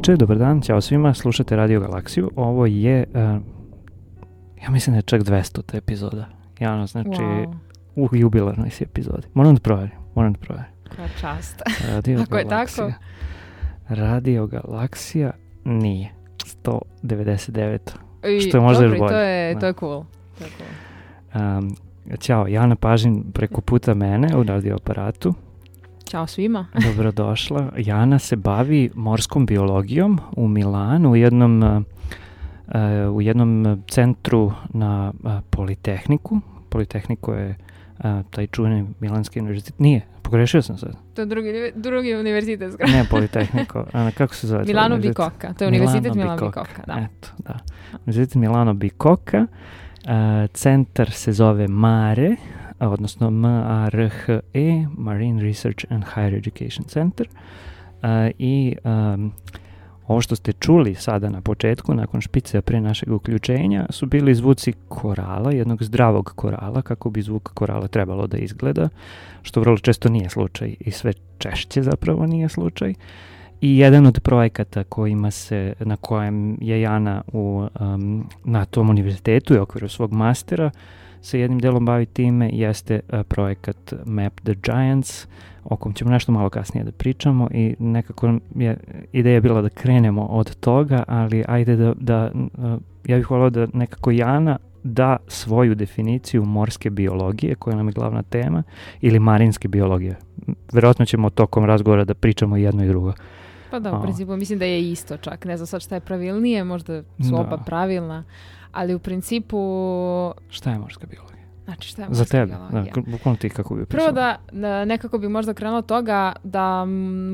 veče, dobar dan, ćao svima, slušate Radio Galaksiju. Ovo je, ja mislim da je čak 200. epizoda. Javno, znači, u jubilarnoj si epizodi. Moram da provjerim. Koja čast. Ako je tako? Radio Galaksija nije. 199. Što je možda još bolje. To je cool. Ćao, Jana Pažin preko puta mene u radio aparatu. Ćao svima. Dobrodošla. Jana se bavi morskom biologijom u Milanu, u jednom centru na Politehniku. Politehniku je taj čuveni Milanski univerzitet. Nije, pogrešio sam sad. To je drugi univerzitet. Ne, Politehnico. Kako se zove? Milano Bicocca. To je univerzitet Milano Bicocca. Da. Eto, da. Univerzitet Milano Bicocca. Centar se zove MARE, odnosno MARHE, Marine Research and Higher Education Center. I ovo što ste čuli sada na početku, nakon špice pre našeg uključenja, su bili zvuci korala, jednog zdravog korala, kako bi zvuk korala trebalo da izgleda, što vrlo često nije slučaj i sve češće zapravo nije slučaj. I jedan od projekata na kojem je Jana na tom univerzitetu i okviru svog mastera se jednim delom bavi time jeste projekat Map the Giants, o kom ćemo nešto malo kasnije da pričamo i nekako je ideja bila da krenemo od toga, ali ajde ja bih volio da nekako Jana da svoju definiciju morske biologije, koja nam je glavna tema, ili marinske biologije. Verovatno ćemo tokom razgovora da pričamo jedno i drugo. Pa da, u principu mislim da je isto čak. Ne znam sad šta je pravilnije, možda su oba pravilna, ali u principu... Šta je morska biologija? Znači, šta je morska biologija? Za tebe, bukvalno ti kako bi pisala. Prvo da nekako bi možda krenulo od toga da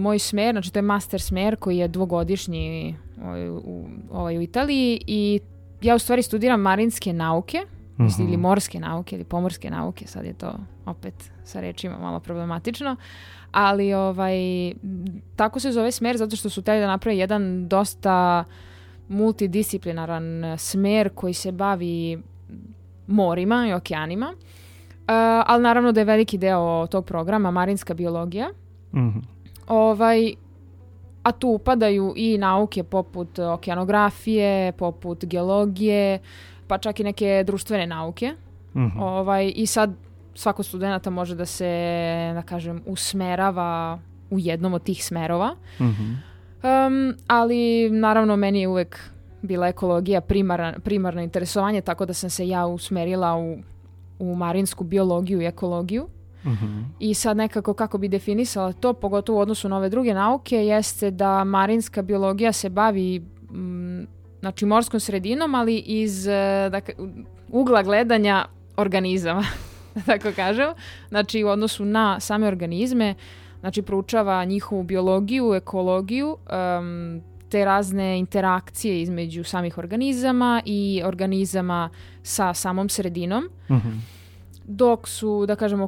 moj smer, znači to je master smer koji je dvogodišnji u Italiji i ja u stvari studiram marinske nauke, ili morske nauke ili pomorske nauke, sad je to opet sa rečima malo problematično. Ali tako se zove smer zato što su htjeli da naprave jedan dosta multidisciplinaran smer koji se bavi morima i okeanima. Ali naravno da je veliki deo tog programa marinska biologija. Mm-hmm. A tu upadaju i nauke poput okeanografije, poput geologije, pa čak i neke društvene nauke. Mm-hmm. I sad svako studenta može da se, da kažem, usmerava u jednom od tih smerova. Mm-hmm. Ali naravno meni je uvek bila ekologija primarno interesovanje, tako da sam se ja usmerila u marinsku biologiju i ekologiju. Mm-hmm. I sad nekako kako bi definisala to, pogotovo u odnosu na ove druge nauke, jeste da marinska biologija se bavi znači morskom sredinom, ali iz ugla gledanja organizama. Tako kažem, znači u odnosu na same organizme, znači proučava njihovu biologiju, ekologiju, te razne interakcije između samih organizama i organizama sa samom sredinom. Mm-hmm. Dok su, da kažem,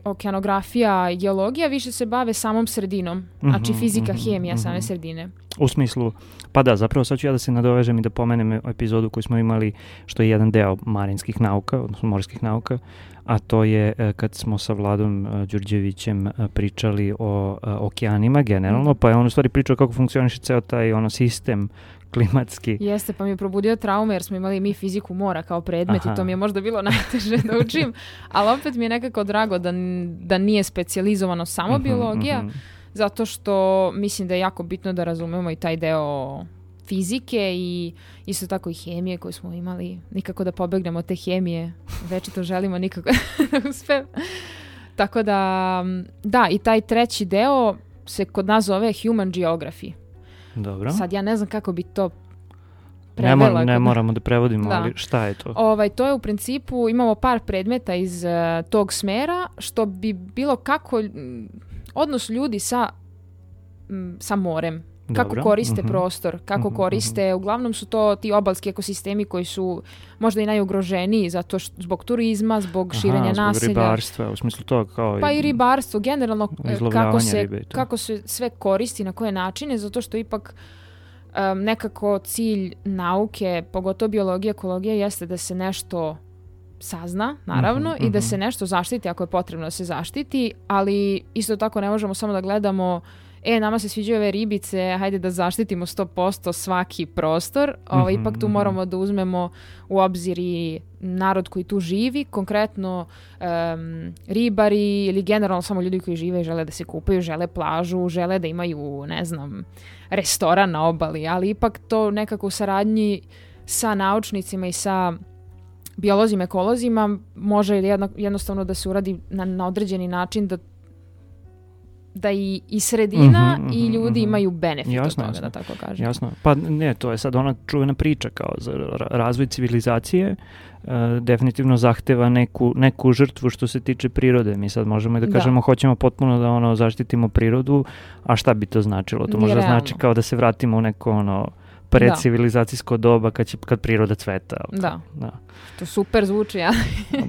okeanografija i geologija više se bave samom sredinom, znači fizika, hemija same sredine. U smislu, pa da, zapravo sad ću ja da se nadovežem i da pomenem epizodu koju smo imali, što je jedan deo marinskih nauka, odnosno morskih nauka, a to je kad smo sa Vladom Đurđevićem pričali o okeanima generalno, pa je on u stvari pričao kako funkcioniše ceo taj sistem klimatski. Jeste, pa mi je probudio traume jer smo imali mi fiziku mora kao predmet. I to mi je možda bilo najteže da učim, ali opet mi je nekako drago da nije specijalizovano samo biologija, zato što mislim da je jako bitno da razumemo i taj deo fizike i isto tako i hemije koju smo imali. Nikako da pobegnemo od te hemije, večito želimo nikako da uspem. Tako da i taj treći deo se kod nas zove Human Geography. Dobro. Sad ja ne znam kako bi to prevela. Ne moramo da prevodimo, ali šta je to? To je u principu, imamo par predmeta iz tog smera, što bi bilo kako odnos ljudi sa morem. Kako koriste prostor, kako koriste, uglavnom su to ti obalski ekosistemi koji su možda i najugroženiji zbog turizma, zbog širenja naselja. Zbog ribarstva, u smislu toga kao... Pa i ribarstvo, generalno kako se sve koristi, na koje načine, zato što ipak nekako cilj nauke, pogotovo biologija, ekologija, jeste da se nešto sazna, naravno, i da se nešto zaštiti ako je potrebno da se zaštiti, ali isto tako ne možemo samo da gledamo nama se sviđaju ove ribice, hajde da zaštitimo 100% svaki prostor, ipak tu moramo da uzmemo u obzir i narod koji tu živi, konkretno ribari ili generalno samo ljudi koji žive i žele da se kupaju, žele plažu, žele da imaju, ne znam, restoran na obali, ali ipak to nekako u saradnji sa naučnicima i sa biolozima, ekolozima može jednostavno da se uradi na određeni način da i sredina i ljudi imaju benefit od toga, da tako kažem. Jasno. Pa ne, to je sad ona čuvena priča kao za razvoj civilizacije definitivno zahteva neku žrtvu što se tiče prirode. Mi sad možemo i da kažemo hoćemo potpuno da zaštitimo prirodu, a šta bi to značilo? To možda znači kao da se vratimo u neko predcivilizacijsko doba kad priroda cveta. Da. To super zvuči, ja.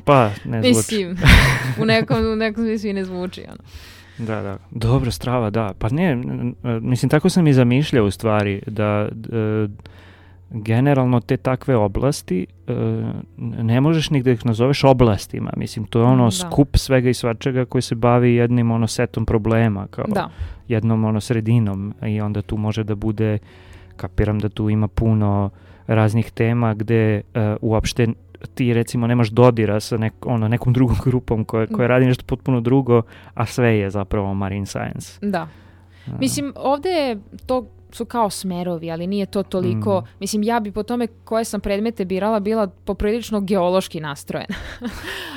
Pa, ne zvuči. Mislim, u nekom smislu i ne zvuči, ono. Da. Dobro, strava, da. Pa ne, mislim, tako sam i zamišljao u stvari da generalno te takve oblasti ne možeš ni da ih nazoveš oblastima. Mislim, to je skup svega i svačega koji se bavi jednim setom problema, kao jednom sredinom, i onda tu može da bude, kapiram da tu ima puno raznih tema gde uopšte ti recimo nemaš dodira sa nekom drugom grupom koja radi nešto potpuno drugo, a sve je zapravo marine science. Da. Mislim, ovdje to su kao smerovi, ali nije to toliko. Mislim, ja bi po tome koje sam predmete birala bila poprilično geološki nastrojena.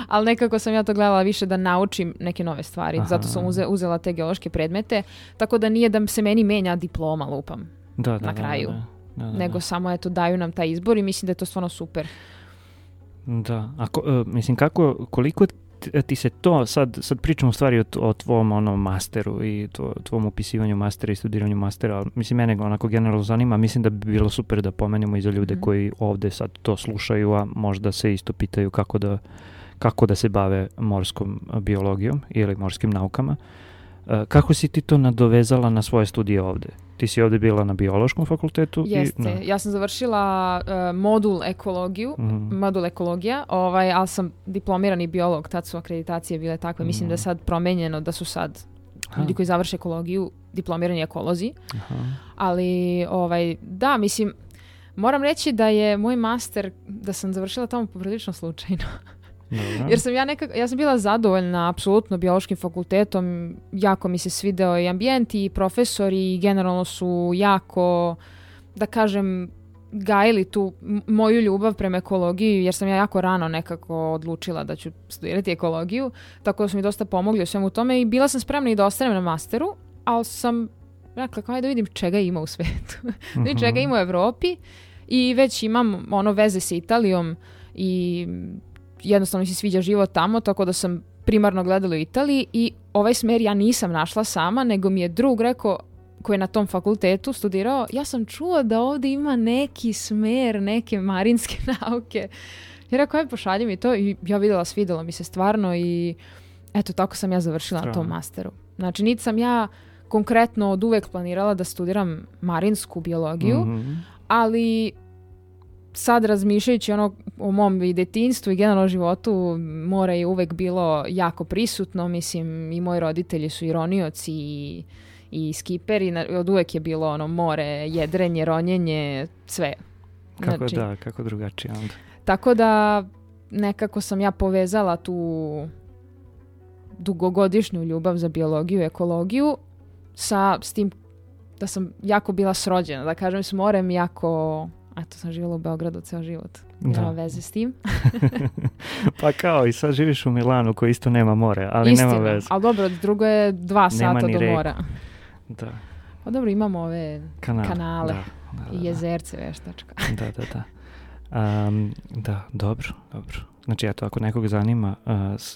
Ali nekako sam ja to gledala više da naučim neke nove stvari. Zato sam uzela te geološke predmete. Tako da nije da se meni menja diploma, lupam, na kraju. Nego samo daju nam taj izbor i mislim da je to stvarno super. Da, mislim koliko ti se to, sad pričamo u stvari o tvom masteru i tvom upisivanju mastera i studiranju mastera, mislim mene onako generalno zanima, mislim da bi bilo super da pomenemo i za ljude koji ovde sad to slušaju, a možda se isto pitaju kako da se bave morskom biologijom ili morskim naukama. Kako si ti to nadovezala na svoje studije ovde? Ti si ovde bila na biološkom fakultetu? Jeste, ja sam završila modul ekologija, ali sam diplomirani biolog, tad su akreditacije bile takve, mislim da je sad promenjeno, da su sad ljudi koji završe ekologiju diplomirani ekolozi, ali da, mislim, moram reći da je moj master, da sam završila tamo poprilično slučajno. Jer ja sam bila zadovoljna apsolutno biološkim fakultetom, jako mi se svideo i ambijent i profesori i generalno su jako, da kažem, gajili tu moju ljubav prema ekologiji, jer sam ja jako rano nekako odlučila da ću studirati ekologiju, tako da su mi dosta pomogli u svemu tome i bila sam spremna i da ostanem na masteru, ali sam rekla kao da vidim čega ima u svetu, čega ima u Evropi i već imam veze sa Italijom i jednostavno mi se sviđa život tamo, tako da sam primarno gledala u Italiji i ovaj smer ja nisam našla sama, nego mi je drug rekao, koji je na tom fakultetu studirao, ja sam čuo da ovdje ima neki smer, neke marinske nauke. Ja rekao, pošalji mi to i ja vidjela, svidjelo mi se stvarno i eto, tako sam ja završila na tom masteru. Znači, niti sam ja konkretno od uvek planirala da studiram marinsku biologiju, ali sad razmišljajući o mom i detinjstvu i generalno životu, more je uvek bilo jako prisutno, mislim i moji roditelji su i ronioci i skiperi, od uvek je bilo more, jedrenje, ronjenje, sve. Kako drugačije onda. Tako da nekako sam ja povezala tu dugogodišnju ljubav za biologiju i ekologiju s tim da sam jako bila srođena, da kažem, s morem jako... Eto, sam živjela u Beogradu ceo život. Nema veze s tim. Pa kao i sad živiš u Milanu koji isto nema more, ali istina, nema veze. Ali dobro, drugo je 2 sata do mora. Da. Pa dobro, imamo ove kanale i jezerce veštačka. Da, dobro. Znači, eto, ako nekog zanima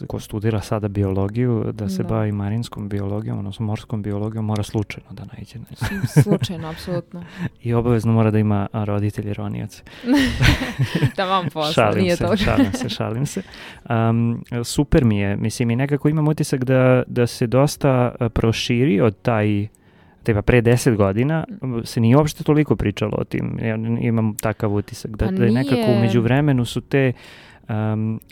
ko studira sada biologiju, da se bavi marinskom biologijom, odnosno morskom biologijom, mora slučajno da naiđe. Slučajno, apsolutno. I obavezno mora da ima roditelji ronioce. Da vam posla, nije to. Šalim se. Super mi je, mislim, i nekako imam utisak da se dosta proširi od pre 10 godina se nije uopšte toliko pričalo o tim. Ja imam takav utisak da je nekako u međuvremenu su te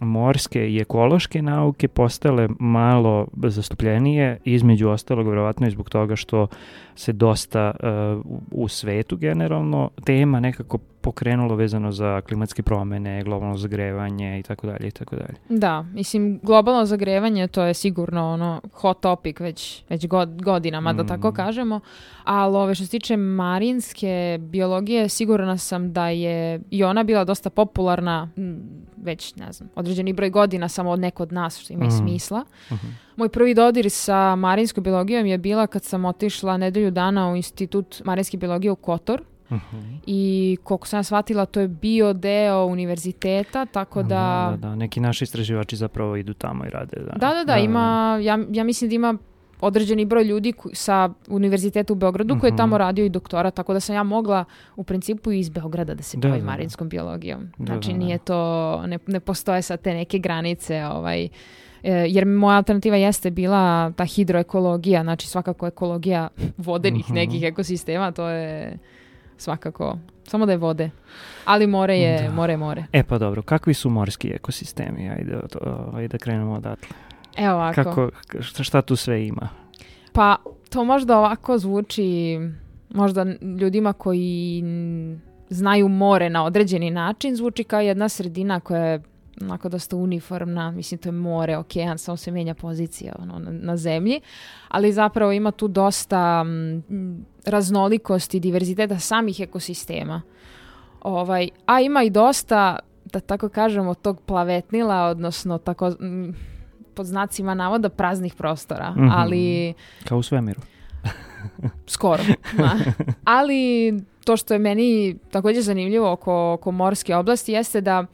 morske i ekološke nauke postale malo zastupljenije, između ostalog vjerovatno i zbog toga što se dosta u svetu generalno tema nekako pokrenulo vezano za klimatske promjene, globalno zagrevanje i tako dalje i tako dalje. Da, mislim, globalno zagrevanje to je sigurno hot topic već godinama, da tako kažemo, ali što se tiče marinske biologije, sigurna sam da je i ona bila dosta popularna već, ne znam, određeni broj godina, samo od neko od nas, što ima i smisla. Moj prvi dodir sa marinskom biologijom je bila kad sam otišla nedelju dana u Institut marinske biologije u Kotor. I koliko sam ja shvatila, to je bio deo univerziteta, tako da... Da, neki naši istraživači zapravo idu tamo i rade. Da, ima, ja mislim da ima određeni broj ljudi sa univerziteta u Beogradu koji je tamo radio i doktora, tako da sam ja mogla u principu iz Beograda da se bavim marinskom biologijom. Znači nije to, ne postoje sad te neke granice, jer moja alternativa jeste bila ta hidroekologija, znači svakako ekologija vodenih nekih ekosistema, to je svakako, samo da je vode. Ali more je more. Pa dobro, kakvi su morski ekosistemi? Ajde da krenemo odatle. Evo ovako. Šta tu sve ima? Pa to možda ovako zvuči možda ljudima koji znaju more na određeni način, zvuči kao jedna sredina koja je onako dosta uniformna, mislim to je more, okean, samo se mijenja pozicija na zemlji, ali zapravo ima tu dosta raznolikosti i diverziteta samih ekosistema. A ima i dosta, da tako kažemo, tog plavetnila, odnosno tako pod znacima navoda praznih prostora, ali... Kao u svemiru. Skoro. Ali to što je meni također zanimljivo oko morske oblasti jeste da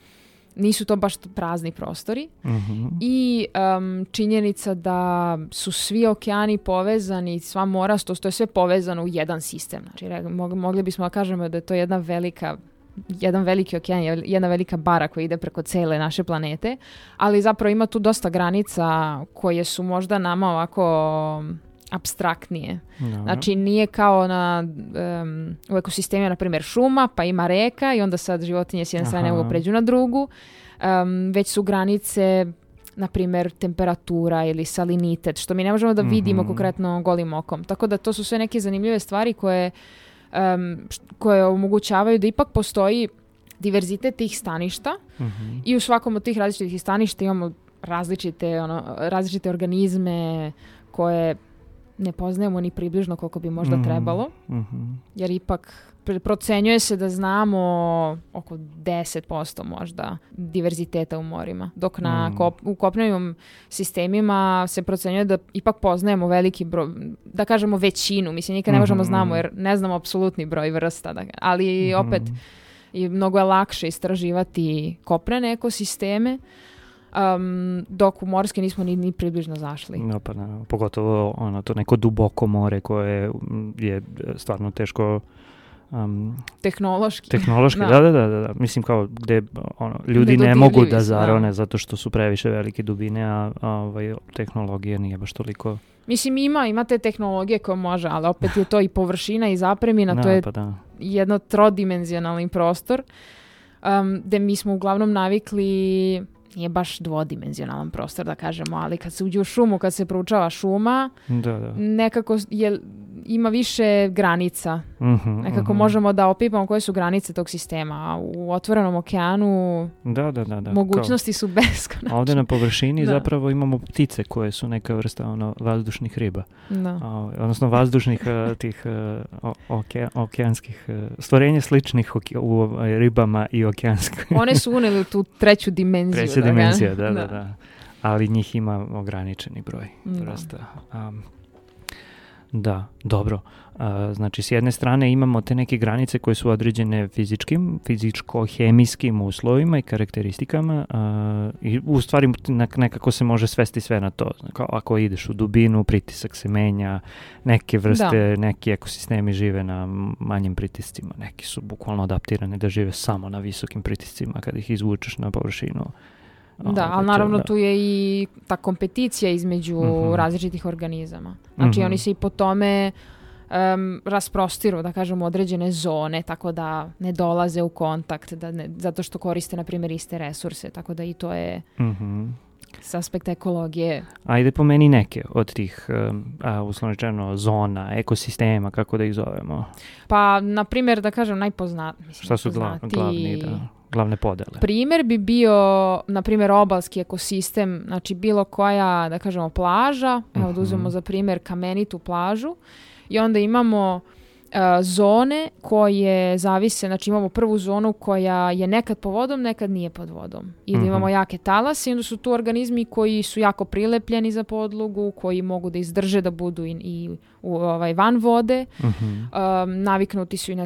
nisu to baš prazni prostori i činjenica da su svi okeani povezani, sva mora, to je sve povezano u jedan sistem. Znači, mogli bismo da kažemo da je to jedan veliki okean, jedna velika bara koja ide preko cele naše planete, ali zapravo ima tu dosta granica koje su možda nama ovako apstraktnije. No. Znači nije kao u ekosistemima, na primjer, šuma, pa ima reka i onda sad životinje s jedne strane mogu pređu na drugu. Već su granice, na primjer, temperatura ili salinitet, što mi ne možemo da vidimo konkretno golim okom. Tako da to su sve neke zanimljive stvari koje omogućavaju da ipak postoji diverzitet tih staništa i u svakom od tih različitih staništa imamo različite organizme koje ne poznajemo ni približno koliko bi možda trebalo, jer ipak procenjuje se da znamo oko 10% možda diverziteta u morima, dok u kopnenim sistemima se procenjuje da ipak poznajemo veliki broj, da kažemo većinu, mislim nikad ne možemo znamo jer ne znamo apsolutni broj vrsta, ali opet mnogo je lakše istraživati kopnene ekosisteme, dok u morske nismo ni približno zašli. No, pa naravno, pogotovo to neko duboko more koje je stvarno teško tehnološki, da. Mislim kao gde ljudi ne mogu da zarone zato što su previše velike dubine, a tehnologija nije baš toliko... Mislim ima te tehnologije koje može, ali opet je to i površina i zapremina, to je jedno trodimenzionalni prostor gde mi smo uglavnom navikli, nije baš dvodimenzionalan prostor da kažemo, ali kad se uđe u šumu, kad se proučava šuma, nekako ima više granica. Nekako možemo da opipamo koje su granice tog sistema, a u otvorenom okeanu mogućnosti su beskonačne. Ovdje na površini zapravo imamo ptice koje su neka vrsta vazdušnih riba. Odnosno vazdušnih tih okeanskih stvorenja sličnih u ribama i okeanskih. One su uneli u tu treću dimenziju. Dimenzija, da. Ali njih ima ograničeni broj vrsta. Da, dobro. Znači, s jedne strane imamo te neke granice koje su određene fizičko-hemijskim uslovima i karakteristikama i u stvari nekako se može svesti sve na to. Ako ideš u dubinu, pritisak se menja, neke vrste, neki ekosistemi žive na manjim pritiscima, neki su bukvalno adaptirani da žive samo na visokim pritiscima kad ih izvučeš na površinu. Da, ali naravno tu je i ta kompeticija između različitih organizama. Znači oni se i po tome rasprostiru, da kažemo, određene zone, tako da ne dolaze u kontakt, zato što koriste, na primjer, iste resurse, tako da i to je s aspekta ekologije. Ajde pomeni neke od tih, uslovno rečeno, zona, ekosistema, kako da ih zovemo. Pa, na primjer, da kažem, šta su glavne podele? Primjer bi bio, na primjer, obalski ekosistem, znači bilo koja, da kažemo, plaža, evo da uzmemo za primjer kamenitu plažu, i onda imamo zone koje zavise, znači imamo prvu zonu koja je nekad pod vodom, nekad nije pod vodom. Ili imamo jake talase i onda su tu organizmi koji su jako prilepljeni za podlogu, koji mogu da izdrže da budu i van vode. Naviknuti su i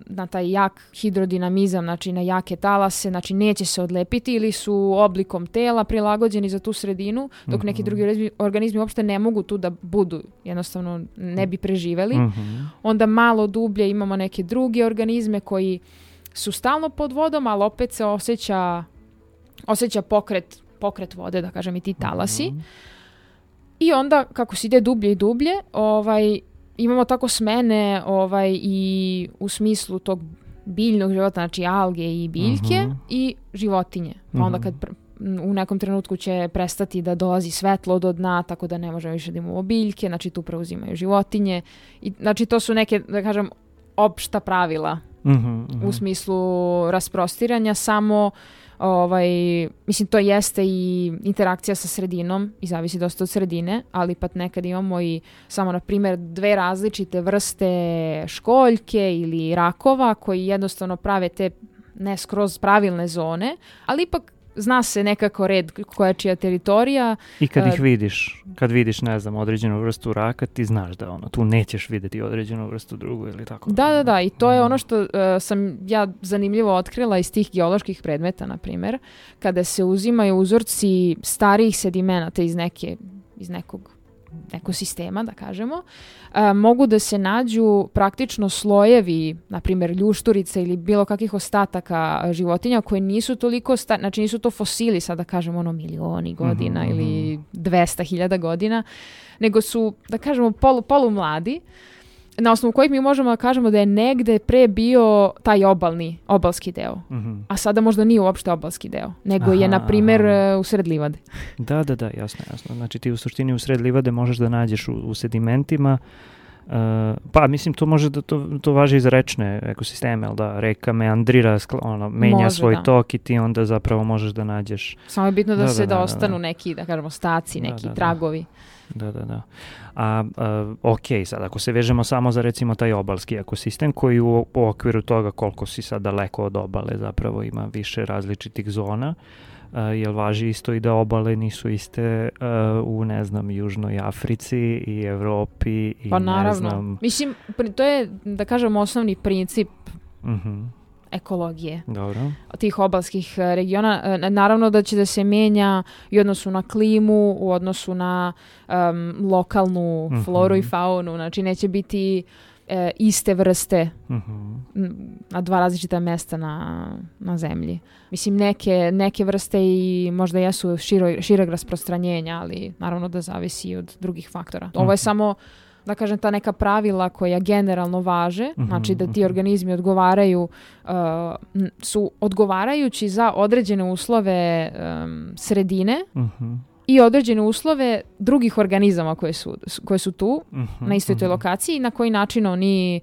na taj jak hidrodinamizam, znači na jake talase, znači neće se odlepiti ili su oblikom tela prilagođeni za tu sredinu, dok neki drugi organizmi uopšte ne mogu tu da budu, jednostavno ne bi preživeli. Onda malo dublje imamo neke druge organizme koji su stalno pod vodom, ali opet se osjeća pokret vode, da kažem, i ti talasi. I onda kako se ide dublje i dublje, imamo tako smene i u smislu tog biljnog života, znači alge i biljke i životinje. Pa onda kad u nekom trenutku će prestati da dolazi svetlo do dna, tako da ne možemo više da imamo biljke, znači tu preuzimaju životinje. I, znači to su neke, da kažem, opšta pravila u smislu rasprostiranja, samo mislim, to jeste i interakcija sa sredinom i zavisi dosta od sredine, ali pa nekad imamo i samo, na primjer, 2 različite vrste školjke ili rakova koji jednostavno prave te ne skroz pravilne zone, ali ipak zna se nekako red koja je čija teritorija. I kad ih vidiš, ne znam, određenu vrstu raka, ti znaš da tu nećeš vidjeti određenu vrstu drugu ili tako. Da, i to je ono što sam ja zanimljivo otkrila iz tih geoloških predmeta, na primjer, kada se uzimaju uzorci starijih sedimenata iz nekog ekosistema, da kažemo, mogu da se nađu praktično slojevi, na primjer ljušturica ili bilo kakvih ostataka životinja koje nisu toliko, znači nisu to fosili, sad da kažemo milioni godina ili 200.000 godina, nego su, da kažemo, polumladi, na osnovu kojih mi možemo da kažemo da je negde pre bio taj obalski deo. A sada možda nije uopšte obalski deo, nego je, na primjer, u sred livade. Da, jasno. Znači ti u suštini u sred livade možeš da nađeš u sedimentima, pa mislim to može da to važi i za rečne ekosisteme, da reka meandrira, menja svoj tok i ti onda zapravo možeš da nađeš. Samo je bitno da ostanu neki, da kažemo, staci, neki tragovi. Da. Ok, sad ako se vežemo samo za recimo taj obalski ekosistem koji u okviru toga koliko si sad daleko od obale zapravo ima više različitih zona, jel važi isto i da obale nisu iste u, ne znam, Južnoj Africi i Evropi i pa naravno. Mislim, to je, da kažem, osnovni princip ekologije. Dobro. Tih obalskih regiona. Naravno da će da se menja i u odnosu na klimu, u odnosu na lokalnu floru i faunu. Znači neće biti iste vrste na 2 različita mesta na zemlji. Mislim, neke vrste i možda jesu šireg rasprostranjenja, ali naravno da zavisi od drugih faktora. Ovo je samo, da kažem, ta neka pravila koja generalno važe, znači da ti organizmi su odgovarajući za određene uslove sredine i određene uslove drugih organizama koje su tu na istoj toj lokaciji i na koji način oni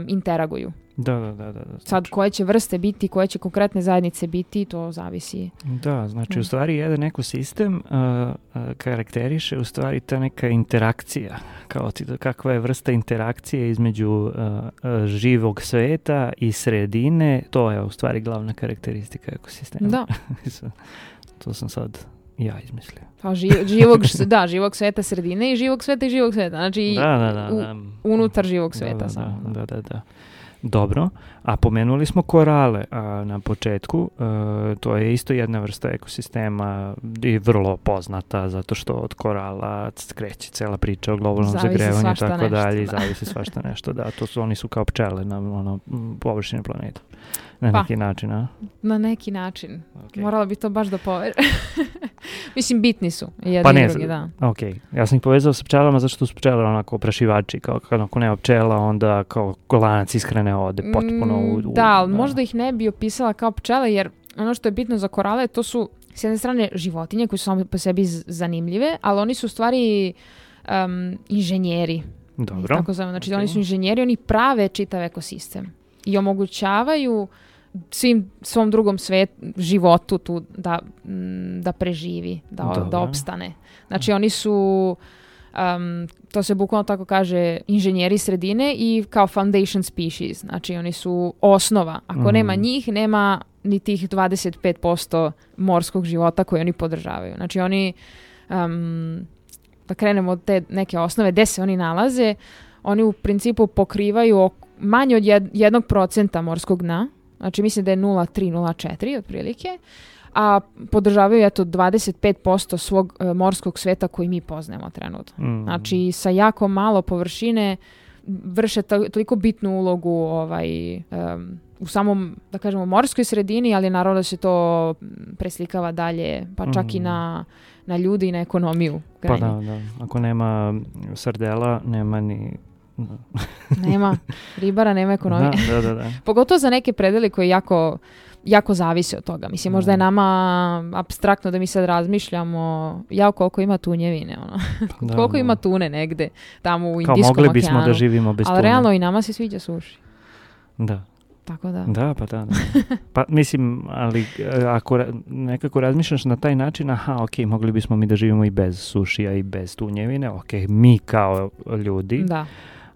interaguju. Da. Sad koje će vrste biti, koje će konkretne zajednice biti, to zavisi. Da, znači u stvari jedan ekosistem karakteriše u stvari ta neka interakcija, kakva je vrsta interakcije između živog sveta i sredine, to je u stvari glavna karakteristika ekosistema. Da. To sam sad ja izmislio. Pa živog sveta sredine i živog sveta. Znači unutar živog sveta. Da. Dobro, a pomenuli smo korale na početku, to je isto jedna vrsta ekosistema i vrlo poznata zato što od korala skreće cela priča o globalnom zagrevanju i tako dalje i zavisi svašta nešto, da, oni su kao pčele na površini planeta. Na neki način, a? Na neki način. Okay. Morala bi to baš da poveri. Mislim, bitni su jedan Pa ne, i drugi, da. Ok, ja sam ih povezao sa pčelama zato što su pčele onako oprašivači, kao ako nema pčela, onda kao lanac ishrane ode potpuno Da, ali možda ih ne bi opisala kao pčele, jer ono što je bitno za korale, to su s jedne strane životinje koje su samo po sebi zanimljive, ali oni su u stvari inženjeri. Dobro. Tako zove. Znači, oni su inženjeri, oni prave čitav ekosistem i omogućavaju svom drugom životu tu da preživi, da opstane. Znači, oni su, to se bukvalno tako kaže, inženjeri sredine i kao foundation species. Znači, oni su osnova. Ako nema njih, nema ni tih 25% morskog života koje oni podržavaju. Znači, oni, da krenemo od te neke osnove, gde se oni nalaze, oni u principu pokrivaju manje od 1% morskog dna. Znači, mislim da je 0,3-0,4 otprilike, a podržavaju 25% svog morskog sveta koji mi poznajemo trenutno. Znači, sa jako malo površine vrše toliko bitnu ulogu u samom, da kažemo, morskoj sredini, ali naravno da se to preslikava dalje, pa čak i na ljudi i na ekonomiju. Pa da. Ako nema sardela, nema ni... Nema ribara, nema ekonomije. Da. Pogotovo za neke predele koji jako zavise od toga. Mislim, možda je nama apstraktno da mi sad razmišljamo koliko ima tunjevine, koliko ima tune negde tamo u Indijskom okeanu. Kao mogli bismo da živimo bez tune. Ali realno i nama se sviđa suši. Da. Tako da. Da. Pa mislim, ali ako nekako razmišljaš na taj način, mogli bismo mi da živimo i bez sušija i bez tunjevine, mi kao ljudi. Da.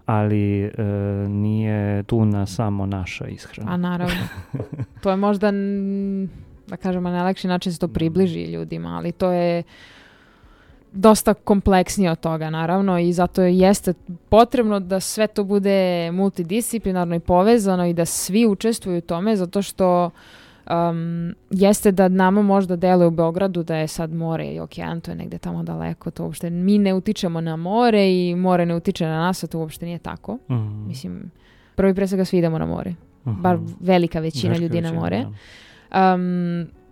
Ali nije tuna samo naša ishrana. A naravno. To je možda, da kažemo, najlakši način se to približi ljudima, ali to je dosta kompleksnije od toga, naravno, i zato jeste potrebno da sve to bude multidisciplinarno i povezano i da svi učestvuju u tome, zato što jeste da nama možda deluje u Beogradu da je sad more i okean, to je negde tamo daleko, to uopšte mi ne utičemo na more i more ne utiče na nas, a to uopšte nije tako. Mislim, prvo i pre svega svi idemo na more. Bar velika većina ljudi na more.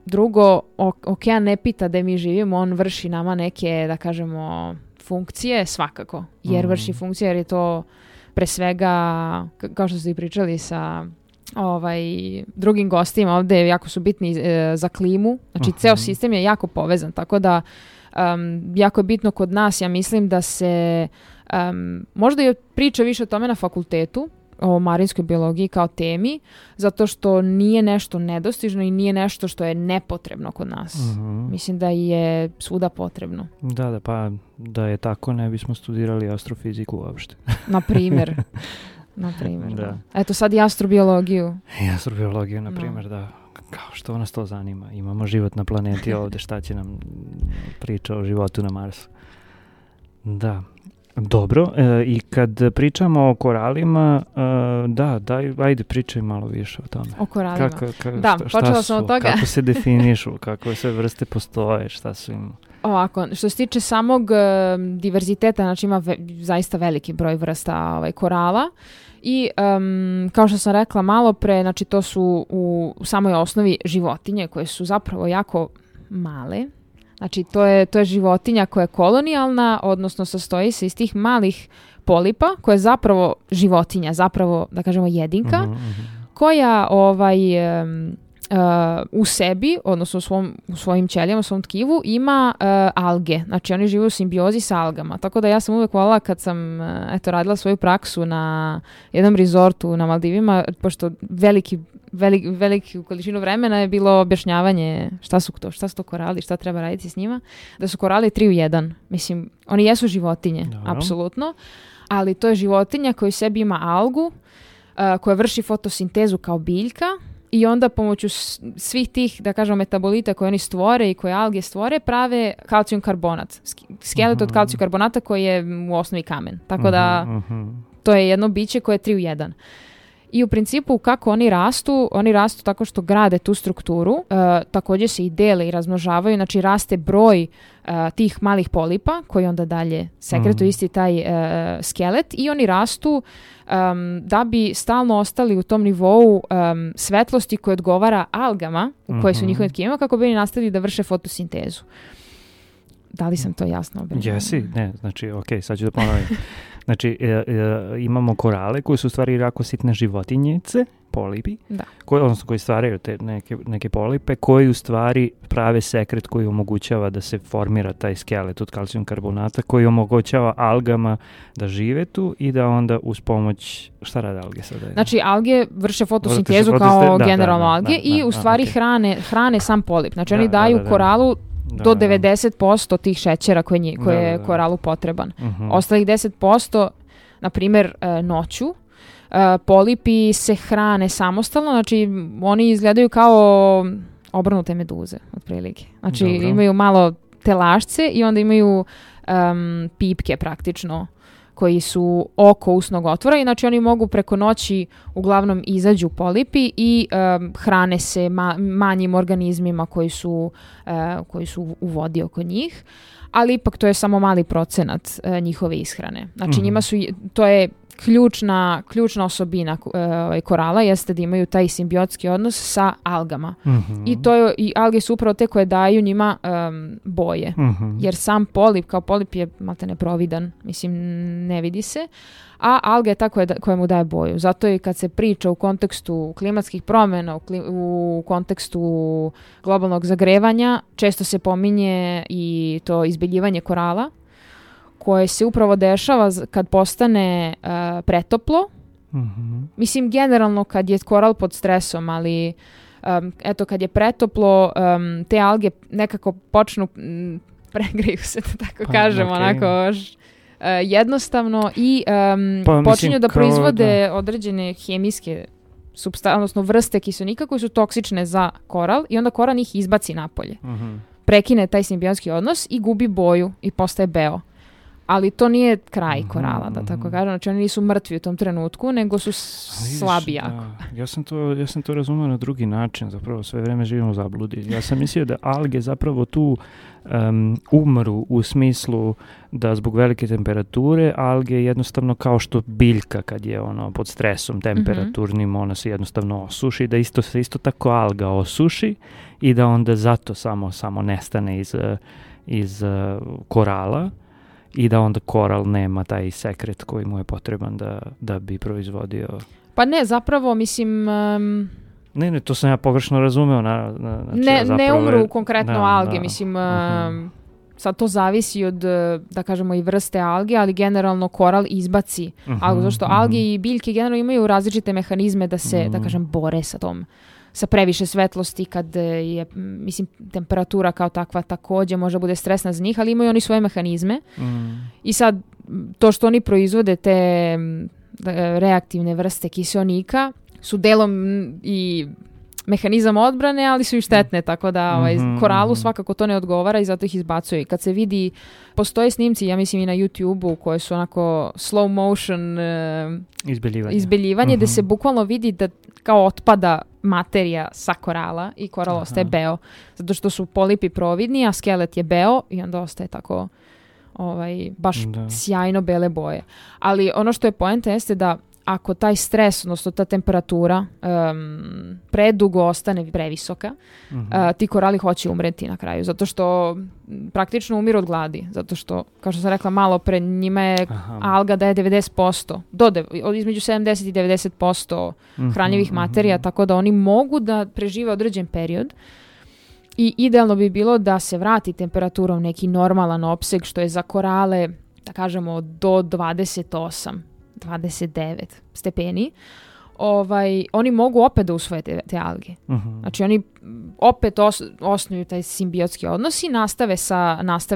Drugo, okean ne pita da mi živimo, on vrši nama neke, da kažemo, funkcije svakako. Jer vrši funkcije, jer je to pre svega, kao što ste i pričali sa drugim gostima ovde, jako su bitni za klimu. Znači, ceo sistem je jako povezan, tako da jako je bitno kod nas, ja mislim da se možda je priča više o tome na fakultetu, o marinskoj biologiji kao temi, zato što nije nešto nedostižno i nije nešto što je nepotrebno kod nas. Mislim da je svuda potrebno. Da, pa da je tako ne bismo studirali astrofiziku uopšte. Na primjer. Da. Eto sad i astrobiologiju. Astrobiologiju, na primjer, da. Kao što nas to zanima. Imamo život na planeti ovde, šta će nam priča o životu na Marsu. Da. Dobro, i kad pričamo o koralima, ajde pričaj malo više o tome. O koralima. Počela sam od toga. Kako se definišu, kakve sve vrste postoje, šta su im... Ovako, što se tiče samog diverziteta, znači ima zaista veliki broj vrsta korala i kao što sam rekla malo pre, znači to su u samoj osnovi životinje koje su zapravo jako male. Znači, to je životinja koja je kolonijalna, odnosno sastoji se iz tih malih polipa, koja je zapravo životinja, zapravo, da kažemo, jedinka, koja u sebi, odnosno u svojim ćelijama, u svom tkivu, ima alge. Znači, oni žive u simbiozi sa algama. Tako da ja sam uvek voljela kad sam radila svoju praksu na jednom rezortu na Maldivima, pošto veliku količinu vremena je bilo objašnjavanje šta su to korali, šta treba raditi s njima, da su korali 3 u 1. Mislim, oni jesu životinje, apsolutno, ali to je životinja koja u sebi ima algu, koja vrši fotosintezu kao biljka i onda pomoću svih tih, da kažemo, metabolita koje oni stvore i koje alge stvore, prave kalcijum karbonat. Skelet od kalcijum karbonata koji je u osnovi kamen. Tako da to je jedno biće koje je 3 u 1. I u principu kako oni rastu tako što grade tu strukturu, također se i dele i razmnožavaju, znači raste broj tih malih polipa koji onda dalje sekretuju isti taj skelet i oni rastu da bi stalno ostali u tom nivou svetlosti koja odgovara algama u koje su njihovim tkivima kako bi oni nastavili da vrše fotosintezu. Da li sam to jasno objasnila? Jesi, ne, znači, sad ću da ponovim. Znači, imamo korale koji su u stvari jako sitne životinjice, polipi, koji stvaraju te neke polipe, koji u stvari prave sekret koji omogućava da se formira taj skelet od kalcijum karbonata, koji omogućava algama da žive tu i da onda uz pomoć, šta rade alge sada? Znači, alge vrše fotosintezu kao generalno alge i u stvari hrane sam polip. Znači, oni daju koralu do 90% tih šećera koje je koralu potreban. Ostalih 10%, na primjer, noću, polipi se hrane samostalno, znači oni izgledaju kao obrnute meduze, otprilike. Znači imaju malo telašce i onda imaju pipke praktično koji su oko usnog otvora i znači oni mogu preko noći uglavnom izađu polipi i hrane se manjim organizmima koji su u vodi oko njih, ali ipak to je samo mali procenat njihove ishrane. Znači njima to je ključna osobina korala jeste da imaju taj simbiotski odnos sa algama. I alge su upravo te koje daju njima boje. Jer sam polip, kao polip je maltene providan, mislim ne vidi se, a alga je ta koja mu daje boju. Zato i kad se priča u kontekstu klimatskih promjena, u kontekstu globalnog zagrevanja, često se pominje i to izbeljivanje korala, koje se upravo dešava kad postane pretoplo. Mislim, generalno kad je koral pod stresom, ali kad je pretoplo, te alge nekako počnu, pregreju se, da tako kažem, onako jednostavno i počinju da proizvode određene hemijske odnosno vrste kiselnika koji su toksične za koral i onda koral njih izbaci napolje. Prekine taj simbiotski odnos i gubi boju i postaje beo. Ali to nije kraj korala, da tako kažem. Znači oni nisu mrtvi u tom trenutku, nego su slabi jako. Ja sam to razumio na drugi način, zapravo sve vreme živimo u zabludi. Ja sam mislio da alge zapravo tu umru u smislu da zbog velike temperature alge jednostavno kao što biljka kad je pod stresom temperaturnim, ona se jednostavno osuši, da se isto tako alga osuši i da onda zato samo nestane iz korala. I da onda koral nema taj sekret koji mu je potreban da bi proizvodio. Pa ne, zapravo, mislim... Ne, to sam ja pogrešno razumeo. Ne umru konkretno alge, mislim... Sad to zavisi od, da kažemo, i vrste alge, ali generalno koral izbaci algu. Zašto alge i biljke generalno imaju različite mehanizme da se, da kažem, bore sa previše svetlosti kad je, mislim, temperatura kao takva također može bude stresna za njih, ali imaju oni svoje mehanizme. I sad, to što oni proizvode te reaktivne vrste kiseonika su delom i mehanizam odbrane, ali su i štetne, tako da koralu svakako to ne odgovara i zato ih izbacuje. Kad se vidi, postoje snimci, ja mislim i na YouTube-u, koje su onako slow motion izbeljivanje gde se bukvalno vidi da kao otpada materija sa korala i koral ostaje beo. Zato što su polipi providni, a skelet je beo i onda ostaje tako baš sjajno bele boje. Ali ono što je poenta jeste da ako taj stres, odnosno ta temperatura predugo ostane previsoka, ti korali hoće umreti na kraju, zato što praktično umiru od gladi, zato što, kao što sam rekla malo pre, njima je alga daje 90%, između 70 i 90% hranjivih materija, tako da oni mogu da prežive određen period i idealno bi bilo da se vrati temperatura u neki normalan opseg, što je za korale, da kažemo, do 29 stepeni, oni mogu opet da usvoje te alge. Znači oni opet osnuju taj simbiotski odnos i nastave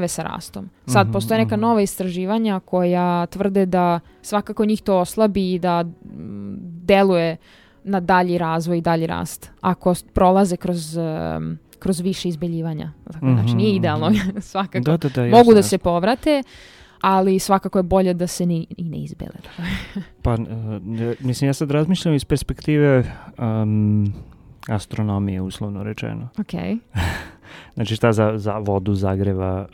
sa rastom. Sad postoje neka nova istraživanja koja tvrde da svakako njih to oslabi i da deluje na dalji razvoj i dalji rast ako prolaze kroz više izbeljivanja. Znači nije idealno svakako. Mogu da se povrate, ali svakako je bolje da se i ne izbele. Pa, mislim, ja sad razmišljam iz perspektive astronomije, uslovno rečeno. Okay. Znači šta za vodu zagreva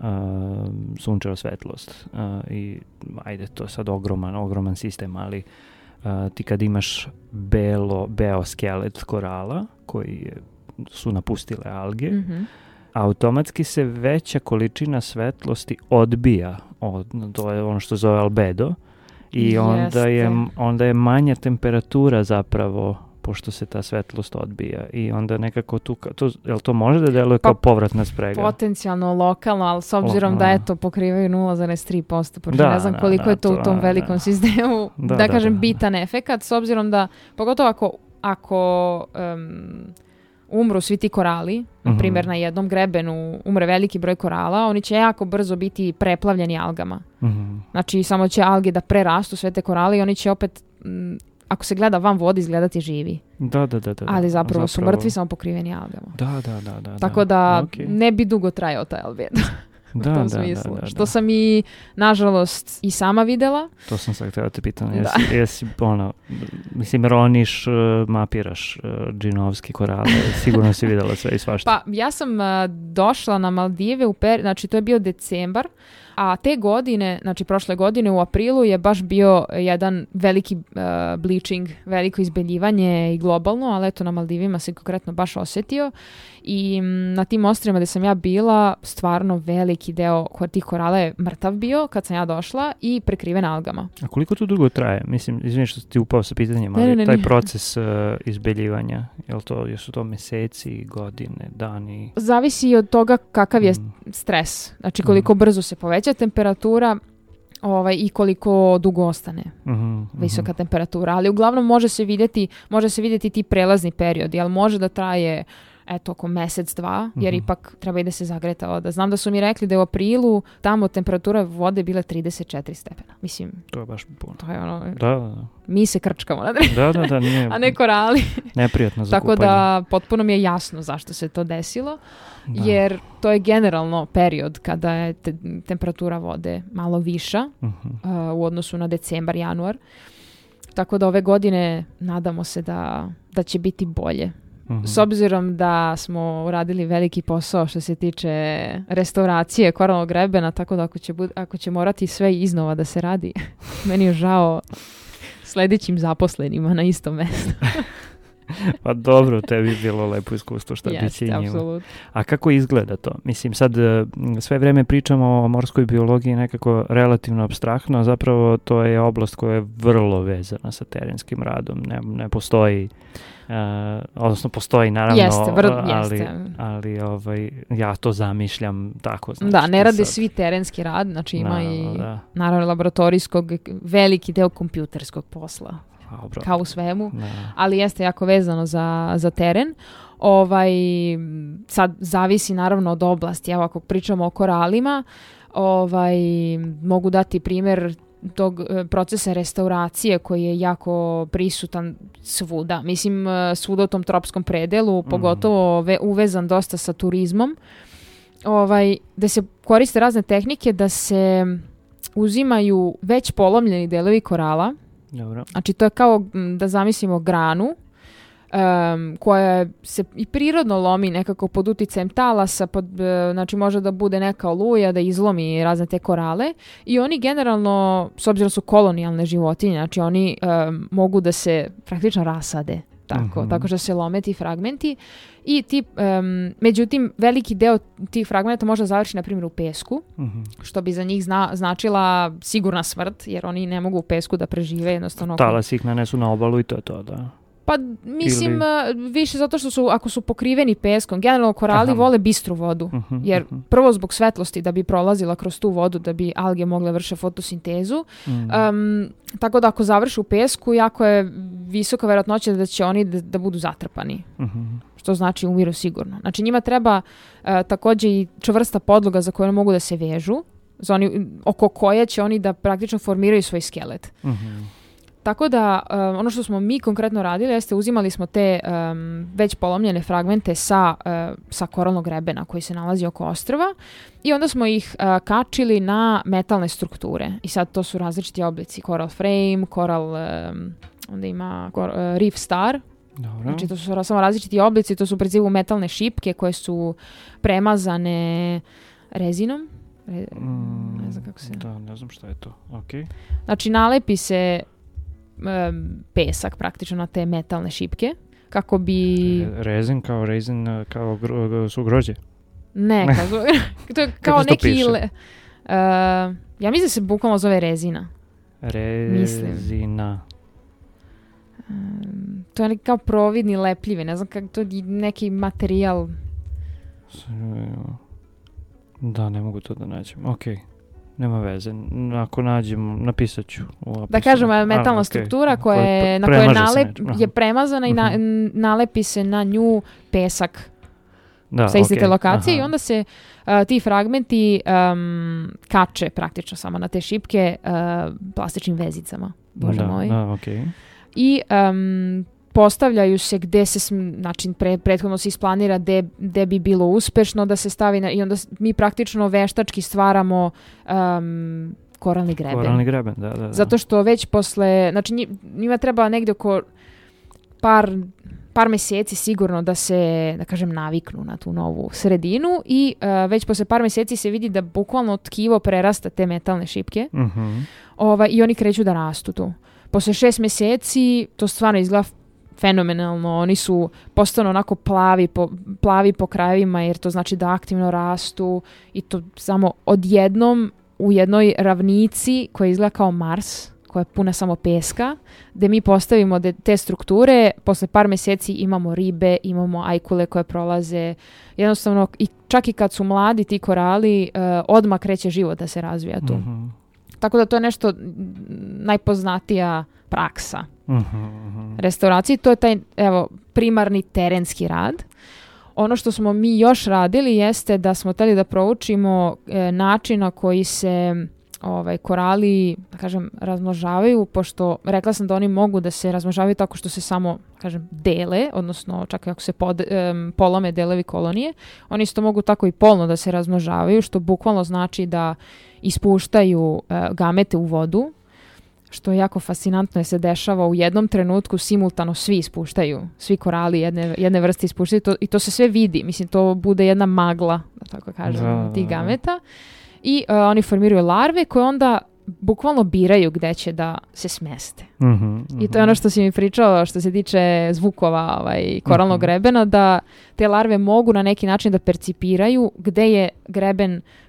sunčeva svetlost. I ajde, to je sad ogroman sistem, ali ti kad imaš beo skelet korala koji su napustile alge, automatski se veća količina svetlosti odbija. To je ono što zove albedo. I onda je manja temperatura zapravo, pošto se ta svetlost odbija. I onda nekako jel to može da deluje kao povratna sprega? Potencijalno lokalno, ali s obzirom da pokrivaju 0,3%, pošto ne znam koliko je to u tom velikom sistemu, da kažem, bitan efekat, s obzirom da, pogotovo ako umru svi ti korali, na primjer na jednom grebenu umre veliki broj korala, oni će jako brzo biti preplavljeni algama. Znači, samo će alge da prerastu sve te korale i oni će opet, ako se gleda van vode, izgledati živi. Da. Ali zapravo su mrtvi, samo pokriveni algama. Da. Tako da ne bi dugo trajao taj albedo. U tom smislu. Što sam i, nažalost, i sama videla. To sam sad htjela te pitam. Jesi mislim, roniš, mapiraš džinovski korale. Sigurno si videla sve i svašta. Pa, ja sam došla na Maldive, znači to je bio decembar, a te godine, znači prošle godine u aprilu je baš bio jedan veliki bleaching, veliko izbeljivanje i globalno, ali eto na Maldivima se konkretno baš osjetio i na tim ostrvima gdje sam ja bila, stvarno veliki deo tih korala je mrtav bio kad sam ja došla i prekriven algama. A koliko to dugo traje? Mislim, izvini što ti upao sa pitanjem, ali taj proces izbeljivanja, jesu to meseci, godine, dani? Zavisi od toga kakav je stres. Znači koliko brzo se poveća temperatura i koliko dugo ostane visoka temperatura. Ali uglavnom može se vidjeti ti prelazni periodi, ali može da traje oko mjesec, dva, jer ipak treba i da se zagreta voda. Znam da su mi rekli da je u aprilu tamo temperatura vode bile 34 stepena. Mislim, to je baš puno. To je ono, da. Mi se krčkamo na da, nije, a ne korali. Neprijatno za Tako kupanje. da potpuno mi je jasno zašto se to desilo, jer to je generalno period kada je temperatura vode malo viša u odnosu na decembar, januar. Tako da ove godine nadamo se da će biti bolje. S obzirom da smo uradili veliki posao što se tiče restauracije koralnog grebena, tako da ako će morati sve iznova da se radi, meni je žao sljedećim zaposlenima na istom mjestu. Pa dobro, tebi je bilo lepo iskustvo šta bi će njima. Apsolutno. A kako izgleda to? Mislim, sad sve vreme pričamo o morskoj biologiji nekako relativno apstraktno, a zapravo to je oblast koja je vrlo vezana sa terenskim radom. Ne postoji, odnosno postoji naravno, ali ja to zamišljam tako. Znači, da, ne rade svi terenski rad, znači ima naravno laboratorijskog, veliki deo kompjuterskog posla. Kao u svemu, ali jeste jako vezano za teren. Sad zavisi naravno od oblasti. Evo, ako pričamo o koralima, mogu dati primjer tog procesa restauracije koji je jako prisutan svuda. Mislim, svuda u tom tropskom predelu, pogotovo uvezan dosta sa turizmom, da se koriste razne tehnike da se uzimaju već polomljeni delovi korala. Dobro. Znači to je kao da zamislimo granu koja se i prirodno lomi nekako pod uticajem talasa, znači može da bude neka oluja da izlomi razne te korale i oni generalno, s obzirom su kolonijalne životinje, znači oni mogu da se praktično rasade. Tako što se lome ti fragmenti i međutim veliki deo tih fragmenta može završiti na primjer u pesku, što bi za njih značila sigurna smrt, jer oni ne mogu u pesku da prežive jednostavno. Talas ih nanesu na obalu i to je to, da. Pa mislim više zato što ako su pokriveni peskom, generalno korali vole bistru vodu, jer prvo zbog svetlosti da bi prolazila kroz tu vodu, da bi alge mogle vrše fotosintezu, tako da ako završe u pesku, jako je visoka vjerojatnoća da će oni da budu zatrpani, što znači umiru sigurno. Znači njima treba također i čvrsta podloga za koju mogu da se vežu, oko koje će oni da praktično formiraju svoj skelet. Tako da ono što smo mi konkretno radili jeste uzimali smo te već polomljene fragmente sa koralnog grebena koji se nalazi oko ostrva i onda smo ih kačili na metalne strukture. I sad to su različiti oblici. Coral frame, onda ima reef star. Dobro. Znači to su samo različiti oblici, to su u principu metalne šipke koje su premazane rezinom. Ne znam kako se... Da, ne znam šta je to. Okay. Znači nalepi se pesak praktično na te metalne šipke kako bi... Rezin kao su grožđe? Ne, to je kao neki... ja mislim da se bukvalno zove rezina. Rezina. To je kao providni lepljivi, ne znam kako to je neki materijal. Da, ne mogu to da nađem. Okej. Nema veze. Ako nađemo, napisat ću u opisu. Da kažemo, metalna struktura na koja je premazana i nalepi se na nju pesak sa iste te lokacije i onda se ti fragmenti kače praktično samo na te šipke plastičnim vezicama. Bože moj. I postavljaju se gde se, znači prethodno se isplanira gde bi bilo uspešno da se stavi i onda mi praktično veštački stvaramo koralni greben. Koralni greben, da. Zato što već posle, znači njima treba negdje oko par meseci sigurno da se, da kažem, naviknu na tu novu sredinu i već posle par meseci se vidi da bukvalno tkivo prerasta te metalne šipke i oni kreću da rastu tu. Posle 6 meseci to stvarno izgleda fenomenalno, oni su postano onako plavi po krajevima jer to znači da aktivno rastu i to samo odjednom u jednoj ravnici koja izgleda kao Mars, koja je puna samo peska, gde mi postavimo te strukture, posle par meseci imamo ribe, imamo ajkule koje prolaze, jednostavno i čak i kad su mladi ti korali, odmah kreće život da se razvija tu. Tako da to je nešto najpoznatija praksa restauracije. To je taj primarni terenski rad. Ono što smo mi još radili jeste da smo hteli da proučimo način na koji se korali, da kažem, razmnožavaju, pošto rekla sam da oni mogu da se razmnožavaju tako što se samo, kažem, dele, odnosno čak ako se polome delovi kolonije, oni isto mogu tako i polno da se razmnožavaju, što bukvalno znači da ispuštaju gamete u vodu, što je jako fascinantno jer se dešava u jednom trenutku simultano svi ispuštaju, svi korali jedne vrste ispuštaju i to se sve vidi, mislim to bude jedna magla, da tako kažem, tih gameta i oni formiraju larve koje onda bukvalno biraju gde će da se smeste. I to je ono što si mi pričao što se tiče zvukova koralnog grebena, da te larve mogu na neki način da percipiraju gde je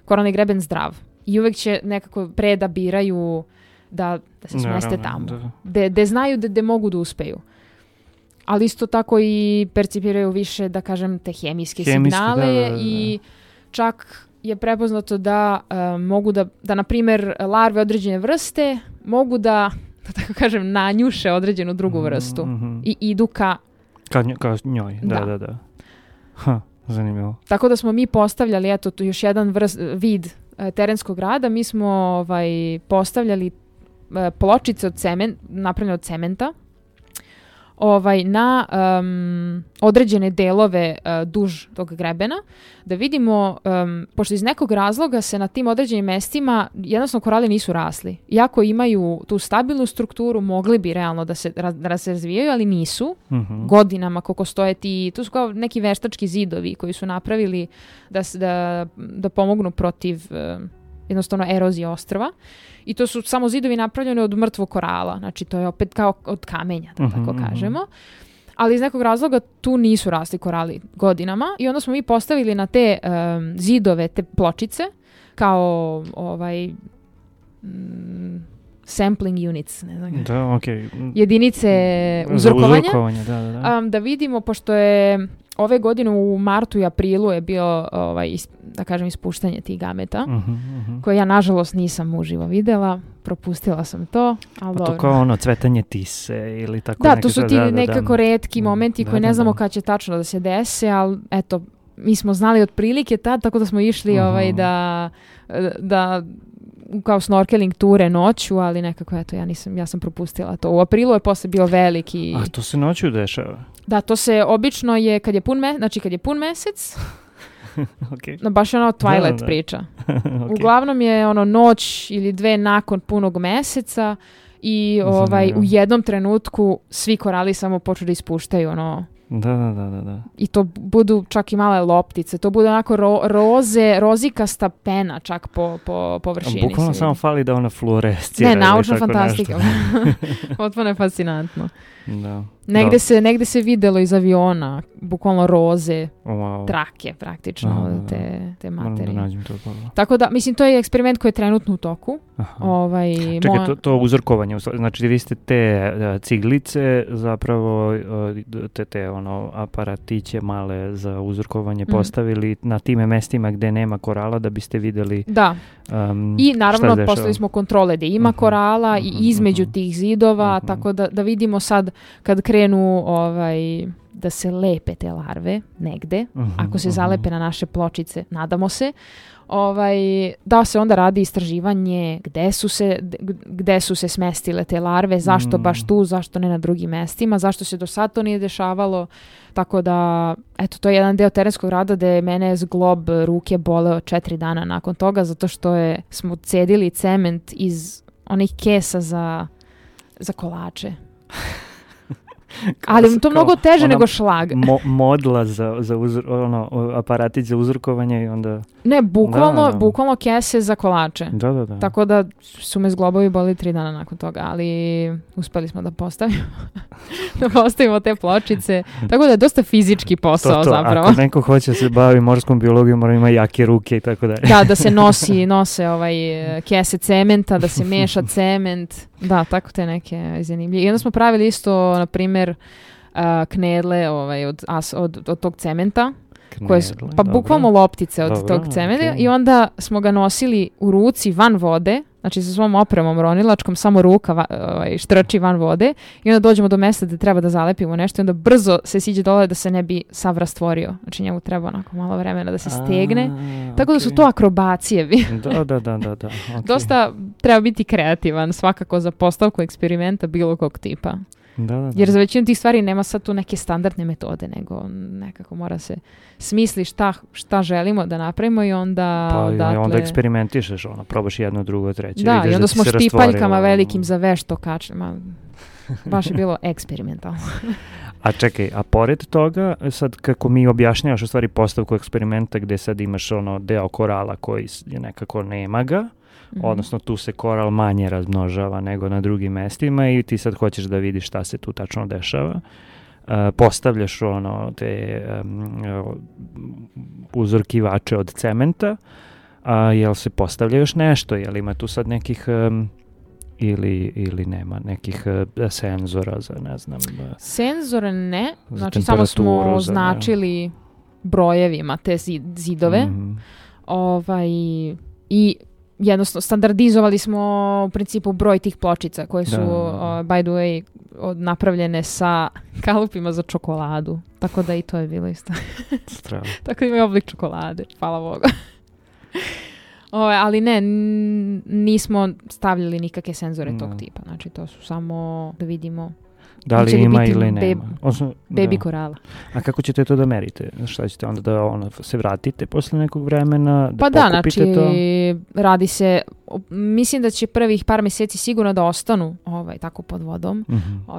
koralni greben zdrav. I uvek će nekako pre da biraju da se smeste tamo. Gde znaju da mogu da uspeju. Ali isto tako i percipiraju više, da kažem, te hemijske signale i čak je prepoznato da mogu da na primjer, larve određene vrste mogu da tako kažem, nanjuše određenu drugu vrstu i idu ka njoj. Da. Zanimljivo. Tako da smo mi postavljali, eto, tu još jedan vid terenskog rada. Mi smo postavljali pločice napravljene od cementa na određene delove duž tog grebena, da vidimo, pošto iz nekog razloga se na tim određenim mestima jednostavno korali nisu rasli. Iako imaju tu stabilnu strukturu, mogli bi realno da se razvijaju, ali nisu. Godinama koliko stoje tu su kao neki veštački zidovi koji su napravili da pomognu protiv jednostavno erozije ostrva. I to su samo zidovi napravljeni od mrtvog korala. Znači, to je opet kao od kamenja, da tako kažemo. Ali iz nekog razloga tu nisu rasli korali godinama. I onda smo mi postavili na te zidove, te pločice, kao sampling units, ne znam. Da, okay. Jedinice uzorkovanja. Da. Da vidimo, pošto je ove godine u martu i aprilu je bio, da kažem, ispuštanje tih gameta, koje ja, nažalost, nisam uživo videla. Propustila sam to, ali dobro. To kao cvetanje tise ili tako. Da, to su ti nekako retki momenti koji ne znamo kad će tačno da se dese, ali eto, mi smo znali otprilike tad, tako da smo išli da kao snorkeling ture noću, ali nekako, eto, ja sam propustila to. U aprilu je posle bio veliki... A to se noću dešava? Da, to se obično je kad je pun mesec, okay. Baš je Twilight priča. Okay. Uglavnom je noć ili dve nakon punog meseca i u jednom trenutku svi korali samo počnu da ispuštaju Da. I to budu čak i male loptice. To bude onako rozikasta pena čak po površini. Bukvalno samo fali da ona fluorescira. Ne, naučna fantastika. Potpuno je fascinantno. Da. Negde se videlo iz aviona, bukvalno roze, Wow. trake praktično, te materije. Da nađem to. Tako da, mislim, to je eksperiment koji je trenutno u toku. Čekaj, to uzorkovanje, znači vi ste te ciglice, zapravo te aparatiće male za uzorkovanje postavili na time mestima gde nema korala da biste vidjeli i naravno postavili smo kontrole gde ima korala i između tih zidova, tako da vidimo sad kad krenu da se lepe te larve negde, ako se zalepe na naše pločice, nadamo se, da se onda radi istraživanje gde su se smestile te larve, zašto baš tu, zašto ne na drugim mestima, zašto se do sad to nije dešavalo. Tako da, eto, to je jedan deo terenskog rada gde mene zglob ruke boleo 4 dana nakon toga, zato što smo cedili cement iz onih kesa za kolače. Ali to mnogo teže nego šlag. Modla za aparatić za uzorkovanje i onda... Ne, bukvalno kese za kolače. Da. Tako da su me zglobovi boli 3 dana nakon toga, ali uspeli smo da postavimo te pločice. Tako da je dosta fizički posao zapravo. Ako neko hoće se bavi morskom biologijom, mora ima jake ruke i tako dalje. Da se nose kese cementa, da se meša cement. Da, tako te neke zanimljive. I onda smo pravili isto, na primjer, knedle od tog cementa. Bukvalno loptice od tog cementa i onda smo ga nosili u ruci van vode, znači sa svom opremom ronilačkom, samo ruka štrči van vode i onda dođemo do mesta gde treba da zalepimo nešto i onda brzo se siđe dole da se ne bi sav rastvorio. Znači njemu treba onako malo vremena da se stegne. Tako da su to akrobacije. Da. Okay. Dosta treba biti kreativan svakako za postavku eksperimenta bilo kog tipa. Da. Jer za većinu tih stvari nema sad tu neke standardne metode, nego nekako mora se smisli šta želimo da napravimo i onda... onda eksperimentišeš, probaš jedno, drugo, treće. Da, i onda smo štipaljkama velikim za vešto kačili. Baš je bilo eksperimentalno. A čekaj, a pored toga, sad kako mi objašnjavaš u stvari postavku eksperimenta gde sad imaš deo korala koji je nekako nema ga, odnosno tu se koral manje razmnožava nego na drugim mestima i ti sad hoćeš da vidiš šta se tu tačno dešava. Postavljaš te uzorkivače od cementa, jel se postavlja još nešto, jel ima tu sad nekih ili nema nekih senzora za ne znam... Senzore ne, znači samo smo označili brojevima te zidove i jednostavno standardizovali smo u principu broj tih pločica koje su by the way napravljene sa kalupima za čokoladu, tako da i to je bilo isto. Tako da imaju oblik čokolade, hvala Bogu. Ali ne, nismo stavljali nikakve senzore tog tipa, znači to su samo da vidimo da li ima ili nema. Baby korala. A kako ćete to da merite? Šta ćete onda da se vratite posle nekog vremena? Pokupite to? Radi se, mislim da će prvih par mjeseci sigurno da ostanu tako pod vodom.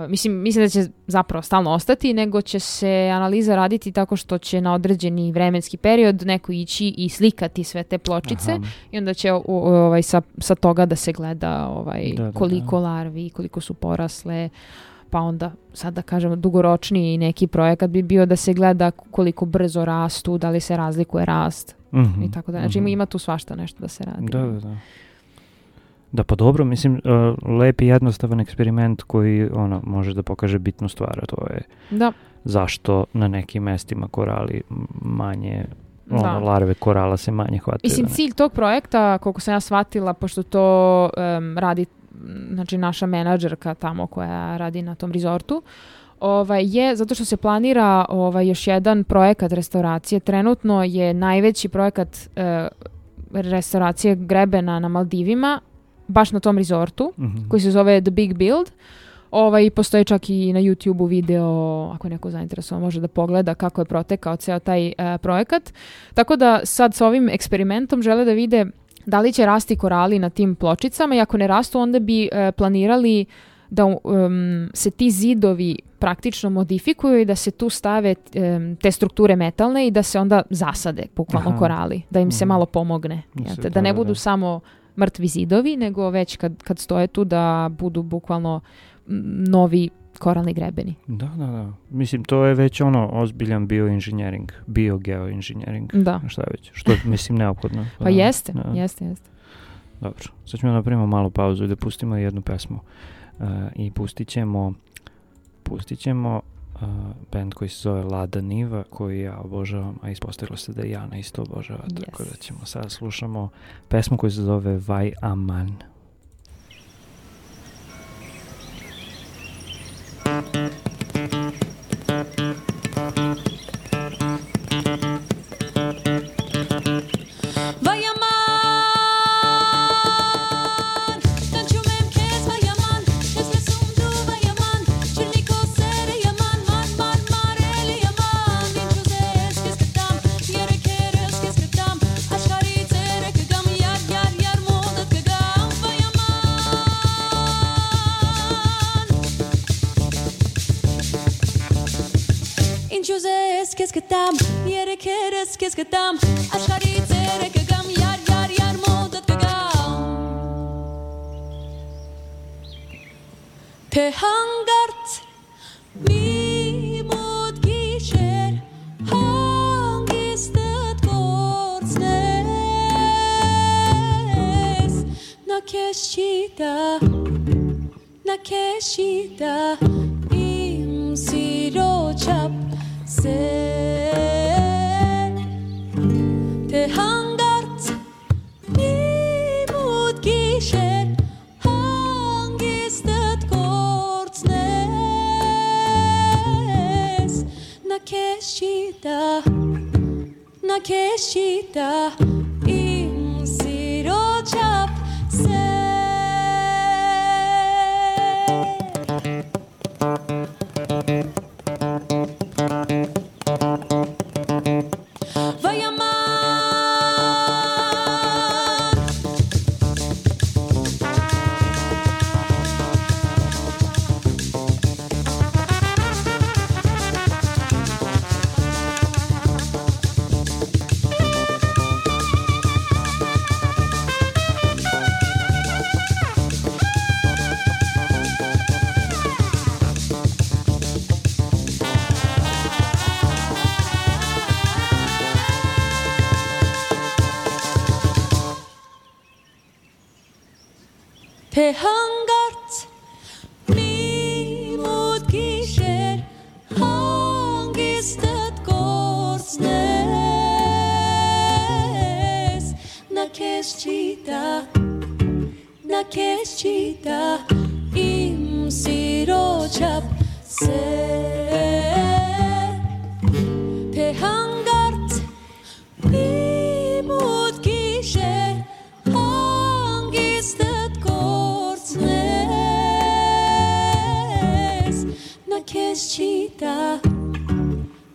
Mislim da će zapravo stalno ostati, nego će se analiza raditi tako što će na određeni vremenski period neko ići i slikati sve te pločice i onda će sa toga da se gleda koliko larvi, koliko su porasle. Pa onda, sad da kažemo, dugoročniji neki projekat bi bio da se gleda koliko brzo rastu, da li se razlikuje rast i tako da. Znači ima tu svašta nešto da se radi. Da. Da, pa dobro, mislim, lep i jednostavan eksperiment koji može da pokaže bitnu stvar, a to je zašto na nekim mestima korali manje, larve korala se manje hvataju. Mislim, cilj tog projekta, koliko sam ja shvatila, pošto to radi znači naša menadžerka tamo koja radi na tom rezortu, je zato što se planira još jedan projekat restauracije. Trenutno je najveći projekat restauracije grebena na Maldivima, baš na tom rezortu, koji se zove The Big Build. Postoji čak i na YouTube-u video, ako je neko zainteresovan može da pogleda kako je protekao ceo taj projekat. Tako da sad sa ovim eksperimentom žele da vide da li će rasti korali na tim pločicama i ako ne rastu onda bi planirali da se ti zidovi praktično modifikuju i da se tu stave te strukture metalne i da se onda zasade bukvalno korali, da im se malo pomogne. Da ne budu samo mrtvi zidovi, nego već kad stoje tu da budu bukvalno novi koralni grebeni. Da. Mislim, to je već ozbiljan bioinženjering, biogeoinženjering. Da. Šta je već? Što mislim neophodno. Pa jeste. Dobro, sad ćemo napravimo malu pauzu i da pustimo jednu pesmu. I pustit ćemo band koji se zove Lada Niva, koji ja obožavam, a ispostavilo se da i Jana isto obožava, tako da ćemo sad slušamo pesmu koja se zove Vai Aman. Qu'est-ce que t'aimes, yere keres, qu'est-ce que t'aimes, ashari tere que gam, yar, modat que gam. Te hangart, mi mod gisher, hangistet kortsnes, na keshita, im sirochap, te hangart nimut gisher hangistet kortsnes na keshita im sirochap te hangart nimut gisher hangistet kortsnes na keshita im sirochap te hangart nimut gisher hangistet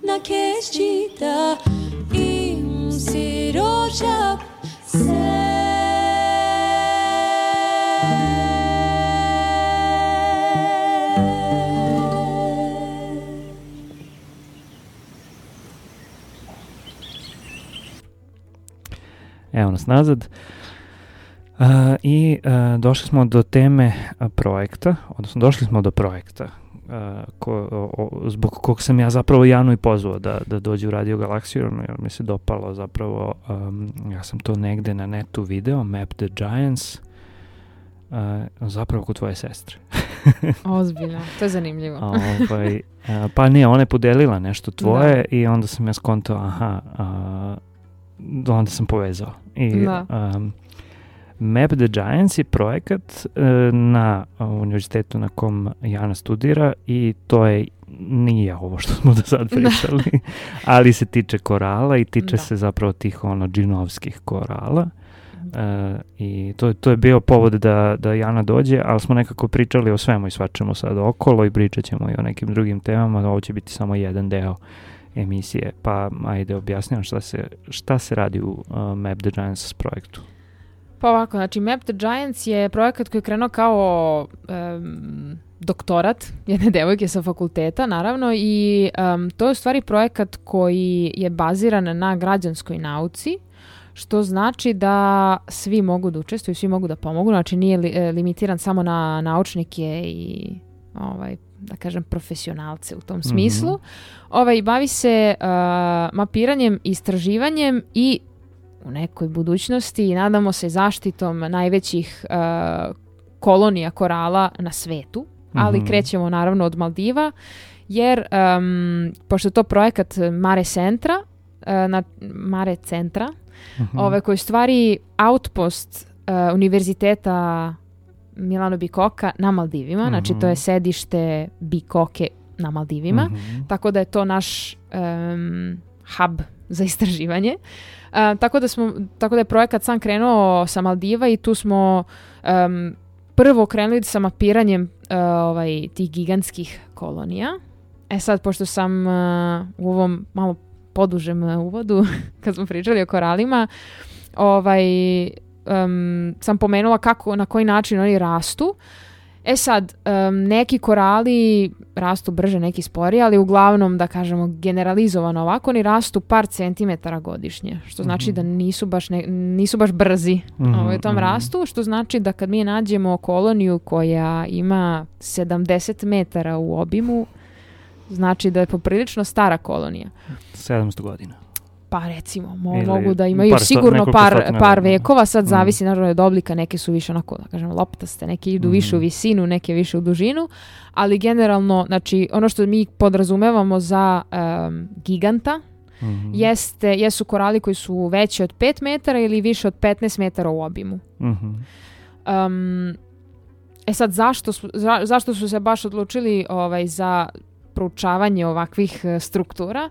na keshita im sirochap Evo nas nazad. I došli smo do teme projekta, odnosno došli smo do projekta zbog kog sam ja zapravo Janu i pozvao da dođe u Radio Galaksiju, jer mi se dopalo zapravo, ja sam to negde na netu video, Map the Giants, zapravo kod tvoje sestre. Ozbiljno, to je zanimljivo. Pa ne, ona je podelila nešto tvoje i onda sam ja skontao, onda sam povezao. Map the Giants je projekat na univerzitetu na kom Jana studira i to nije ovo što smo do sad pričali, ali se tiče korala i tiče se zapravo tih džinovskih korala. I to je bio povod da Jana dođe, ali smo nekako pričali o svemu i svačemu sad okolo i pričat ćemo i o nekim drugim temama. Ovo će biti samo jedan deo emisije, pa ajde objasnjam šta se radi u Map the Giants projektu. Pa ovako, znači Map the Giants je projekat koji je krenuo kao doktorat jedne devojke sa fakulteta, naravno, i to je u stvari projekat koji je baziran na građanskoj nauci, što znači da svi mogu da učestvuju, svi mogu da pomogu, znači nije limitiran samo na naučnike i da kažem, profesionalce u tom smislu. Bavi se mapiranjem, istraživanjem i u nekoj budućnosti, nadamo se, zaštitom najvećih kolonija korala na svetu, ali krećemo naravno od Maldiva, jer pošto je to projekat Mare Centra, koji je stvari outpost Univerziteta Milano Bicocca na Maldivima, znači to je sedište Bicocche na Maldivima, tako da je to naš hub za istraživanje. Tako da je projekat sam krenuo sa Maldiva i tu smo prvo krenuli sa mapiranjem tih gigantskih kolonija. Sad, pošto sam u ovom malo podužem uvodu, kad smo pričali o koralima, sam pomenula na koji način oni rastu. Sad, neki korali rastu brže, neki sporije, ali uglavnom, da kažemo, generalizovano ovako, oni rastu par centimetara godišnje, što znači da nisu baš brzi u tom rastu, što znači da kad mi nađemo koloniju koja ima 70 metara u obimu, znači da je poprilično stara kolonija. 700 godina. Pa recimo, mogu da imaju sigurno par vekova, sad zavisi naravno od oblika, neke su više onako, da kažem, loptaste, neke idu više u visinu, neke više u dužinu, ali generalno, znači, ono što mi podrazumevamo za giganta jesu korali koji su veći od 5 metara ili više od 15 metara u obimu. Sad, zašto su se baš odlučili za proučavanje ovakvih struktura?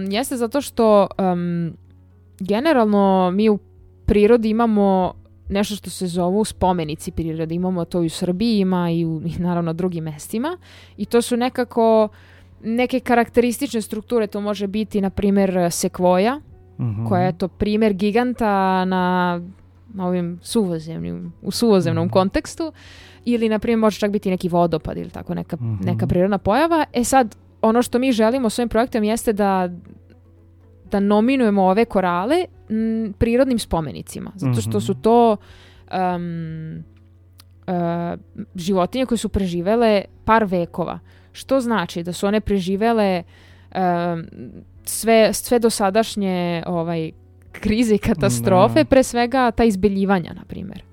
Jeste zato što generalno mi u prirodi imamo nešto što se zovu spomenici prirode. Imamo to i u Srbiji, ima i naravno drugim mestima. I to su neke karakteristične strukture. To može biti, na primjer, sekvoja, koja je to primjer giganta na ovim suvozemnom kontekstu. Ili, na primjer, može čak biti neki vodopad ili tako neka prirodna pojava. Sad, ono što mi želimo s ovim projektom jeste da nominujemo ove korale prirodnim spomenicima. Zato što su to životinje koje su preživele par vekova. Što znači da su one preživele sve dosadašnje krize i katastrofe, pre svega ta izbeljivanja, na primjer.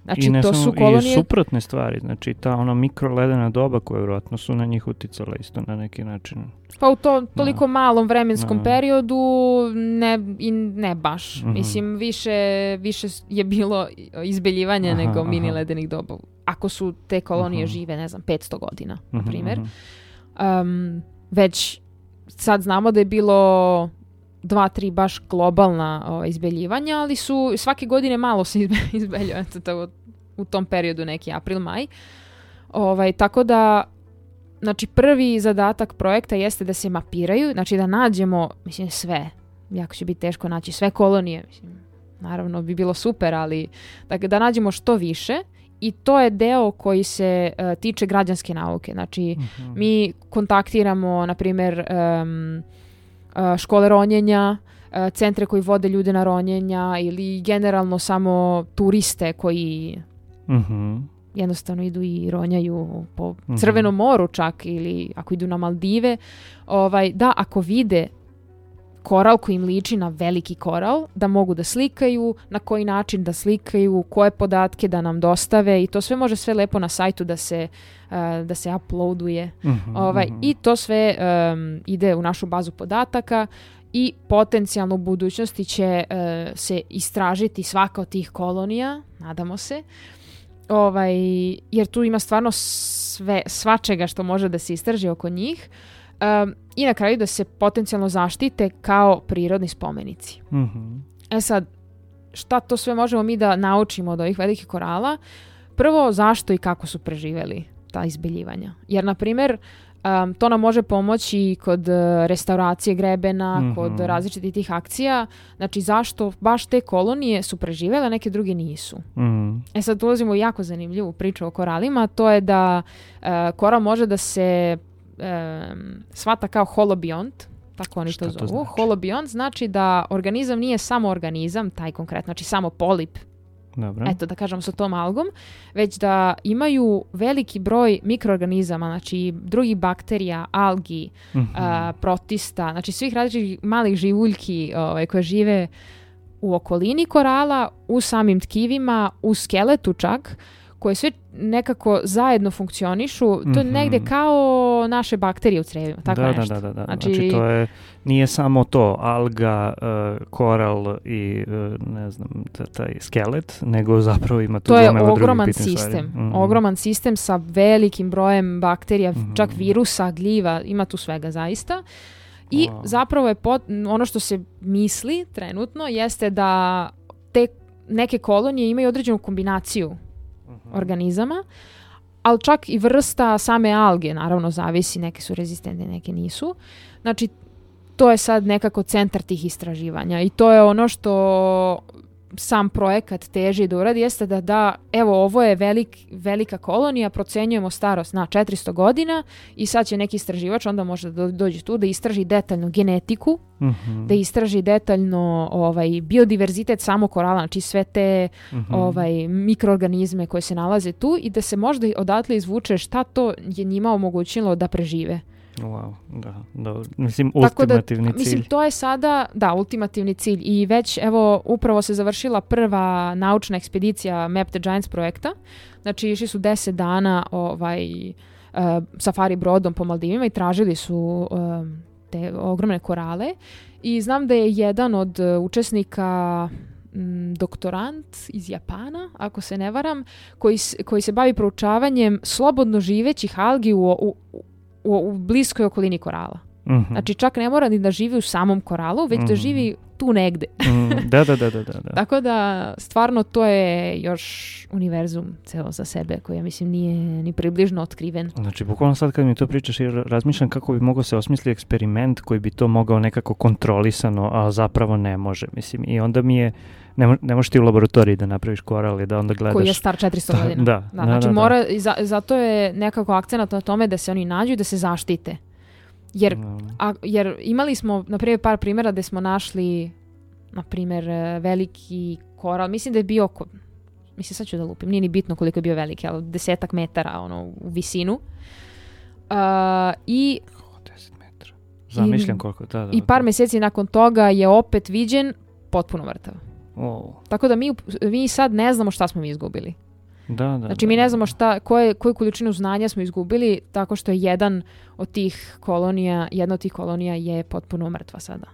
Znači, to su kolonije... I suprotne stvari, znači ta mikroledena doba koja vjerojatno su na njih uticala isto na neki način. Pa u toliko malom vremenskom periodu ne baš. Mislim, više je bilo izbeljivanja nego mini ledenih doba. Ako su te kolonije žive, 500 godina, na primjer. Već sad znamo da je bilo 2-3 baš globalna izbeljivanja, ali su svake godine malo se izbeljuje u tom periodu, neki april, maj. Tako da, znači, prvi zadatak projekta jeste da se mapiraju, znači da nađemo, mislim, sve. Jako će biti teško naći sve kolonije, mislim, naravno bi bilo super, ali da nađemo što više. I to je deo koji se tiče građanske nauke. Znači, mi kontaktiramo, na primjer, škole ronjenja, centre koji vode ljude na ronjenja ili generalno samo turiste koji jednostavno idu i ronjaju po Crvenom moru čak, ili ako idu na Maldive. Da, ako vide koral koji im liči na veliki koral, da mogu da slikaju, na koji način da slikaju, koje podatke da nam dostave, i to sve može sve lepo na sajtu da se uploaduje. I to sve ide u našu bazu podataka i potencijalno u budućnosti će se istražiti svaka od tih kolonija, nadamo se, jer tu ima stvarno svačega što može da se istraži oko njih. I na kraju da se potencijalno zaštite kao prirodni spomenici. Sad, šta to sve možemo mi da naučimo od ovih velikih korala? Prvo, zašto i kako su preživjeli ta izbeljivanja. Jer, na primjer, to nam može pomoći kod restauracije grebena, kod različitih tih akcija. Znači, zašto baš te kolonije su preživjele, a neke druge nisu. Sad ulazimo u jako zanimljivu priču o koralima. To je da koral može da se shvata kao holobiont, tako oni to zovu. Holobiont znači da organizam nije samo organizam, taj konkretno, znači samo polip Dobro. eto da kažem sa tom algom, već da imaju veliki broj mikroorganizama, znači drugih bakterija, algi, protista, znači svih različitih malih živuljki koje žive u okolini korala, u samim tkivima, u skeletu čak, koje sve nekako zajedno funkcionišu. To je negdje kao naše bakterije u crevima, tako nešto. Da. Znači to je, nije samo to, alga, koral i ne znam, taj skelet, nego zapravo ima tu gomila drugih bitnih stvari. To je ogroman sistem. Ogroman sistem sa velikim brojem bakterija, čak virusa, gljiva, ima tu svega zaista. I zapravo je ono što se misli trenutno jeste da te neke kolonije imaju određenu kombinaciju organizama, ali čak i vrsta same alge, naravno zavisi, neke su rezistentne, neke nisu. Znači, to je sad nekako centar tih istraživanja i to je ono što sam projekat teži da uradi, jeste da evo, ovo je velika kolonija, procenjujemo starost na 400 godina i sad će neki istraživač, onda može da dođe tu da istraži detaljno genetiku, da istraži detaljno biodiverzitet samo korala, znači sve te mikroorganizme koje se nalaze tu i da se možda odatle izvuče šta to je njima omogućilo da prežive. Wow, da. Mislim, ultimativni cilj. Mislim, to je sada, ultimativni cilj. I već, evo, upravo se završila prva naučna ekspedicija Map the Giants projekta. Znači, išli su 10 dana safari brodom po Maldivima i tražili su te ogromne korale. I znam da je jedan od učesnika doktorant iz Japana, ako se ne varam, koji se bavi proučavanjem slobodno živećih algi u bliskoj okolini korala. Znači čak ne mora ni da živi u samom koralu, već da živi tu negde. Da. Tako da stvarno to je još univerzum celo za sebe koji ja mislim nije ni približno otkriven. Znači bukvalno sad kad mi to pričaš razmišljam kako bi mogao se osmisliti eksperiment koji bi to mogao nekako kontrolisano, a zapravo ne može. Mislim, i onda mi je ne možeš ti u laboratoriji da napraviš koral i da onda gledaš... Koji je star 400 godina. Znači mora, zato je nekako akcenat na tome da se oni nađu i da se zaštite. Jer imali smo, na primjer, par primjera gde smo našli, na primjer, veliki koral. Mislim da je bio sad ću da lupim, nije ni bitno koliko je bio veliki, ali 10 metara u visinu. I 10 metara. Zamišljam koliko je tada. I par mjeseci nakon toga je opet viđen potpuno mrtav. Tako da mi sad ne znamo šta smo mi izgubili. Znači mi ne znamo koju količinu znanja smo izgubili tako što je jedna od tih kolonija je potpuno mrtva sada.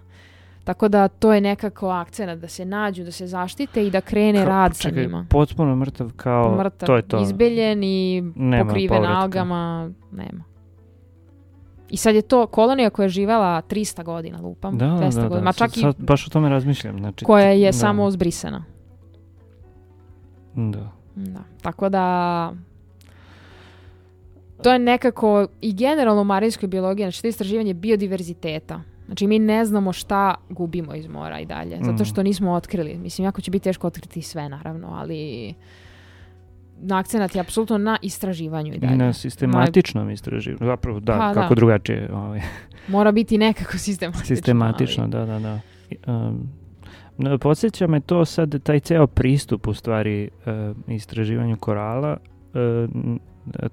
Tako da to je nekako akcenat da se nađu, da se zaštite i da krene rad sa njima. Potpuno mrtav kao mrtav, to je to. Izbeljen i pokriven algama, nema. I sad je to kolonija koja je živela 300 godina, lupam. 200 godina. Ma čak sad baš o tome razmišljam. Znači, koja je samo zbrisana. Da. Tako da to je nekako i generalno u marinskoj biologiji, znači to je istraživanje biodiverziteta. Znači mi ne znamo šta gubimo iz mora i dalje, zato što nismo otkrili. Mislim, jako će biti teško otkriti sve, naravno, ali akcenat je apsolutno na istraživanju i dalje. I na sistematičnom istraživanju. Zapravo, kako drugačije. Mora biti nekako sistematično. Sistematično, da. Podsjeća me to sad, taj ceo pristup u stvari istraživanju korala,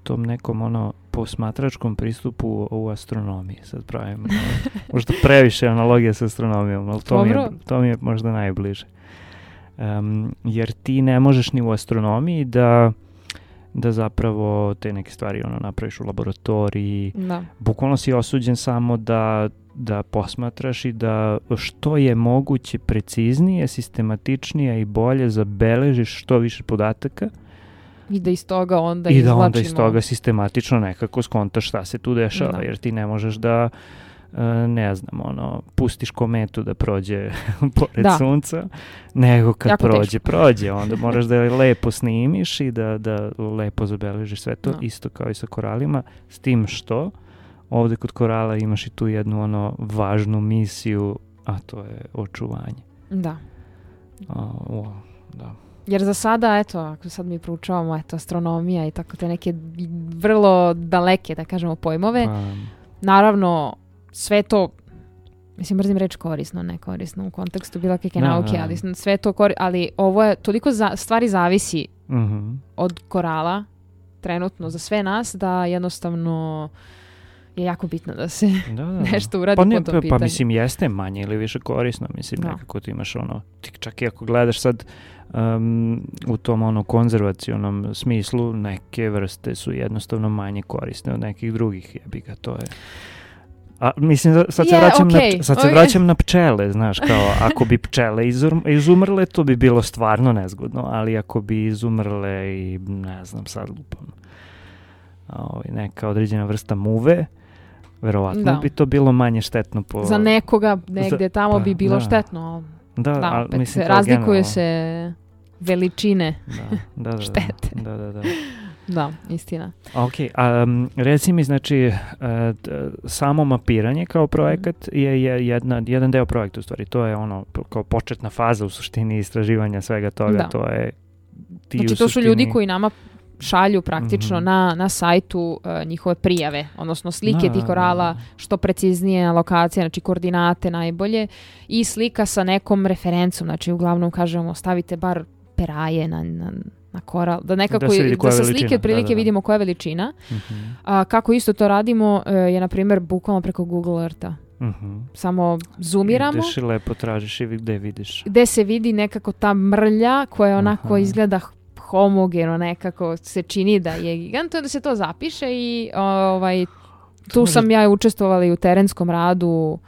tom nekom posmatračkom pristupu u astronomiji. Sad pravim možda previše analogije sa astronomijom, ali to mi je možda najbliže. Jer ti ne možeš ni u astronomiji da zapravo te neke stvari napraviš u laboratoriji. Bukvalno si osuđen samo da posmatraš i da što je moguće preciznije, sistematičnije i bolje zabeležiš što više podataka. I da iz toga onda izvlačimo. I da onda iz toga sistematično nekako skontaš šta se tu dešava, jer ti ne možeš da ne znam, pustiš kometu da prođe pored sunca, nego kad jako prođe, onda moraš da je lepo snimiš i da lepo zabeležiš sve to, isto kao i sa koralima, s tim što ovdje kod korala imaš i tu jednu važnu misiju, a to je očuvanje. Da. Da. Jer za sada, ako sad mi proučavamo astronomija i tako te neke vrlo daleke, da kažemo, pojmove, naravno sve to mislim, mrzim reč korisno, ne korisno u kontekstu bilo kakve Da, nauke, da. ali sve to ali ovo je, toliko stvari zavisi Mhm. od korala trenutno za sve nas da jednostavno je jako bitno da se Da, da. nešto uradi Pa, po tom pitanju. pa mislim jeste manje ili više korisno, mislim Da. nekako ti imaš ono, ti čak i ako gledaš sad u tom ono konzervacionom smislu, neke vrste su jednostavno manje korisne od nekih drugih, jebi ga, to je. A mislim, sad se Je, vraćam, okej, sad se okej. vraćam na pčele, znaš, kao ako bi pčele izumrle, to bi bilo stvarno nezgodno, ali ako bi izumrle i ne znam, sad lupam, neka određena vrsta muve, verovatno Da. bi to bilo manje štetno po... Za nekoga negde tamo bi bilo da. štetno. Da, Da, ali opet mislim, se kao razlikuju generalno. se veličine. Da, štete. Da. Da, istina. Ok, reci mi, znači, samo mapiranje kao projekat je jedan deo projekta u stvari. To je ono, kao početna faza u suštini istraživanja svega toga. Da. To je ti Znači u to su suštini... ljudi koji nama šalju praktično Mhm. na sajtu njihove prijave, odnosno slike Da, tih korala, da. što preciznije lokacije, znači koordinate najbolje i slika sa nekom referencom, znači uglavnom kažemo stavite bar peraje na koral, da nekako Da se vidi koja da je sa veličina, slike otprilike da. vidimo koja je veličina. Mhm, A kako isto to radimo je na primjer bukvalno preko Google Eartha. mhm. Samo zoomiramo Ideš i lepo tražiš i gde vidiš. gde se vidi nekako ta mrlja koja onako Aha. izgleda homogeno, nekako se čini da je gigant, onda se to zapiše i tu sam ja učestvovala i u terenskom radu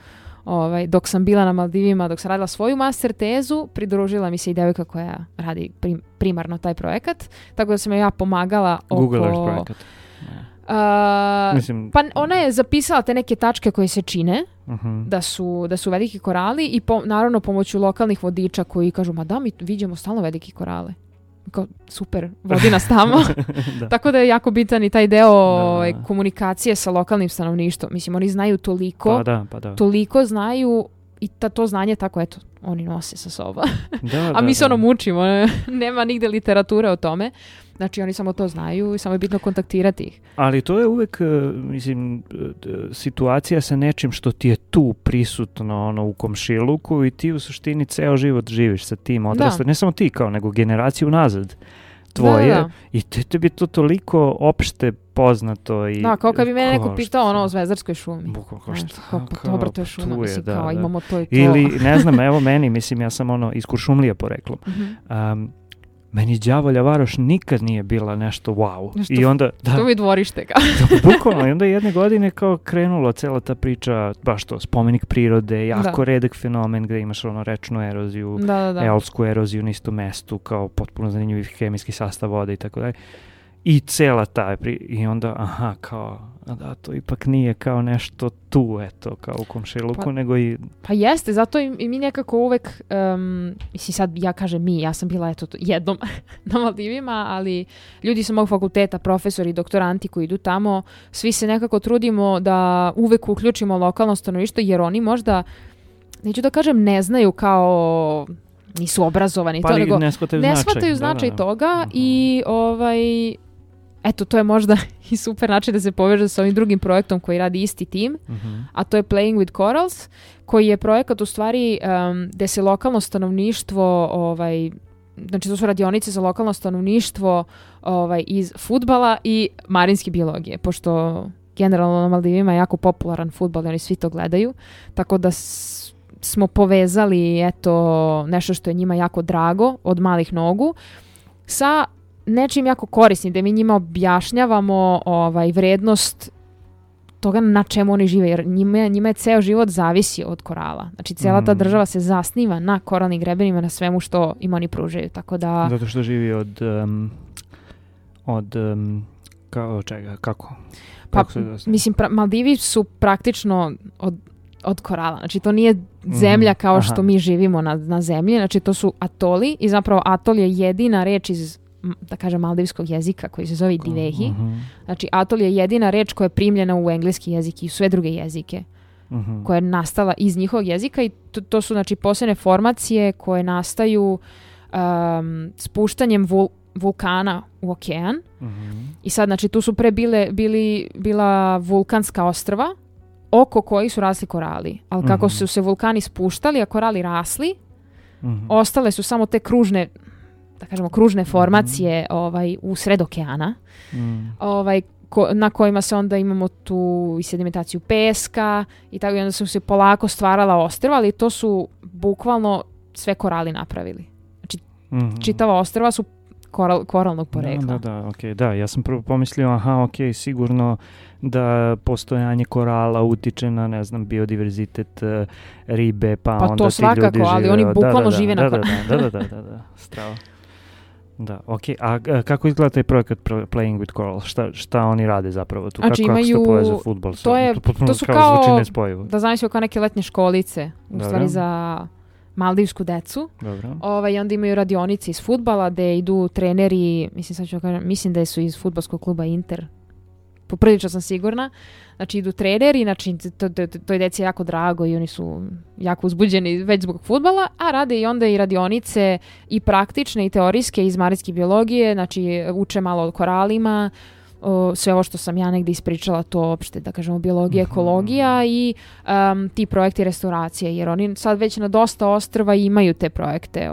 dok sam bila na Maldivima, dok sam radila svoju master tezu, pridružila mi se i devojka koja radi primarno taj projekat, tako da sam ja pomagala Google Earth oko... projekat. Mislim, Pa ona je zapisala te neke tačke koje se čine mhm. da su veliki korali i naravno pomoću lokalnih vodiča koji kažu ma da, mi viđamo stalno veliki korale. Kao, super, vodi nas tamo. Da. Tako da je jako bitan i taj deo Da. komunikacije sa lokalnim stanovništvom. Mislim, oni znaju toliko, Pa da. toliko znaju i to znanje tako, eto, oni nose sa sobom. Da, A mi se da. mučimo, nema nigde literature o tome. Znači, oni samo to znaju i samo je bitno kontaktirati ih. Ali to je uvek, mislim, situacija sa nečim što ti je tu prisutno ono, u komšiluku i ti u suštini ceo život živiš sa tim odrasta. Ne samo ti kao, nego generaciju nazad tvoje. Da. I tebi to toliko opšte poznato. I, Da, kao kad bi mene neko kao pitao šta- o Zvezdarskoj šumi. Bukvalno, kao Znaš, šta, kao, pa kao, dobro, to je pa šuma, tu je, mislim, da, kao da. imamo to i to. Ili, ne znam, evo meni, mislim, ja sam ono iz Kuršumlija poreklom. Mhm. Meni Đavolja Varoš nikad nije bila nešto wow. Nešto- I onda, da, To mi dvorište kao. bukvalno, i onda jedne godine kao krenula cela ta priča, baš to, spomenik prirode, jako redak fenomen gde imaš ono rečnu eroziju, Da. eolsku eroziju na istom mestu, kao potpuno zanimljiv hemijski sastav vode i tako dalje. I cela ta i onda, aha, kao, da, to ipak nije kao nešto tu, eto, kao u komšiluku, Pa- nego i... Pa jeste, zato i mi nekako uvek, mislim sad ja kažem mi, ja sam bila eto jednom na Maldivima, ali ljudi sa mog fakulteta, profesori, doktoranti koji idu tamo, svi se nekako trudimo da uvek uključimo lokalno stanovništvo jer oni možda, neću da kažem ne znaju kao nisu obrazovani, Pa to, ali nego ne shvataju ne značaj. shvataju značaj Da. toga Mhm. i eto, to je možda i super način da se poveže sa ovim drugim projektom koji radi isti tim, Mhm. a to je Playing with Corals, koji je projekat u stvari gde se lokalno stanovništvo, znači to su radionice za lokalno stanovništvo iz fudbala i marinske biologije, pošto generalno na Maldivima je jako popularan fudbal i oni svi to gledaju, tako da smo povezali eto nešto što je njima jako drago od malih nogu sa nečim jako korisnim, da mi njima objašnjavamo vrednost toga na čemu oni žive, jer njima je ceo život zavisi od korala. Znači, cijela ta država se zasniva na koralnim grebenima, na svemu što im oni pružaju, tako da... Zato što živi od kao čega, kako? Pa, Kako se zove? mislim, Maldivi su praktično od korala. Znači, to nije zemlja kao aha. što mi živimo na zemlji, znači to su atoli i zapravo atol je jedina reč iz, da kažem, maldivskog jezika koji se zove divehi. Mhm, Znači, atol je jedina reč koja je primljena u engleski jezik i sve druge jezike mhm. koja je nastala iz njihovog jezika i to su, znači, posebne formacije koje nastaju spuštanjem vulkana u okean. Mhm. I sad, znači, tu su pre bila vulkanska ostrva oko kojih su rasli korali. Ali kako su se vulkani spuštali, a korali rasli, ostale su samo te kružne, da kažemo, kružne formacije u sred okeana, na kojima se onda imamo tu i sedimentaciju peska i tako, i onda su se polako stvarala ostrva, ali to su bukvalno sve korali napravili. Znači, čitava ostrva su koralnog porekla. Da, ja sam prvo pomislio, sigurno da postojanje korala utiče na, ne znam, biodiverzitet ribe, pa onda to svakako, ti ljudi žive. Ali oni bukvalno žive na koralu. Da, strava. Da, a kako izgleda taj projekat Playing with Coral? Šta oni rade zapravo tu? Znači, kako se to povezuje fudbal? To su kao, da znam se, kao neke letnje školice, u stvari za maldivsku decu. Dobro. I onda imaju radionice iz fudbala gde idu treneri, mislim da su iz fudbalskog kluba Inter, poprilično sam sigurna. Znači idu treneri, znači to je deci jako drago i oni su jako uzbuđeni već zbog fudbala, a rade i onda i radionice i praktične i teorijske iz marinske biologije, znači uče malo o koralima, sve ovo što sam ja negdje ispričala, to opšte, da kažemo, biologija, ekologija i ti projekti restauracije, jer oni sad već na dosta ostrva imaju te projekte,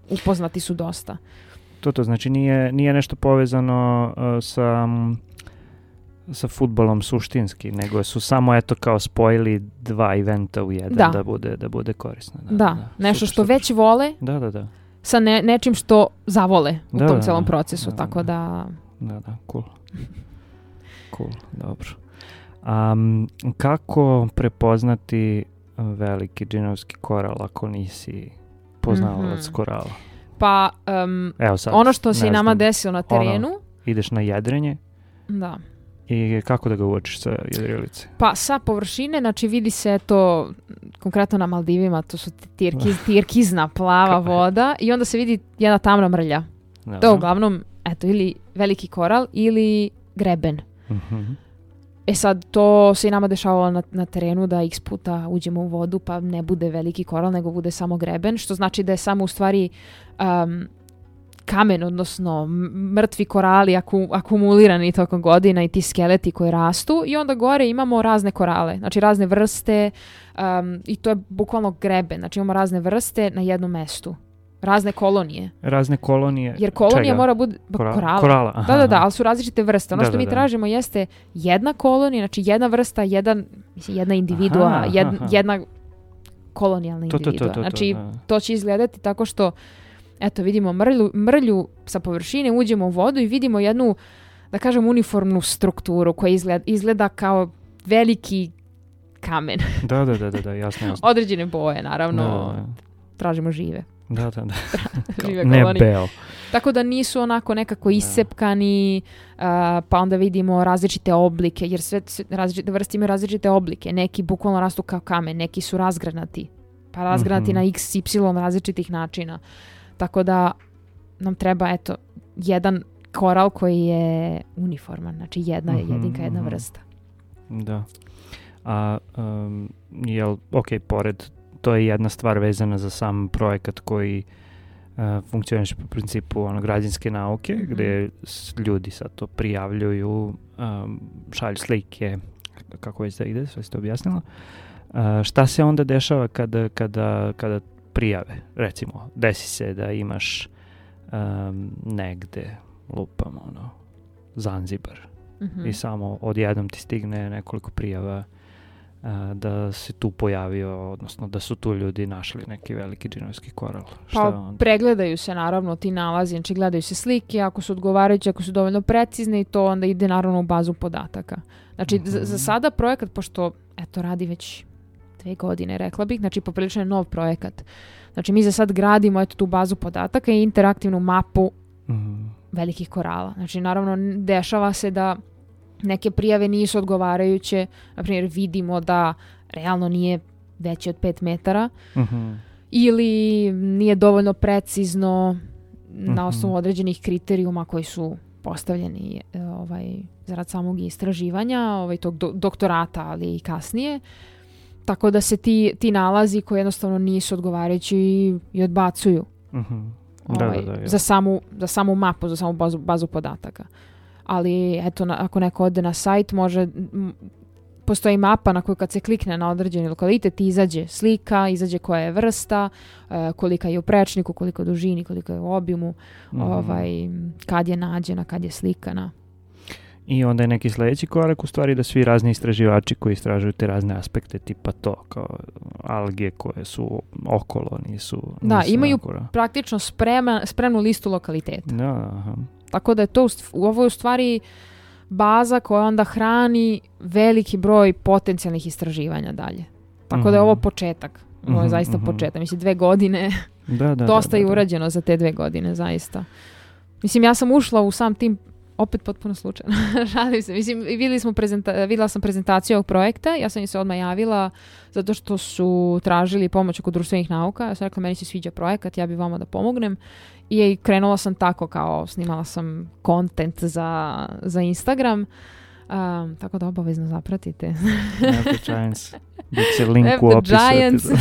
upoznati su dosta. To znači nije nešto povezano sa fudbalom suštinski, nego su samo kao spojili dva eventa u jedan da bude korisno. Da, nešto što već vole sa nečim što zavole u tom celom procesu, tako da... Da, cool, dobro. Kako prepoznati veliki džinovski koral ako nisi poznavalac korala? Pa, ono što se nama desilo na terenu... Ideš na jedrenje? Da. I kako da ga uočiš sa jedrilice? Pa sa površine, znači vidi se to, konkretno na Maldivima, to su tirkizna plava voda i onda se vidi jedna tamna mrlja. Da. To je uglavnom, ili veliki koral ili greben. Sad, to se i nama dešavalo na terenu da x puta uđemo u vodu pa ne bude veliki koral, nego bude samo greben, što znači da je samo u stvari kamen, odnosno mrtvi korali akumulirani tokom godina i ti skeleti koji rastu, i onda gore imamo razne korale, znači razne vrste, i to je bukvalno greben, znači imamo razne vrste na jednom mestu. Razne kolonije. Jer kolonija mora bude korala. Aha. Da, ali su različite vrste. Ono što mi tražimo jeste jedna kolonija, znači jedna vrsta, jedna individua, jedna kolonijalna individua. Znači, to će izgledati tako što, eto, vidimo mrlju sa površine, uđemo u vodu i vidimo jednu, da kažem, uniformnu strukturu koja izgleda kao veliki kamen. Da, jasno. Određene boje, naravno, tražimo žive. Da. Ne beo. Tako da nisu onako nekako iscepkani, pa onda vidimo različite oblike, jer sve različite vrste imaju različite oblike. Neki bukvalno rastu kao kamen, neki su razgranati, pa razgranati na x, y različitih načina. Tako da nam treba, eto, jedan koral koji je uniforman, znači jedinka, jedna vrsta. Da. A, pored, to je jedna stvar vezana za sam projekat koji funkcioniše po principu građanske nauke, gdje ljudi sad to prijavljuju, šalju slike, kako već da ide, sve ste objasnila. Šta se onda dešava kada prijave? Recimo, desi se da imaš negde, lupam, Zanzibar, i samo odjednom ti stigne nekoliko prijava da se tu pojavio, odnosno da su tu ljudi našli neki veliki džinovski koral. Pregledaju se naravno ti nalazi, znači gledaju se slike, ako su odgovarajuće, ako su dovoljno precizne, i to onda ide naravno u bazu podataka. Znači za sada projekat, pošto radi već 2 godine, rekla bih, znači poprilično je nov projekat. Znači mi za sad gradimo tu bazu podataka i interaktivnu mapu velikih korala. Znači naravno dešava se da neke prijave nisu odgovarajuće, na primjer vidimo da realno nije veći od 5 metara ili nije dovoljno precizno na osnovu određenih kriterijuma koji su postavljeni zarad samog istraživanja, tog doktorata, ali i kasnije. Tako da se ti nalazi koji jednostavno nisu odgovarajući i odbacuju za samu mapu, za samu bazu podataka. Ali eto, ako neko ode na sajt, može postoji mapa na koju kad se klikne na određeni lokalitet izađe slika, izađe koja je vrsta, kolika je u prečniku, koliko je u dužini, koliko je u obimu, kad je nađena, kad je slikana. I onda je neki sljedeći korak u stvari da svi razni istraživači koji istražuju te razne aspekte tipa to, kao alge koje su okolo, nisu imaju nakora. Praktično spremnu listu lokaliteta. Da, aha. Tako da je to ovo je u stvari baza koja onda hrani veliki broj potencijalnih istraživanja dalje. Tako da je ovo početak. Ovo je zaista početak. Mislim, 2 godine. Dosta je urađeno za te 2 godine, zaista. Mislim, ja sam ušla u sam tim opet potpuno slučajno. Šalim se. Mislim, vidjela sam prezentaciju ovog projekta. Ja sam im se odmah javila zato što su tražili pomoć oko društvenih nauka. Ja sam rekla, meni se sviđa projekat, ja bih vama da pomognem. I krenula sam tako, kao snimala sam content za Instagram. Tako da obavezno zapratite. Giants. Biće link u opisu.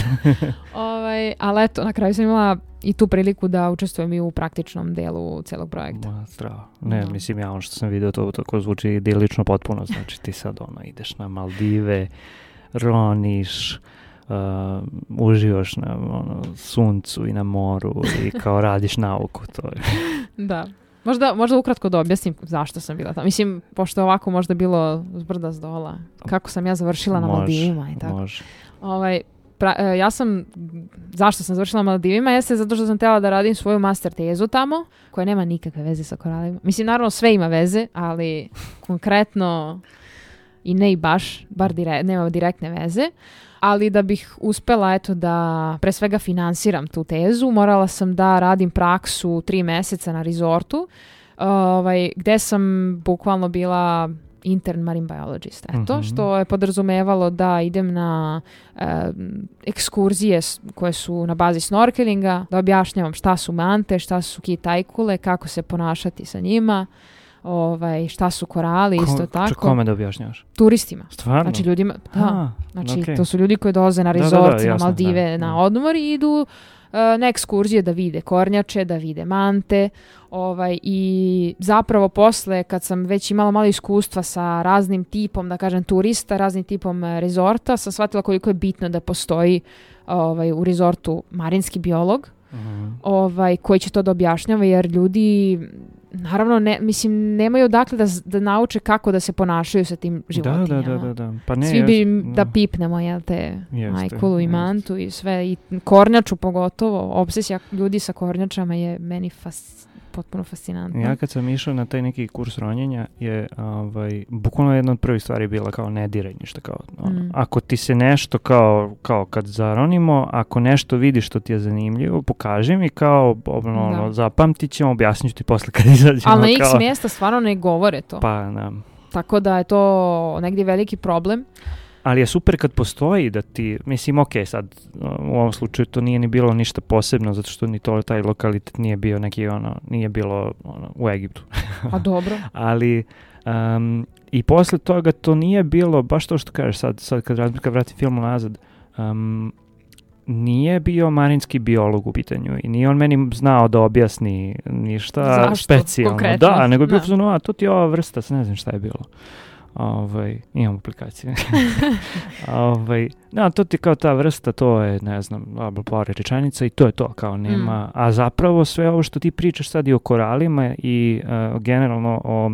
Ali eto, na kraju sam imala i tu priliku da učestvujem i u praktičnom delu celog projekta. Strava. Ne, mislim, ja ono što sam vidio, to tako zvuči idilično potpuno. Znači ti sad ideš na Maldive, roniš, uživaš na suncu i na moru i kao radiš nauku. To je. Da. Možda ukratko da objasnim zašto sam bila tamo. Mislim, pošto ovako možda bilo zbrda zdola. Kako sam ja završila na Maldivima i tako. Može. Zašto sam završila na Maldivima? Jeste zato što sam htjela da radim svoju master tezu tamo, koja nema nikakve veze sa koralima. Mislim, naravno sve ima veze, ali konkretno i ne i baš, nema direktne veze. Ali da bih uspela da pre svega finansiram tu tezu, morala sam da radim praksu 3 mjeseca na resortu, gde sam bukvalno bila intern marine biologist. Što je podrazumevalo da idem na ekskurzije koje su na bazi snorkelinga, da objašnjavam šta su mante, šta su kitajkule, kako se ponašati sa njima, šta su korali, isto tako. Kome da objašnjavaš? Turistima. Stvarno? Znači ljudima, to su ljudi koji dolaze na rezort, na Maldive, na odmor i idu na ekskurzije da vide kornjače, da vide mante. I zapravo posle, kad sam već imala malo iskustva sa raznim tipom, da kažem, turista, raznim tipom rezorta, sam shvatila koliko je bitno da postoji u rezortu marinski biolog, koji će to da objašnjava, jer ljudi naravno nemaju odakle da nauče kako da se ponašaju sa tim životinjama. Da. Pa ne, svi bi da pipnemo majkulu i mantu i sve, i kornjaču pogotovo. Obsesija ljudi sa kornjačama je meni potpuno fascinantno. Ja kad sam išao na taj neki kurs ronjenja je bukvalno jedna od prvih stvari bila kao ne diraj ništa. Ako ti se nešto kao kad zaronimo, ako nešto vidiš što ti je zanimljivo, pokaži mi zapamtit ćemo, objasnit ću ti posle kad izađemo. Ali na x mjesta stvarno ne govore to. Pa, da. Tako da je to negdje veliki problem. Ali je super kad postoji da ti, mislim, sad u ovom slučaju to nije ni bilo ništa posebno, zato što ni taj lokalitet nije bio neki nije bilo u Egiptu. A dobro. Ali i posle toga to nije bilo, baš to što kažeš sad kad vratim filmu nazad, nije bio marinski biolog u pitanju i nije on meni znao da objasni ništa specijalno. Konkretno? Da, nego je bio to ti je ova vrsta, ne znam šta je bilo. Imam aplikacije. To ti kao ta vrsta, to je, ne znam, par rečenica i to je to, kao nema. A zapravo sve ovo što ti pričaš sad i o koralima i generalno o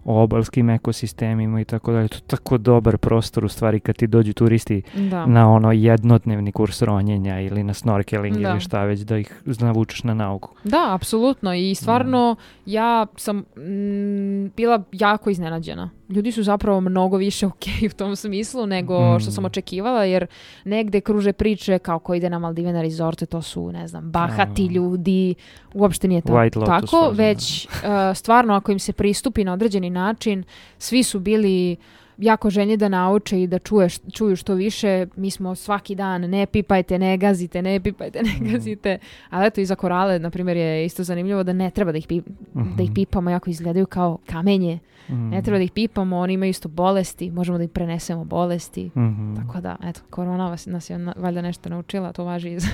obalskim ekosistemima i tako dalje, to je tako dobar prostor u stvari kad ti dođu turisti na jednodnevni kurs ronjenja ili na snorkeling ili šta već, da ih navučeš na nauku. Da, apsolutno, i stvarno ja sam bila jako iznenađena. Ljudi su zapravo mnogo više okej u tom smislu nego što sam očekivala, jer negde kruže priče kao ko ide na Maldive na rezorte, to su, ne znam, bahati ljudi, uopšte nije tako, već stvarno ako im se pristupi na određeni način, svi su bili jako željni da nauče i da čuju što više. Mi smo svaki dan ne pipajte, ne gazite, ne pipajte, ne gazite. Ali eto, i za korale, na primjer, je isto zanimljivo da ne treba da ih pipamo, jako izgledaju kao kamenje. Ne treba da ih pipamo, oni imaju isto bolesti, možemo da im prenesemo bolesti. Tako da, eto, korona nas je valjda nešto naučila, to važi i za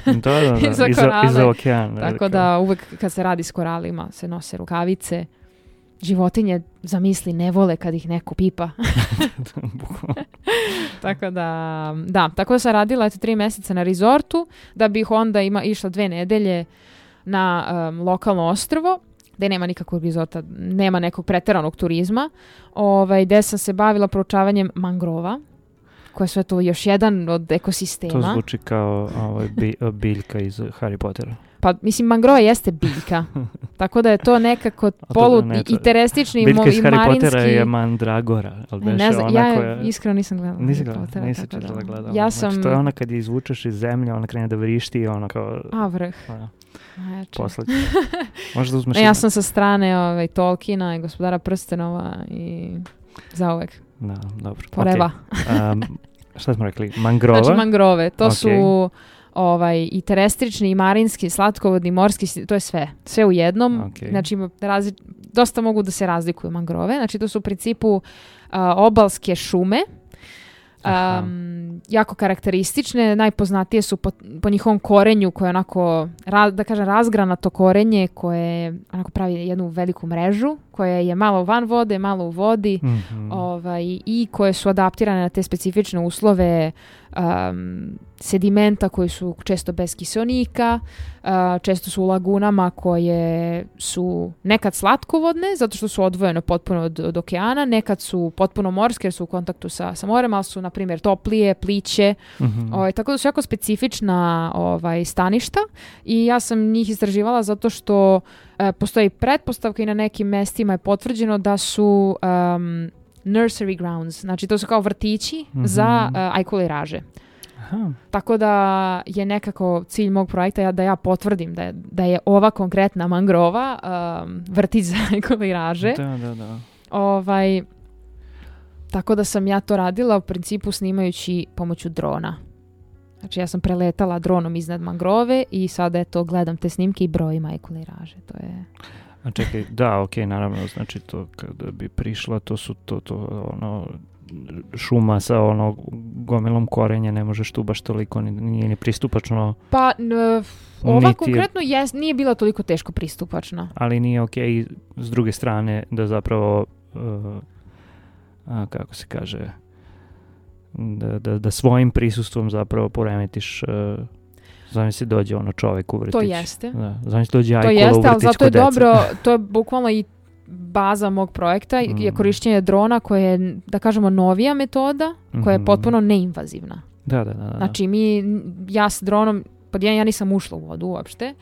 korale. I za okean. Tako da uvek kad se radi s koralima se nose rukavice. životinje, zamisli, ne vole kad ih neko pipa. Bukvalno. Tako da sam radila 3 mjeseca na rezortu, da bih onda išla 2 nedelje na lokalno ostrvo, gde nema nikakvog rezorta, nema nekog preteranog turizma, gde sam se bavila proučavanjem mangrova, koje su to još jedan od ekosistema. To zvuči kao biljka iz Harry Pottera. Pa, mislim, mangrova jeste biljka. Tako da je to nekako interestični i biljka iz marinski... Harry Pottera je mandragora. Ne znam, ja iskreno nisam gledala. Nisi gledala. Ja znači, to je ona kad je izvučeš iz zemlje, ona krene da vrišti i ona kao... vrh. Posle. Možda uzmeš... Ja sam sa strane Tolkiena i Gospodara prstenova i zauvek. Da, dobro. Poreva. Okay. Šta smo rekli? Mangrova? Znači mangrove. To su i terestrični i marinski, slatkovodni, morski, to je sve. Sve u jednom. Okay. Znači dosta mogu da se razlikuju mangrove. Znači to su u principu obalske šume. Jako karakteristične, najpoznatije su po njihovom korenju koje je onako, da kažem, razgranato korenje koje onako pravi jednu veliku mrežu koje je malo van vode, malo u vodi i koje su adaptirane na te specifične uslove sedimenta koji su često bez kiseonika, često su u lagunama koje su nekad slatkovodne zato što su odvojene potpuno od okeana, nekad su potpuno morske jer su u kontaktu sa morem, ali su na primjer toplije, pliće, tako da su jako specifična staništa i ja sam njih istraživala zato što postoji pretpostavka i na nekim mestima je potvrđeno da su nursery grounds, znači to su kao vrtići za ajkuliraže. Aha. Tako da je nekako cilj mog projekta da ja potvrdim da je ova konkretna mangrova vrtić za ajkuliraže. Da. Tako da sam ja to radila u principu snimajući pomoću drona. Znači ja sam preletala dronom iznad mangrove i sada gledam te snimke i brojim ajkuliraže. To je... A čekaj, da, okej, naravno, znači to kada bi prišla, to su šuma sa gomilom korenja, ne možeš tu baš toliko, nije ni pristupačno. Pa, ova konkretno nije bila toliko teško pristupačna. Ali nije okej s druge strane da zapravo, kako se kaže, da svojim prisustvom zapravo poremetiš... Zamisli dođe čovjek u vrtić. To jeste. Zamisli dođe ajkula u vrtić kod deca. Zato je dobro, to je bukvalno i baza mog projekta, je korišćenje drona koje je, da kažemo, novija metoda, koja je potpuno neinvazivna. Da. Znači ja s dronom, ja nisam ušla u vodu uopšte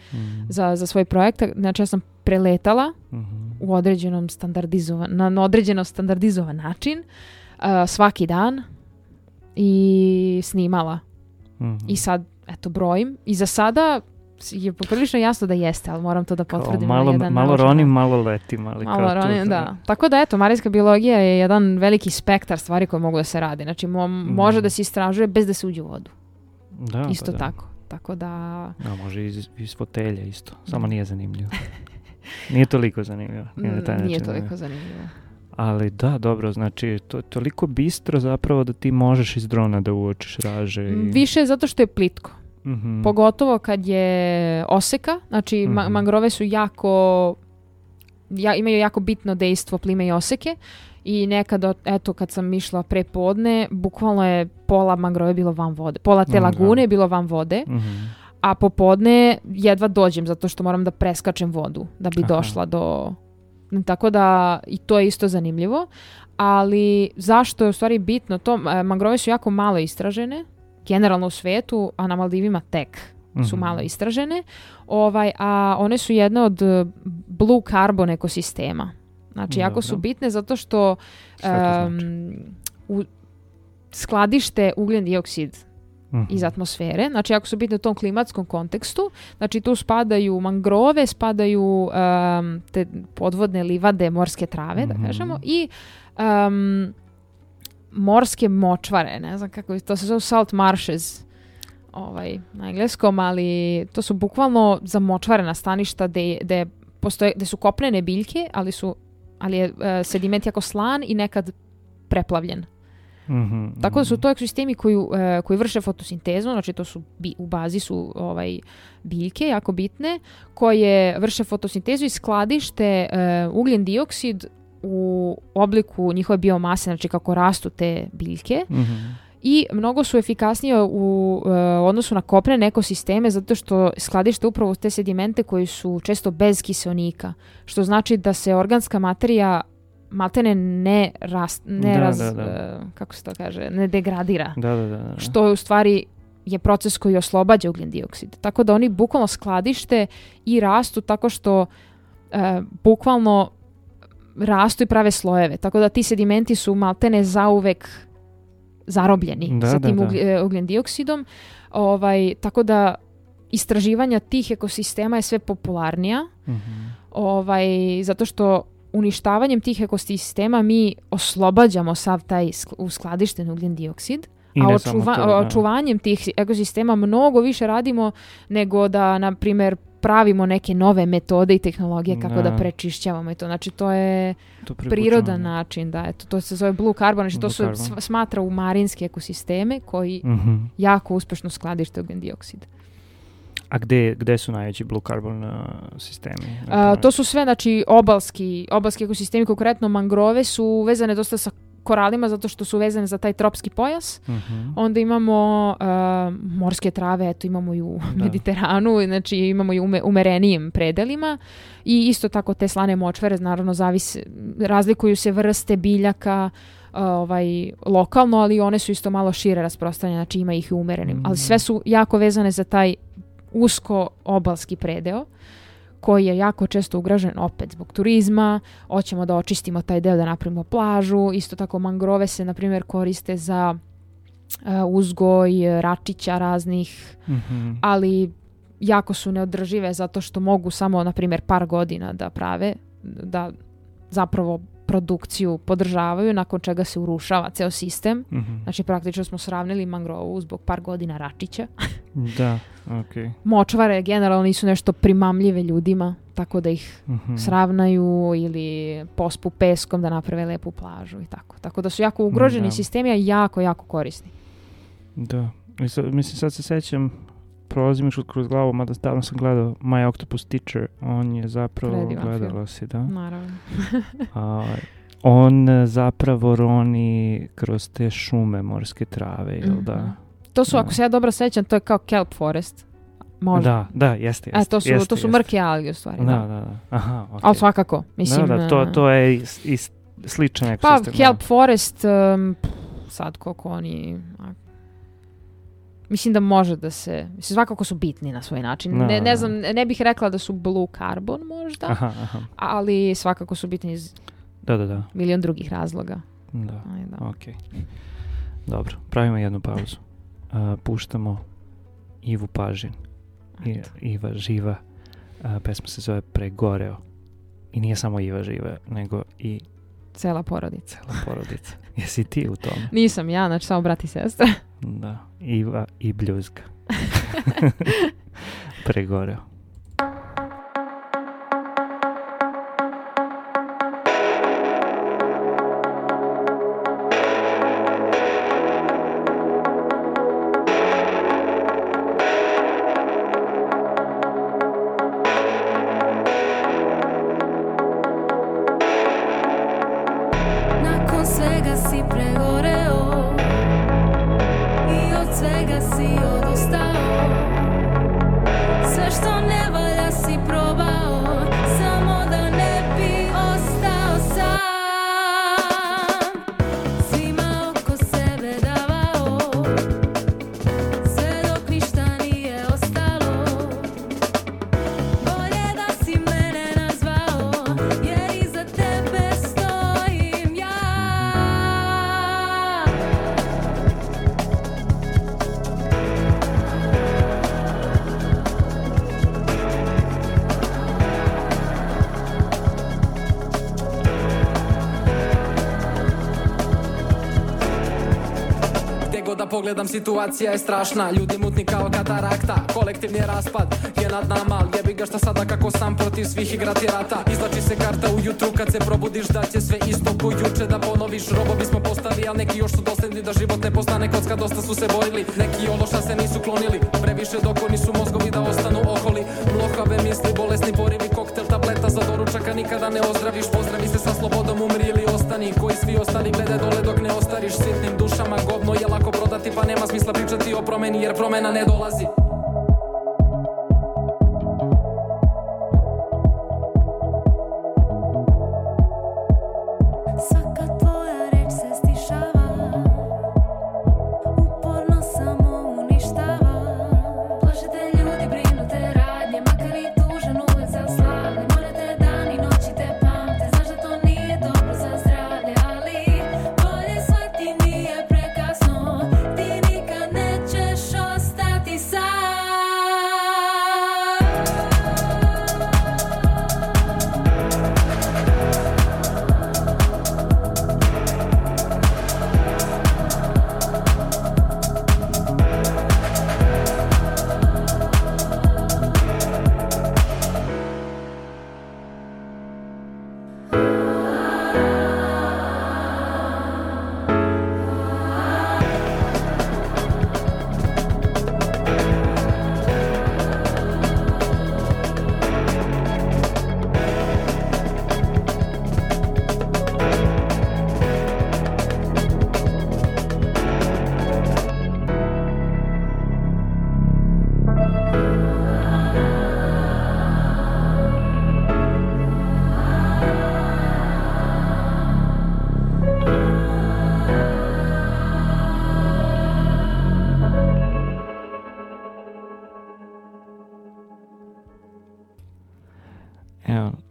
za svoj projekt, znači ja sam preletala u na određeno standardizovan način svaki dan i snimala. I sad brojim. I za sada je poprilično jasno da jeste, ali moram to da potvrdim na jedan način. Malo ronim, malo letim. Malo ronim, da. Tako da, marinska biologija je jedan veliki spektar stvari koje mogu da se radi. Znači, može da se istražuje bez da se uđe u vodu. Da, isto da. tako. Tako da... može iz fotelja isto. Samo nije zanimljivo. Nije toliko zanimljivo. Nije toliko zanimljivo. Ali da, dobro, znači to je toliko bistro zapravo da ti možeš iz drona da uočiš raže. Više zato što je plitko. Pogotovo kad je oseka, znači mangrove su imaju jako bitno dejstvo plime i oseke i nekad, kad sam išla pre podne, bukvalno je pola mangrove bilo van vode, pola te lagune je bilo van vode, a popodne jedva dođem zato što moram da preskačem vodu da bi došla do... Tako da i to je isto zanimljivo, ali zašto je u stvari bitno to? Mangrove su jako malo istražene, generalno u svetu, a na Maldivima tek su malo istražene, a one su jedne od blue carbon ekosistema. Znači, jako su bitne zato što skladište ugljen dioksid iz atmosfere. Znači, jako su bitne u tom klimatskom kontekstu. Znači, tu spadaju mangrove, spadaju te podvodne livade, morske trave, da kažemo, i morske močvare, ne znam kako, to se zove salt marshes na engleskom, ali to su bukvalno zamočvarena staništa gde su kopnene biljke, ali je sediment jako slan i nekad preplavljen. Tako da su to ekosistemi koji vrše fotosintezu, znači to su u bazi su biljke jako bitne, koje vrše fotosintezu i skladište ugljen dioksid u obliku njihove biomase, znači kako rastu te biljke. I mnogo su efikasnije u odnosu na kopnene ekosisteme zato što skladište upravo te sedimente koji su često bez kiseonika, što znači da se organska materija maltene kako se to kaže, ne degradira. Što u stvari je proces koji oslobađa ugljen dioksid. Tako da oni bukvalno skladište i rastu tako što bukvalno rastu i prave slojeve. Tako da ti sedimenti su maltene zauvek zarobljeni sa tim ugljen dioksidom. Tako da istraživanja tih ekosistema je sve popularnija. Zato što uništavanjem tih ekosistema mi oslobađamo sav taj uskladišten ugljen dioksid, a očuvanjem tih ekosistema mnogo više radimo nego da, na primjer, pravimo neke nove metode i tehnologije kako da prečišćavamo i to. Znači, to je prirodan način. Da, to se zove blue carbon. Znači, to se smatra u marinske ekosisteme koji jako uspešno skladište ugljen dioksid. A gde su najveći blue carbon sistemi? To su sve, znači, obalski ekosistemi, konkretno mangrove su vezane dosta sa koralima zato što su vezane za taj tropski pojas. Onda imamo morske trave, eto imamo i u Mediteranu, znači imamo i umerenijim predelima i isto tako te slane močvare, naravno razlikuju se vrste biljaka lokalno, ali one su isto malo šire rasprostranjene, znači ima ih i umerenim, ali sve su jako vezane za taj usko obalski predeo koji je jako često ugrožen opet zbog turizma. Hoćemo da očistimo taj deo, da napravimo plažu. Isto tako mangrove se, na primjer, koriste za uzgoj račića raznih, ali jako su neodržive zato što mogu samo, na primjer, par godina da prave, da zapravo produkciju podržavaju, nakon čega se urušava ceo sistem. Znači, praktično smo sravnili mangrovu zbog par godina račića. Da, okej. Močvare generalno nisu nešto primamljive ljudima, tako da ih sravnaju ili pospu peskom da naprave lepu plažu i tako. Tako da su jako ugroženi sistemi, a jako, jako korisni. Da. Mislim, sad se sećam, prolazi mi kroz glavu, mada davno sam gledao My Octopus Teacher, on je zapravo, gledala si, da? Naravno. On zapravo roni kroz te šume morske trave, jel da? To su, ako se ja dobro sećam, to je kao kelp forest. Možda. Da, jeste. To su mrke alge u stvari. Da. Aha, okay. Ali svakako, mislim... To je sličan ekosistem. Pa, kelp forest, sad koliko oni... Mislim da može da se... Mislim, svakako su bitni na svoj način. Ne znam, ne bih rekla da su blue carbon možda, ali svakako su bitni iz milion drugih razloga. Da. Ok. Dobro, pravimo jednu pauzu. Puštamo Ivu Pažin. Iva živa. Pesma se zove Pregoreo. I nije samo Iva živa, nego i... Cela porodica. Jesi ti u tom? Nisam ja, znači samo brat i sestra. Da, Iva i bljuzga. Pregoreo. Pogledam, situacija je strašna, ljudi mutni kao katarakta, kolektivni raspad, je nad nama, al jebi ga šta sada kako sam protiv svih igrati rata. Izlači se karta ujutru kad se probudiš da će sve isto ko juče da ponoviš. Robovi smo postali, al neki još su dosledni da život ne postane kocka, dosta su se borili. Neki ološa se nisu klonili, previše dok oni su mozgovi da ostanu oholi. Mlohave misli, bolesni porivi, koktel tableta za doručaka nikada ne ozdraviš. Pozdravi se sa slobodom, umri ili ostani, koji svi ostali glede dole dok ne ostariš. Sitnim dušama govno je lako prodati, pa nema smisla pričati o promeni jer promena ne dolazi.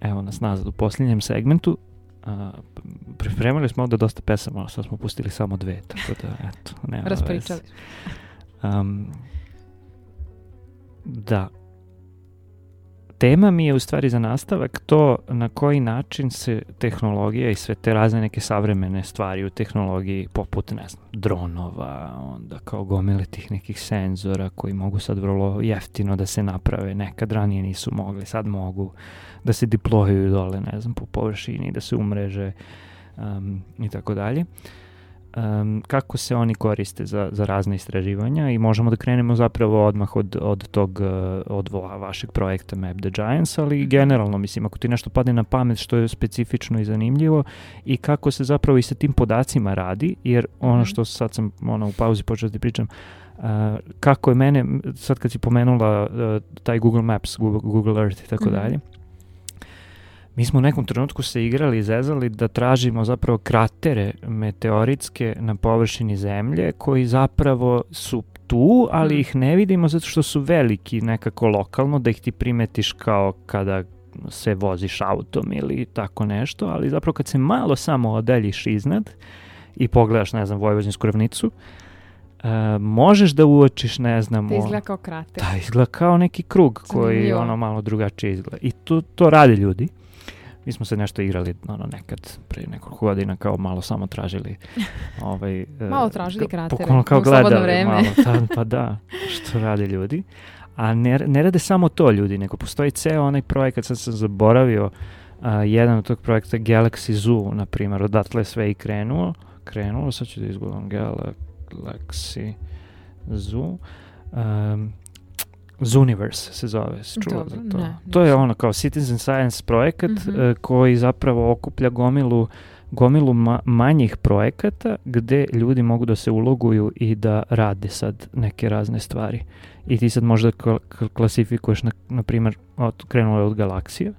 Evo nas nazad u posljednjem segmentu. Pripremili smo ovdje dosta pesama, ali sad smo pustili samo 2, tako da, eto, nema raspričali. Da. Tema mi je u stvari za nastavak to na koji način se tehnologija i sve te razne neke savremene stvari u tehnologiji, poput, ne znam, dronova, onda kao gomile tih nekih senzora koji mogu sad vrlo jeftino da se naprave, nekad ranije nisu mogli, sad mogu da se deployuju dole, ne znam, po površini, da se umreže i tako dalje. Kako se oni koriste za razne istraživanja i možemo da krenemo zapravo odmah od vašeg projekta Map the Giants, ali generalno, mislim, ako ti nešto padne na pamet što je specifično i zanimljivo i kako se zapravo i sa tim podacima radi, jer ono što sad sam u pauzi počeo da pričam, kako je mene, sad kad si pomenula taj Google Maps, Google Earth i tako dalje, mi smo u nekom trenutku se igrali i zezali da tražimo zapravo kratere meteoritske na površini zemlje koji zapravo su tu, ali ih ne vidimo zato što su veliki nekako lokalno, da ih ti primetiš kao kada se voziš autom ili tako nešto, ali zapravo kad se malo samo odaljiš iznad i pogledaš, ne znam, Vojvođansku ravnicu, možeš da uočiš, ne znam... Da izgleda kao krater. Da, izgleda kao neki krug koji malo drugačije izgleda. I to rade ljudi. Mi smo se nešto igrali nekad prije nekoliko godina, kao malo samo tražili malo tražili kratere, kao gledali vreme. Malo, pa da, što rade ljudi. A ne rade samo to ljudi, nego postoji ceo onaj projekat, sad sam zaboravio, jedan od tog projekta Galaxy Zoo, na primjer, odatle sve i krenulo, sad ću da izgledam Galaxy Zoo, Zooniverse se zove, čuo za to. To je ono kao citizen science projekat koji zapravo okuplja gomilu manjih projekata gde ljudi mogu da se uloguju i da rade sad neke razne stvari. I ti sad možda klasifikuješ, na primjer, krenulo je od galaksija,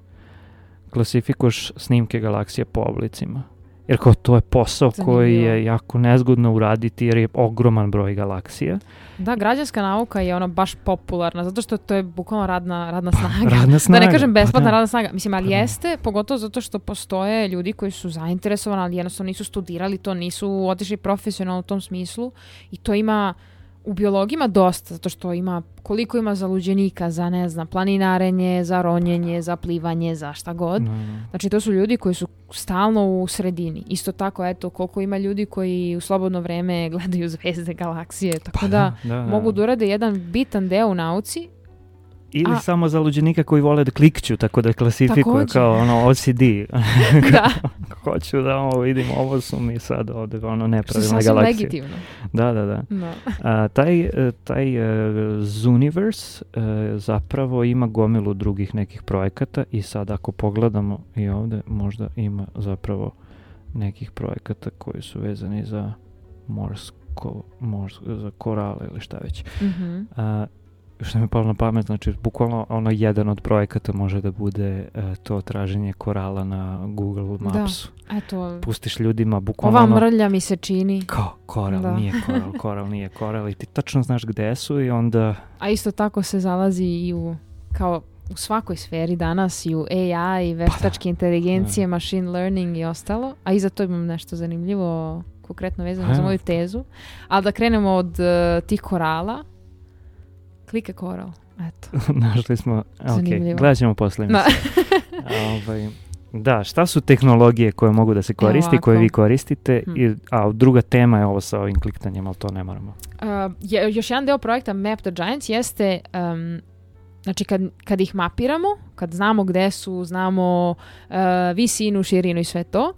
klasifikuješ snimke galaksije po oblicima. Jer kao to je posao koji je jako nezgodno uraditi jer je ogroman broj galaksija. Da, građanska nauka je baš popularna, zato što to je bukvalno radna snaga. Radna snaga. Da ne kažem besplatna radna snaga. Mislim, ali jeste, pogotovo zato što postoje ljudi koji su zainteresovani, ali jednostavno nisu studirali to, nisu otišli profesionalno u tom smislu i to ima u biologiji ima dosta, zato što koliko ima zaluđenika za, ne znam, planinarenje, za ronjenje, za plivanje, za šta god. Znači, to su ljudi koji su stalno u sredini. Isto tako, eto, koliko ima ljudi koji u slobodno vreme gledaju zvezde, galaksije, tako da mogu da urade jedan bitan deo u nauci Ili samo za luđenika koji vole da klikću, tako da klasifikuje kao ono OCD. Da. Hoću da ovo vidim, ovo su mi sad ovde nepravilne galaksije. Što je legitimno. Da. Taj Zooniverse zapravo ima gomilu drugih nekih projekata i sad ako pogledamo i ovde možda ima zapravo nekih projekata koji su vezani za za korale ili šta već. Što mi je palo na pamet, znači bukvalno jedan od projekata može da bude to traženje korala na Google Mapsu. Da, eto. Pustiš ljudima bukvalno... Ova mrlja mi se čini. Koral, nije koral nije koral i ti tačno znaš gde su i onda... A isto tako se zalazi i kao u svakoj sferi danas i u AI, veštačke inteligencije, machine learning i ostalo. A i za to imam nešto zanimljivo, konkretno vezano za moju tezu. Ali da krenemo od tih korala. Klike koral, eto. Našli smo, gledat ćemo posle. Da, šta su tehnologije koje mogu da se koristi, koje vi koristite, a druga tema je ovo sa ovim kliktanjem, ali to ne moramo. Još jedan deo projekta Map the Giants jeste, znači kad ih mapiramo, kad znamo gde su, znamo visinu, širinu i sve to,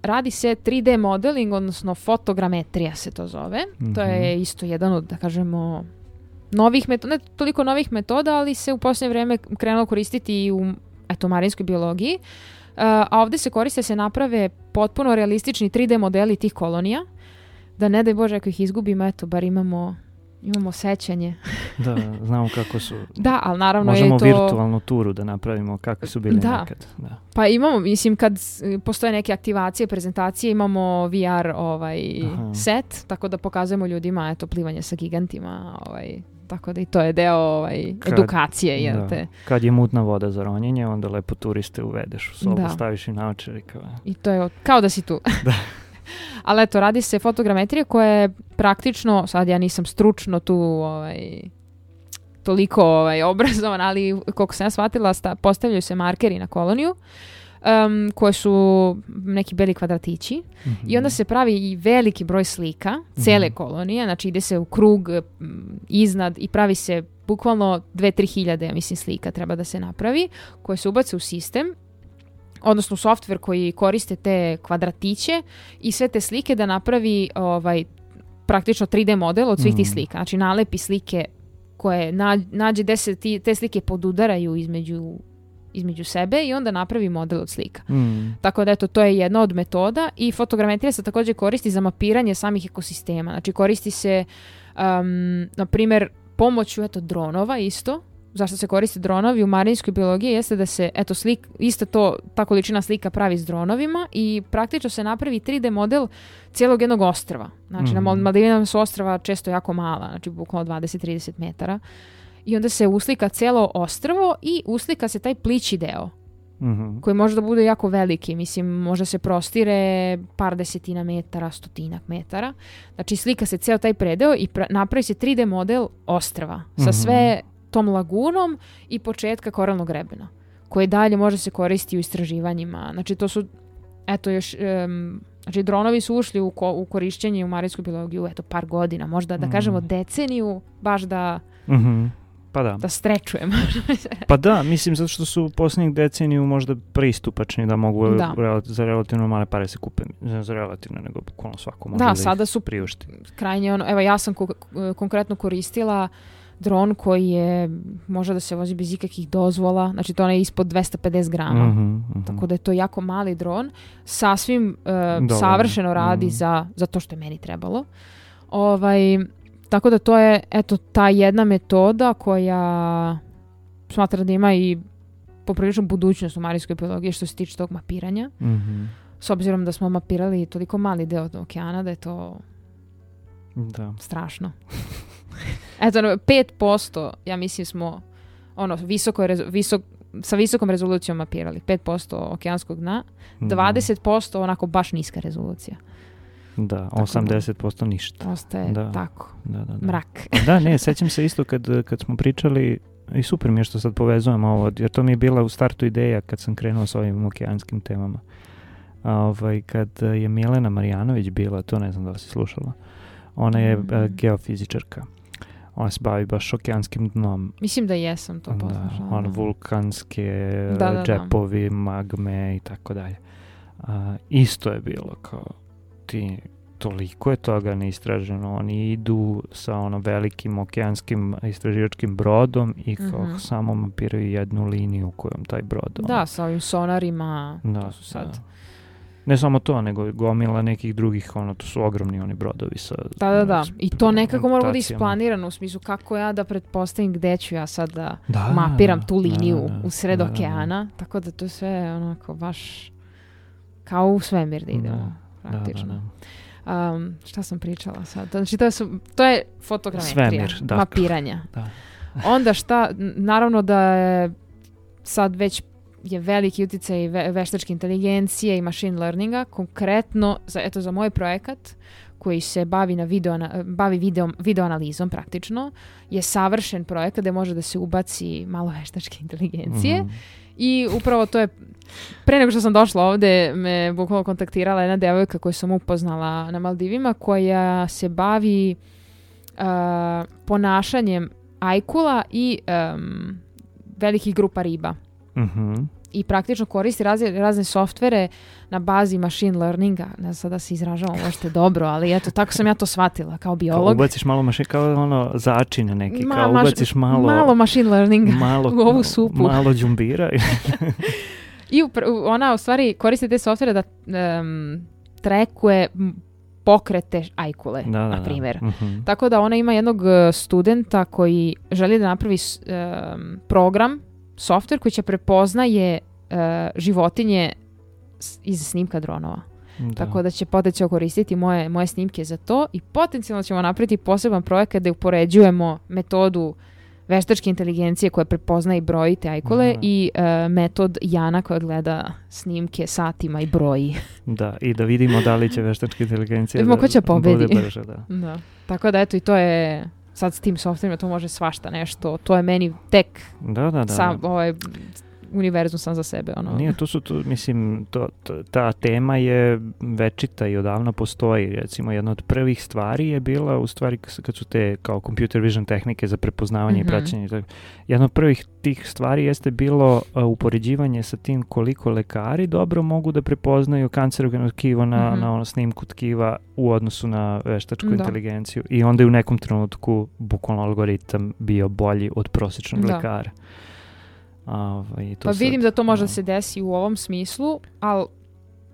radi se 3D modeling, odnosno fotogrametrija se to zove. To je isto jedan od, da kažemo, novih metoda, ne toliko novih metoda, ali se u posljednje vrijeme krenulo koristiti i u marinskoj biologiji. A ovdje se koriste, se naprave potpuno realistični 3D modeli tih kolonija, da ne daj Bože ako ih izgubimo, bar imamo sećanje. Da, znamo kako su. Da, ali naravno možemo je to... virtualnu turu da napravimo kakvi su bili nekad. Da. Pa imamo, mislim, kad postoje neke aktivacije, prezentacije, imamo VR set, tako da pokazujemo ljudima plivanje sa gigantima, tako da i to je deo edukacije. Kad je mutna voda za ronjenje, onda lepo turiste uvedeš u sobu, staviš i naočare. I to je kao da si tu. Da. Ali eto, radi se fotogrametrija koja je praktično, sad ja nisam stručno tu toliko obrazovana, ali koliko sam ja shvatila, postavljaju se markeri na koloniju, koje su neki beli kvadratići i onda se pravi i veliki broj slika cele kolonije, znači ide se u krug iznad i pravi se bukvalno 2-3 hiljade, ja mislim, slika treba da se napravi, koje se ubace u sistem, odnosno softver koji koriste te kvadratiće i sve te slike da napravi praktično 3D model od svih tih slika. Znači nalepi slike koje nađe gde se te slike podudaraju između sebe i onda napravi model od slika. Tako da eto, to je jedna od metoda i fotogrametrija se također koristi za mapiranje samih ekosistema. Znači koristi se na primjer pomoću dronova isto. Zašto se koriste dronovi u marinskoj biologiji jeste da se ta količina slika pravi s dronovima i praktično se napravi 3D model cijelog jednog ostrva. Znači na Maldivinama su ostrva često jako mala, znači bukvalno 20-30 metara. I onda se uslika cijelo ostrvo i uslika se taj plići deo koji može da bude jako veliki. Mislim, može se prostire par desetina metara, 100 metara. Znači slika se cijel taj predeo i napravi se 3D model ostrva sa sve tom lagunom i početka koralnog grebena, koji dalje može se koristiti u istraživanjima. Znači to su, znači dronovi su ušli u korišćenje u marinskoj biologiju, par godina, možda da kažemo deceniju, baš da da strečujemo. Pa da, mislim, zato što su u posljednjih deceniju možda pristupačni da mogu za relativno male pare se kupe. Ne za relativno, nego bukvalno svako može da sada su priušti. Krajnje evo ja sam konkretno koristila dron koji može da se vozi bez ikakvih dozvola, znači to je ispod 250 grama. Tako da je to jako mali dron, sasvim savršeno radi za to što je meni trebalo. Tako da to je ta jedna metoda koja smatra da ima i poprilično budućnost u marinskoj biologiji što se tiče tog mapiranja. S obzirom da smo mapirali toliko mali deo okeana da je to strašno. 5%, ja mislim smo sa visokom rezolucijom mapirali. 5% okeanskog dna, 20% onako baš niska rezolucija. Da, 80% ništa. Ostaje tako. Da. Mrak. Da, ne, sećam se isto kad smo pričali, i super mi je što sad povezujemo ovo, jer to mi je bila u startu ideja kad sam krenuo s ovim okeanskim temama. Kad je Milena Marjanović bila, to ne znam da li si slušala, ona je geofizičarka. Ona se bavi baš okeanskim dnom. Mislim da jesam to poslušala. Vulkanske Da. džepovi, magme i tako dalje. Isto je bilo kao toliko je toga neistraženo. Oni idu sa velikim okeanskim istraživačkim brodom i kao samo mapiraju jednu liniju kojom taj brod. Da, sa ovim sonarima. Da, su sad. Ne samo to, nego gomila nekih drugih, to su ogromni oni brodovi sa... Da. I to nekako mora biti isplanirano u smislu kako ja da pretpostavim gde ću ja sad da mapiram tu liniju u sred okeana. Tako da to sve onako baš kao u svemir da idemo. Praktično. Šta sam pričala sad? Znači to je fotogrametrija, svemir, mapiranja. Da. Onda šta, naravno da je sad već je veliki utjecaj veštačke inteligencije i machine learninga, konkretno za moj projekat koji se bavi video analizom praktično, je savršen projekat gdje može da se ubaci malo veštačke inteligencije. I upravo to je, pre nego što sam došla ovdje, me bukvalno kontaktirala jedna devojka koju sam upoznala na Maldivima, koja se bavi ponašanjem ajkula i velikih grupa riba. I praktično koristi razne softvere na bazi machine learninga. Ne znam da se izražavam možete dobro, ali eto, tako sam ja to shvatila kao biolog. Kao ubaciš malo kao začine neki, kao ubaciš malo machine learninga u ovu supu. Malo džumbira. I ona u stvari koristi te softvere da trekuje pokrete ajkule, na primjer. Tako da ona ima jednog studenta koji želi da napravi program, softver koji će prepoznaje životinje iz snimka dronova. Tako da će potencijalno koristiti moje snimke za to i potencijalno ćemo napraviti poseban projekat gdje upoređujemo metodu veštačke inteligencije koja prepoznaje i broji te ajkule i metod Jana koja gleda snimke satima i broji. Da, i da vidimo da li će veštačka inteligencija da ko će pobedi. Bude brže. Da. Tako da eto i to je sad s tim softverima to može svašta nešto. To je meni tek sam univerzum sam za sebe. Nije, mislim, ta tema je večita i odavno postoji. Recimo, jedna od prvih stvari je bila, u stvari, kad su te kao computer vision tehnike za prepoznavanje i praćenje. Jedna od prvih tih stvari jeste bilo upoređivanje sa tim koliko lekari dobro mogu da prepoznaju kancerogeno tkivo na snimku tkiva u odnosu na veštačku inteligenciju. I onda je u nekom trenutku bukvalno algoritam bio bolji od prosječnog lekara. Pa vidim da to može da se desi u ovom smislu, ali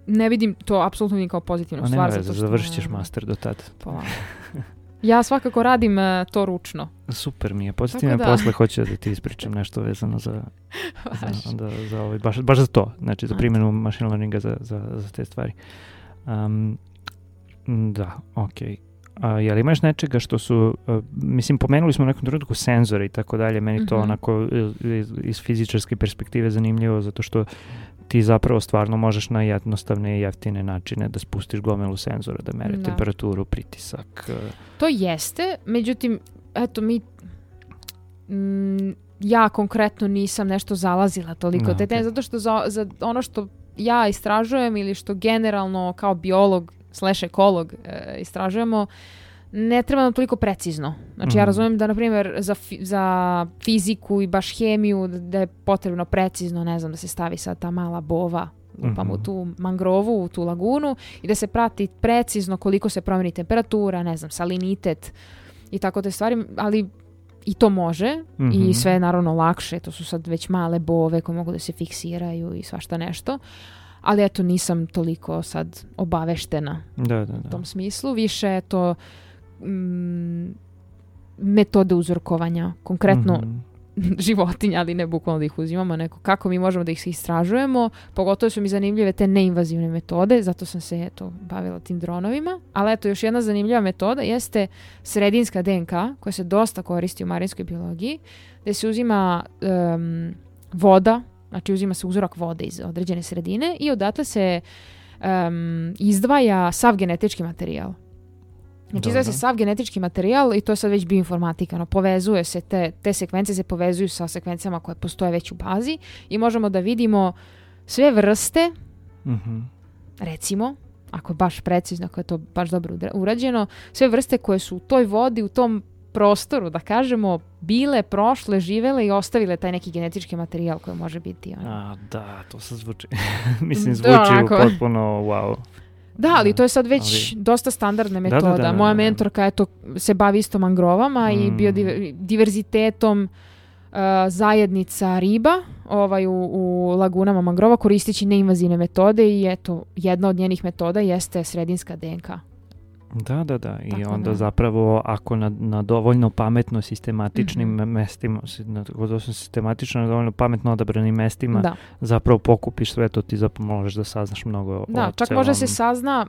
ne vidim to apsolutno ni kao pozitivnu stvar. Završit ćeš master do tada. Ja svakako radim to ručno. Super mi je. Pozitivno posle hoću da ti ispričam nešto vezano za baš za to. Znači za primjenu machine learninga za te stvari. Da, okej. Jel imaš nečega što su, mislim, pomenuli smo u nekom trenutku senzore i tako dalje, meni to onako iz fizičarske perspektive zanimljivo, zato što ti zapravo stvarno možeš na jednostavne i jeftine načine da spustiš gomilu senzora, da mere temperaturu, pritisak. To jeste, međutim, eto ja konkretno nisam nešto zalazila toliko te teme, zato što za ono što ja istražujem ili što generalno kao biolog / ekolog istražujemo, ne treba nam toliko precizno. Znači ja razumijem da, na primjer, za fiziku i baš hemiju da je potrebno precizno, ne znam, da se stavi sad ta mala bova u tu mangrovu, u tu lagunu i da se prati precizno koliko se promeni temperatura, ne znam, salinitet i tako te stvari, ali i to može i sve je naravno lakše, to su sad već male bove koje mogu da se fiksiraju i svašta nešto. Ali eto, nisam toliko sad obaveštena u tom smislu. Više je to metode uzorkovanja, konkretno životinja, ali ne bukvalno da ih uzimamo, neko kako mi možemo da ih istražujemo. Pogotovo su mi zanimljive te neinvazivne metode, zato sam se bavila tim dronovima. Ali eto, još jedna zanimljiva metoda jeste sredinska DNK, koja se dosta koristi u marinskoj biologiji, gdje se uzima voda. Znači uzima se uzorak vode iz određene sredine i odatle se izdvaja sav genetički materijal. Znači izdvaja se sav genetički materijal i to je sad već bioinformatika. Povezuje se, te sekvence se povezuju sa sekvencama koje postoje već u bazi i možemo da vidimo sve vrste, recimo, ako je baš precizno, ako je to baš dobro urađeno, sve vrste koje su u toj vodi, u tom prostoru, da kažemo, bile, prošle, živele i ostavile taj neki genetički materijal koji može biti. Da, to se zvuči. Mislim, Da, onako. potpuno wow. Da, ali to je sad već dosta standardna metoda. Da. Moja mentorka eto, se bavi isto mangrovama i biodiverzitetom zajednica riba u lagunama mangrova koristeći neinvazivne metode i eto, jedna od njenih metoda jeste sredinska DNK. Da. I Tako onda da. zapravo ako na dovoljno pametno sistematičnim mestima, sistematično na dovoljno pametno odabranim mestima, Da. zapravo pokupiš sve to, ti zapravo možeš da saznaš mnogo Da, o čak celom... možda se sazna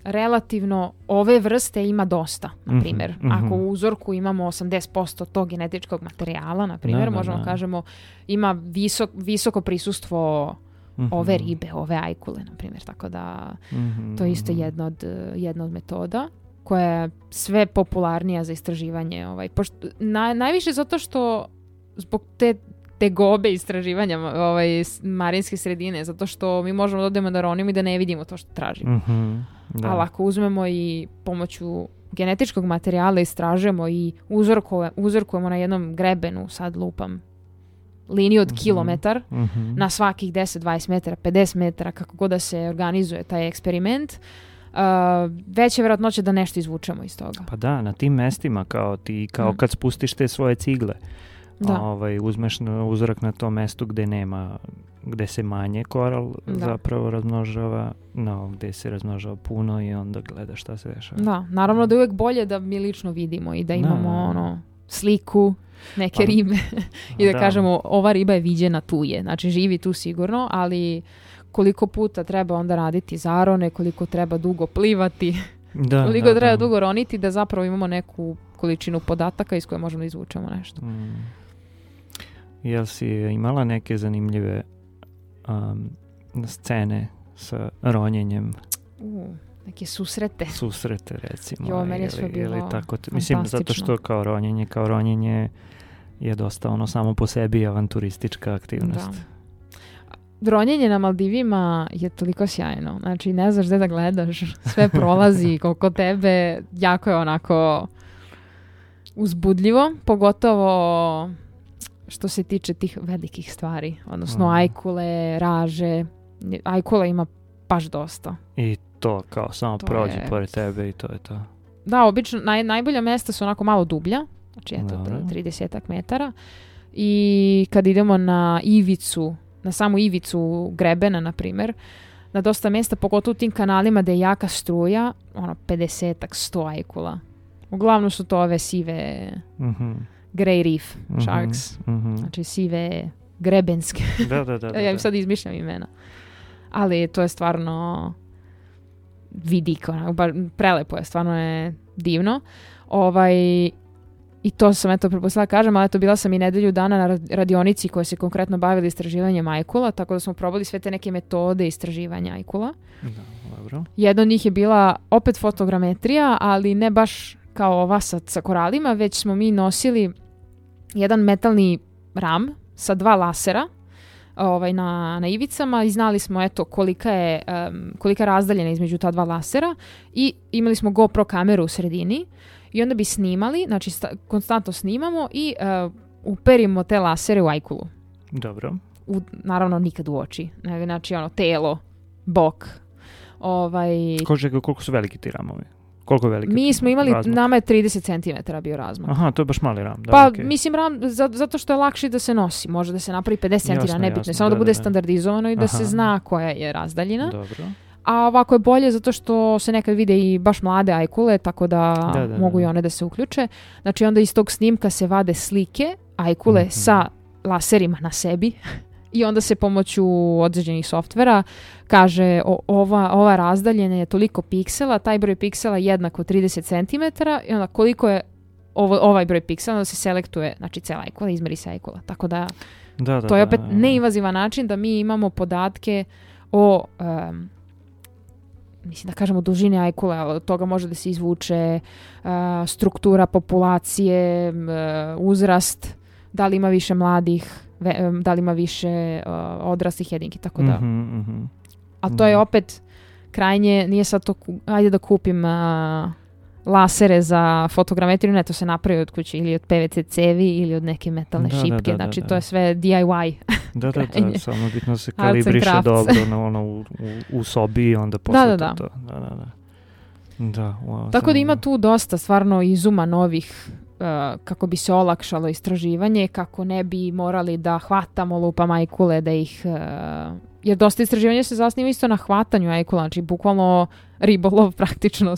relativno ove vrste ima dosta, na primjer. Ako u uzorku imamo 80% tog genetičkog materijala, na primjer, možemo kažemo ima visoko prisustvo ove ribe, ove ajkule, na primjer. Tako da to je isto jedna od metoda koja je sve popularnija za istraživanje. Najviše zato što zbog te gobe istraživanja marinske sredine, zato što mi možemo da odemo da ronimo i da ne vidimo to što tražimo. Da. Ali ako uzmemo i pomoću genetičkog materijala istražujemo i uzorkujemo na jednom grebenu, sad lupam, liniju od kilometar, na svakih 10, 20 metara, 50 metara, kako god da se organizuje taj eksperiment, veća je vjerojatnoća da nešto izvučemo iz toga. Pa da, na tim mestima kao kad spustiš te svoje cigle, uzmeš uzorak na tom mestu gde se manje koral zapravo razmnožava, gde se razmnožava puno i onda gledaš šta se dešava. Da, naravno da je uvijek bolje da mi lično vidimo i da imamo sliku neke ribe i da kažemo ova riba je viđena tu je, znači živi tu sigurno, ali koliko puta treba onda raditi zarone, koliko treba dugo plivati, koliko treba dugo roniti da zapravo imamo neku količinu podataka iz koje možemo da izvučemo nešto. Jel si imala neke zanimljive scene sa ronjenjem? Neke susrete. Susrete, recimo. Meni je sve bilo mislim, zato što kao ronjenje je dosta samo po sebi avanturistička aktivnost. Da. Ronjenje na Maldivima je toliko sjajno. Znači, ne znaš gde da gledaš. Sve prolazi koliko tebe. Jako je onako uzbudljivo. Pogotovo što se tiče tih velikih stvari. Odnosno ajkule, raže. Ajkula ima baš dosta. I to kao samo prođe pored tebe i to je to. Da, obično najbolja mesta su onako malo dublja. Znači, eto, 30 metara. I kad idemo na ivicu, na samu ivicu grebena, na primjer, na dosta mjesta, pogotovo u tim kanalima gdje je jaka struja, 50-ak, 100 ajkula. Uglavnom su to ove sive grey reef sharks. Znači sive grebenske. Da. Ja im sad izmišljam imena. Ali to je stvarno vidik, prelepo je, stvarno je divno. I to sam prepustila kažem, ali bila sam i nedelju dana na radionici koja se konkretno bavila istraživanjem ajkula, tako da smo probali sve te neke metode istraživanja ajkula. Dobro. Jedna od njih je bila opet fotogrametrija, ali ne baš kao ova sa koralima, već smo mi nosili jedan metalni ram sa 2 lasera na ivicama i znali smo kolika je razdaljena između ta 2 lasera i imali smo GoPro kameru u sredini. I onda bi snimali, znači konstantno snimamo i uperimo te lasere u ajkulu. Dobro. Naravno nikad u oči. Znači telo, bok. Koliko su veliki ti ramovi? Koliko je veliki? Mi smo imali, razmak? nama je 30 cm bio razmak. Aha, to je baš mali ram. Da, pa okay. Mislim ram, zato što je lakši da se nosi. Može da se napravi 50 cm, nebitno. Samo da bude standardizovano i da se zna koja je razdaljina. Dobro. A ovako je bolje zato što se nekad vide i baš mlade ajkule, tako da mogu i one da se uključe. Znači onda iz tog snimka se vade slike ajkule sa laserima na sebi i onda se pomoću određenih softvera kaže ova razdaljena je toliko piksela, taj broj piksela je jednako 30 cm i onda koliko je ovaj broj piksela, onda se selektuje, znači cela ajkula, izmeri se ajkula. Tako da to je opet neinvazivan način da mi imamo podatke o mislim da kažemo dužine ajkule, ali od toga može da se izvuče struktura populacije, uzrast, da li ima više mladih, da li ima više odraslih jedinki, tako da. A to je opet krajnje, nije sad to, ajde da kupim lasere za fotogrametriju, ne, to se napravi od kuće ili od PVC cevi ili od neke metalne šipke, znači to je sve DIY. Da, samo bitno se kalibriše dobro u sobi i onda posle to. Da, wow, tako da ima tu dosta stvarno izuma novih kako bi se olakšalo istraživanje, kako ne bi morali da hvatamo lupam ajkule, da ih... jer dosta istraživanja se zasniva isto na hvatanju ajkula, znači bukvalno ribolov praktično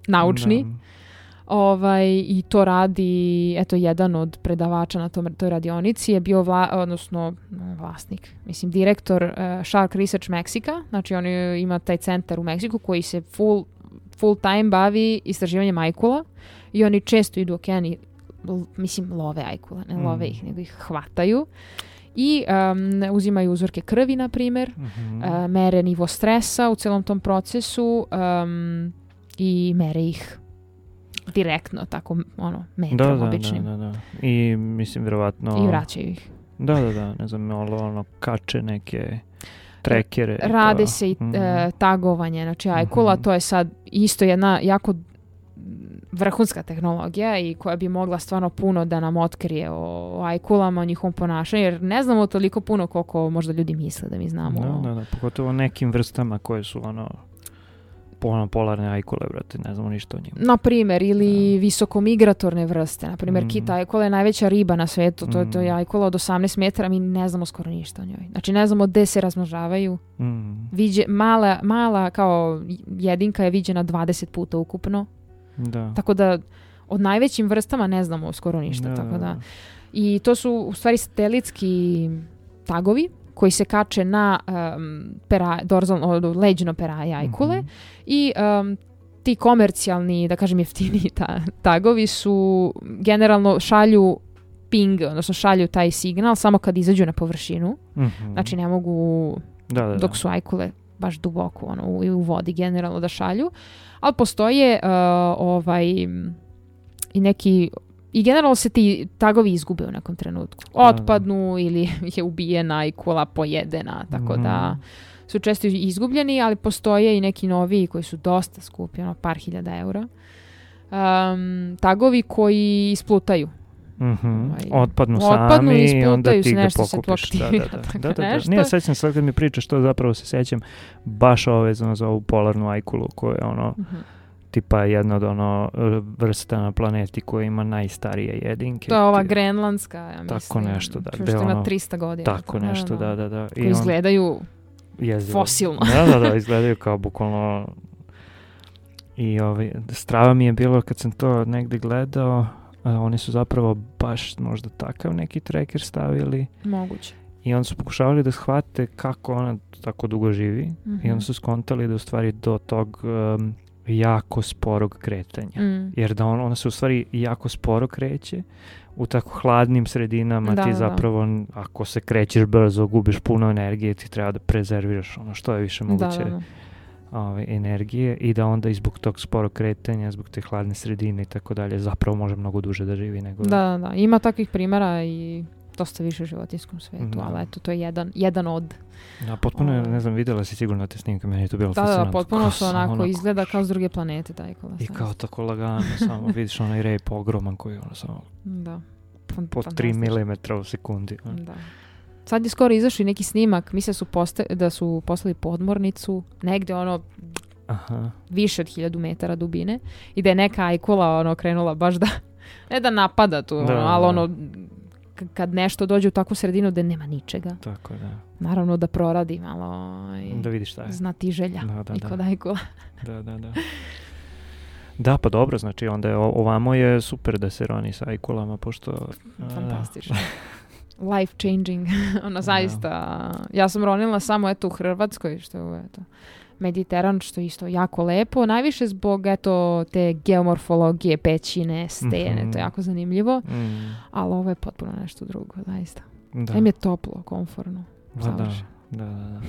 naučni. I to radi, eto, jedan od predavača na toj radionici je bio vlasnik, mislim direktor Shark Research Mexica, znači on ima taj centar u Meksiku koji se full time bavi istraživanjem ajkula i oni često idu u okean i love ajkula, ne love ih, nego ih hvataju i uzimaju uzorke krvi, na primjer, mere nivo stresa u celom tom procesu i mere ih direktno, tako, metrom običnim. Da. I mislim, vjerovatno... I vraćaju ih. Da, ne znam, kače neke trekere. Rade se i tagovanje, znači ajkula, to je sad isto jedna jako vrhunska tehnologija i koja bi mogla stvarno puno da nam otkrije o ajkulama, o njihovom ponašanju, jer ne znamo toliko puno koliko možda ljudi misle da mi znamo. Da, pogotovo nekim vrstama koje su polarne ajkule, brate, ne znamo ništa o njima. Na primjer, ili visokomigratorne vrste. Na primjer, kita ajkula je najveća riba na svetu. To je ajkula od 18 metara, mi ne znamo skoro ništa o njoj. Znači, ne znamo gde se razmnožavaju. Mala kao jedinka je viđena 20 puta ukupno. Da. Tako da, od najvećim vrstama ne znamo skoro ništa. Tako da. I to su, u stvari, satelitski tagovi koji se kače na leđno peraje ajkule i ti komercijalni, da kažem jeftiniji tagovi su generalno šalju ping, odnosno šalju taj signal samo kad izađu na površinu. Znači ne mogu dok su ajkule baš duboko u vodi generalno da šalju, ali postoje i neki... I generalno se ti tagovi izgube u nekom trenutku. Otpadnu ili je ubijena ajkula, pojedena, tako da su često izgubljeni, ali postoje i neki noviji koji su dosta skupi, par hiljada eura. Tagovi koji isplutaju. Otpadnu sami i onda ti ga pokupiš. Da. Nije, sećam sad kad mi pričaš to, zapravo se sećam baš vezano za ovu polarnu ajkulu koja je tipa jedna od vrsta na planeti koja ima najstarije jedinke. To je ova grenlandska, ja mislim. Tako nešto, da. Što ima 300 godina. Tako nešto, da. Koji izgledaju fosilno. Da, izgledaju kao bukvalno... I strava mi je bilo kad sam to negdje gledao, oni su zapravo baš možda takav neki tracker stavili. Moguće. I onda su pokušavali da shvate kako ona tako dugo živi i onda su skontali da u stvari do tog... jako sporog kretanja. Jer da ona se u stvari jako sporo kreće u tako hladnim sredinama. Ti zapravo, ako se krećeš brzo, gubiš puno energije, ti treba da prezerviraš što je više moguće energije i da onda i zbog tog sporog kretanja, zbog te hladne sredine i tako dalje, zapravo može mnogo duže da živi nego... Da. Ima takvih primjera i dosta više u životinskom svetu, ali eto, to je jedan od... Da, potpuno, ne znam, vidjela si sigurno te snimke, meni je to bilo fascinantno. Da, potpuno su onako izgleda kao s druge planete taj kola. I kao tako lagano, samo vidiš onaj rejp ogroman koji samo po 3 mm u sekundi. Da. Sad je skoro izašao i neki snimak, misle da su poslali podmornicu, negde više od 1000 metara dubine i da je neka ajkula krenula baš da, ne da napada tu, ali kad nešto dođe u takvu sredinu da nema ničega. Tako, da. Naravno da proradi malo da vidiš šta je. Znati želja i kod ajkula. Da. Da, pa dobro, znači onda je ovamo je super da se roni sa ajkulama, pošto... Fantastično. Life changing. Zaista. Ja sam ronila samo u Hrvatskoj, što je Mediteran, što je isto jako lepo. Najviše zbog te geomorfologije, pećine, stene, to je jako zanimljivo. Ali ovo je potpuno nešto drugo, zaista. Em je toplo, komforno. Da.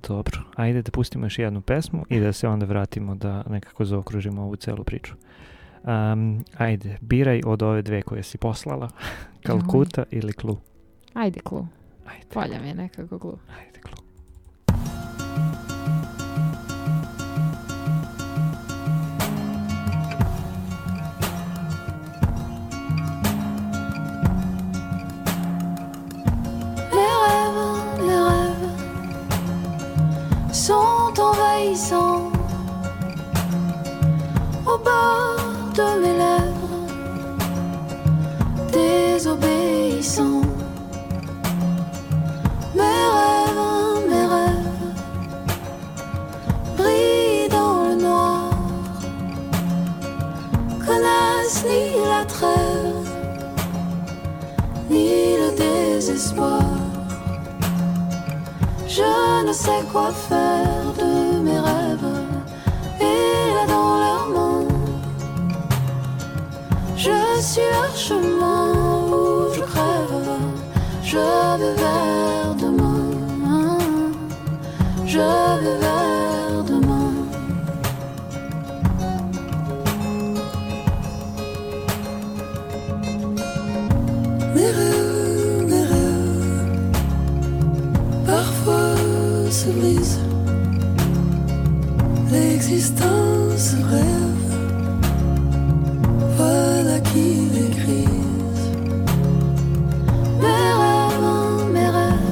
Dobro, ajde da pustimo još jednu pesmu i da se onda vratimo da nekako zaokružimo ovu celu priču. Ajde, biraj od ove dve koje si poslala. Kalkuta ili Klu? Ajde Klu. Polja mi je nekako Klu. Ajde Klu. désobéissant au bord de mes lèvres, désobéissant. Mes rêves brillent dans le noir, connaissent ni la trêve ni le désespoir. Je ne sais quoi faire de mes rêves, et là dans leurs mains, je suis leur chemin où je crève. Je vais vers demain, je vais vers demain. Mes rêves, parfois se brisent. L'existence rêve, voilà qui les grise. Mes rêves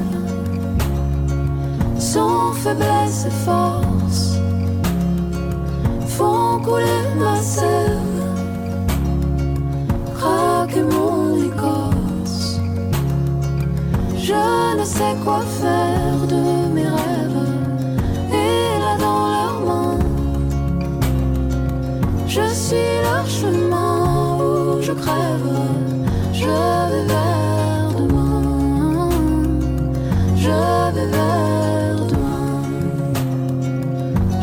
sont faiblesse et force, font couler ma sève, craquer mon écorce. Je ne sais quoi faire de mes rêves, et là dans leurs mains, je suis leur chemin où je crève. Je vais vers demain, je vais vers demain,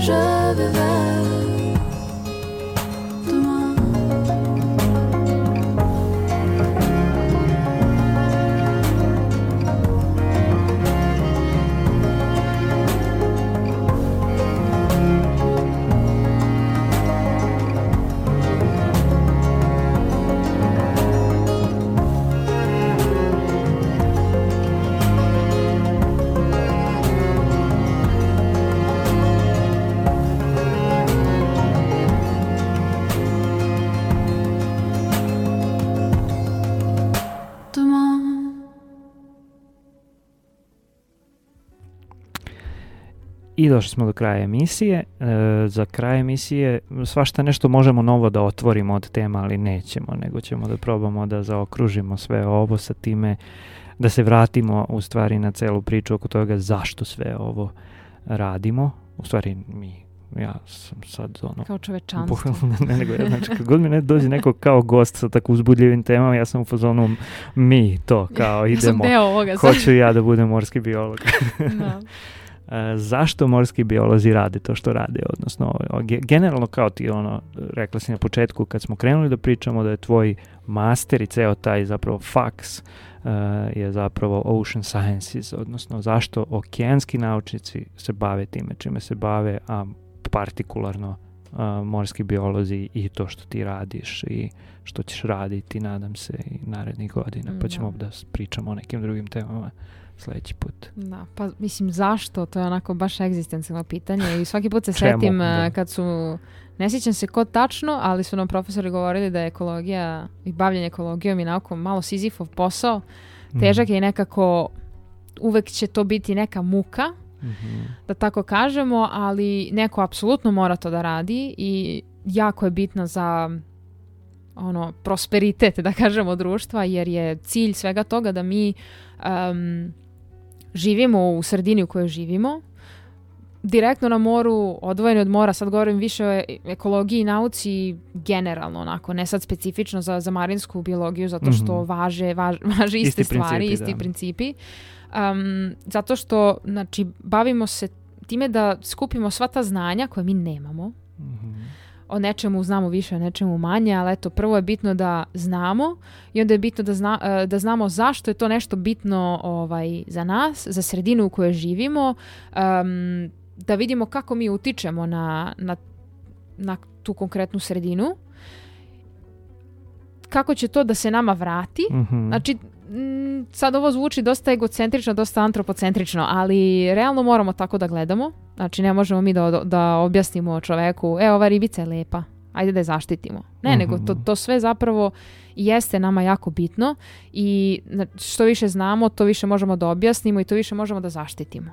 je vais vers demain. I došli smo do kraja emisije. Za kraj emisije svašta nešto možemo novo da otvorimo od tema, ali nećemo, nego ćemo da probamo da zaokružimo sve ovo sa time, da se vratimo u stvari na celu priču oko toga zašto sve ovo radimo. U stvari ja sam sad kao čovečanstvo. Znači, kad god mi ne dođe neko kao gost sa tako uzbudljivim temama, ja sam u fazonu mi to kao idemo. Hoću ja da budem morski biolog. Da. Zašto morski biolozi rade to što rade, odnosno generalno kao ti rekla si na početku kad smo krenuli da pričamo da je tvoj master i ceo taj zapravo faks je zapravo ocean sciences, odnosno zašto okeanski naučnici se bave time čime se bave, a partikularno morski biolozi i to što ti radiš i što ćeš raditi, nadam se, i narednih godina, pa ćemo da pričamo o nekim drugim temama sljedeći put. Da, pa mislim zašto, to je onako baš egzistencijalno pitanje i svaki put se setim kad su, ne sjećam se ko tačno, ali su nam profesori govorili da je ekologija i bavljenje ekologijom i naukom malo Sizifov posao, težak je i nekako uvek će to biti neka muka, da tako kažemo, ali neko apsolutno mora to da radi i jako je bitno za prosperitet, da kažemo, društva, jer je cilj svega toga da mi živimo u sredini u kojoj živimo, direktno na moru, odvojeni od mora, sad govorim više o ekologiji i nauci generalno, onako, ne sad specifično za marinsku biologiju, zato što važe iste stvari, isti principi. Zato što, znači, bavimo se time da skupimo sva ta znanja koje mi nemamo. O nečemu znamo više, o nečemu manje, ali eto, prvo je bitno da znamo i onda je bitno da znamo zašto je to nešto bitno za nas, za sredinu u kojoj živimo, da vidimo kako mi utičemo na tu konkretnu sredinu, kako će to da se nama vrati. Znači, sad ovo zvuči dosta egocentrično, dosta antropocentrično, ali realno moramo tako da gledamo. Znači, ne možemo mi da objasnimo čoveku, ova ribica je lepa. ajde da je zaštitimo. Ne, nego to sve zapravo jeste nama jako bitno i što više znamo, to više možemo da objasnimo i to više možemo da zaštitimo.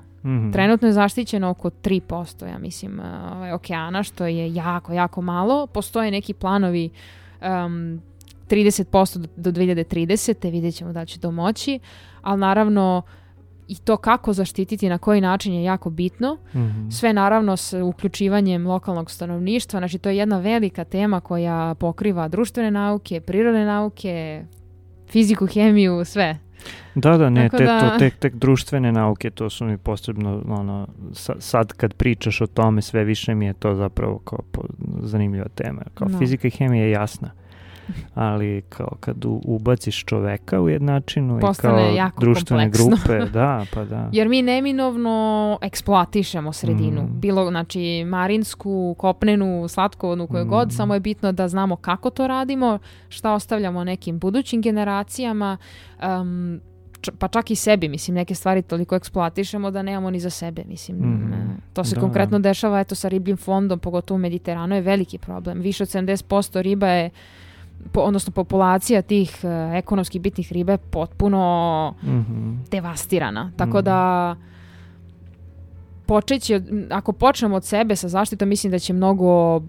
Trenutno je zaštićeno oko 3%, ja mislim, okeana, što je jako, jako malo. Postoje neki planovi 30% do 2030. Vidjet ćemo da će to moći, ali naravno i to kako zaštititi, na koji način je jako bitno. Sve naravno s uključivanjem lokalnog stanovništva. Znači to je jedna velika tema koja pokriva društvene nauke, prirodne nauke, fiziku, hemiju, sve. Da, ne, tek društvene nauke, to su mi posebno, sad kad pričaš o tome, sve više mi je to zapravo kao zanimljiva tema. Kao fizika i hemija je jasna. Ali kao kad ubaciš čoveka u jednačinu postane i kao društvene kompleksno. grupe, da. Jer mi neminovno eksploatišemo sredinu. Bilo, znači, marinsku, kopnenu, slatkovodnu, koju god, samo je bitno da znamo kako to radimo, šta ostavljamo nekim budućim generacijama, pa čak i sebi, mislim, neke stvari toliko eksploatišemo da nemamo ni za sebe, mislim. To se konkretno dešava, eto, sa ribljim fondom, pogotovo u Mediteranu, je veliki problem. Više od 70% riba je, odnosno populacija tih ekonomski bitnih riba je potpuno devastirana. Tako da ako počnemo od sebe sa zaštitom, mislim da će mnogo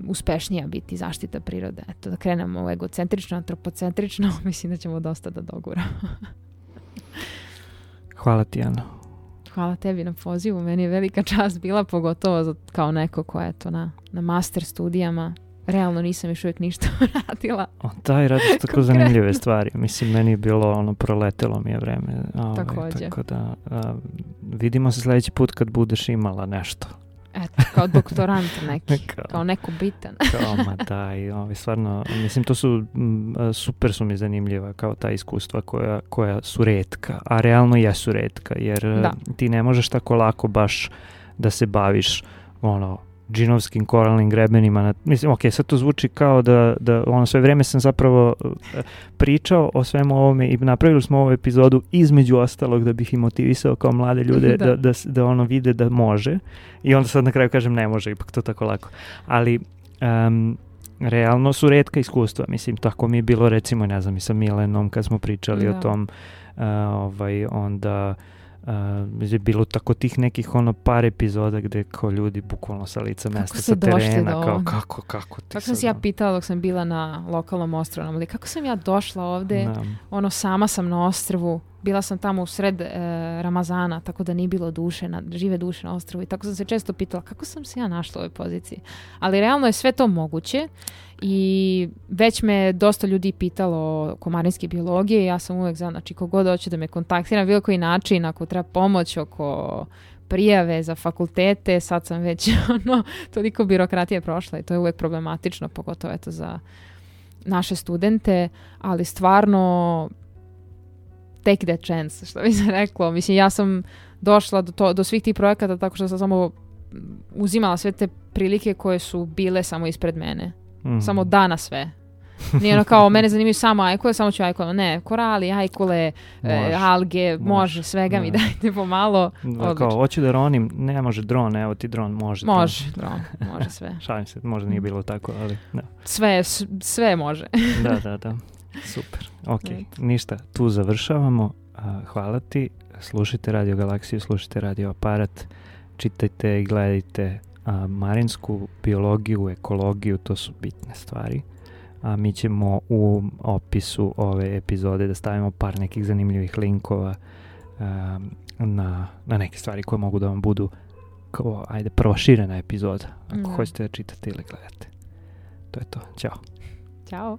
uspešnija biti zaštita prirode. Eto, da krenemo egocentrično, antropocentrično, mislim da ćemo dosta da doguramo. Hvala ti, Ana. Hvala tebi na pozivu. Meni je velika čast bila, pogotovo kao neko ko je to na master studijama. Realno nisam još uvijek ništa radila. Da, i radiš tako zanimljive stvari. Mislim, meni je bilo proletelo mi je vreme. Također. Tako da vidimo se sljedeći put kad budeš imala nešto. Eto, kao doktorant neki, kao neko bitan. I stvarno, mislim, to su, super su mi zanimljiva kao ta iskustva koja su retka, a realno jesu retka, jer ti ne možeš tako lako baš da se baviš, džinovskim koralnim grebenima. Mislim, sad to zvuči kao da sve vrijeme sam zapravo pričao o svemu ovome i napravili smo ovu epizodu između ostalog da bih i motivisao kao mlade ljude da vide da može, i onda sad na kraju kažem ne može, ipak to tako lako. Ali realno su retka iskustva. Mislim, tako mi je bilo recimo, ne znam, i sa Milenom kad smo pričali o tom, onda je bilo tako tih nekih par epizoda gde kao ljudi bukvalno sa lica mesta, sa terena, kao kako ti. Tako sam se ja pitala dok sam bila na lokalnom ostrvu, ali kako sam ja došla ovde, sama sam na ostrvu, bila sam tamo u sred Ramazana, tako da nije bilo žive duše na ostrvu, i tako sam se često pitala kako sam se ja našla u ovoj poziciji. Ali realno je sve to moguće i već me dosta ljudi pitalo oko marinske biologije i ja sam uvek znači kogod hoće da me kontaktira na bilo koji način, ako treba pomoć oko prijave za fakultete, sad sam već toliko birokratije prošla i to je uvek problematično, pogotovo za naše studente, ali stvarno take that chance, što bi se reklo. Mislim, ja sam došla do svih tih projekata tako što sam samo uzimala sve te prilike koje su bile samo ispred mene. Samo da na sve. Nije kao, mene zanimaju samo ajkule, samo ću ajkule. Ne, korali, ajkule, alge, može, svega mi dajte pomalo. Kao, hoću da ronim, ne može dron, evo ti dron, može. Može, dron, može sve. Šalim se, možda nije bilo tako, ali da. Sve može. Da. Super. Ok, ništa, tu završavamo. Hvala ti. Slušajte Radio Galaksiju, slušajte Radio Aparat, čitajte i gledajte marinsku biologiju, ekologiju, to su bitne stvari. A mi ćemo u opisu ove epizode da stavimo par nekih zanimljivih linkova na neke stvari koje mogu da vam budu kao, proširena epizoda, ako hoćete da čitate ili gledate. To je to. Ćao. Ćao.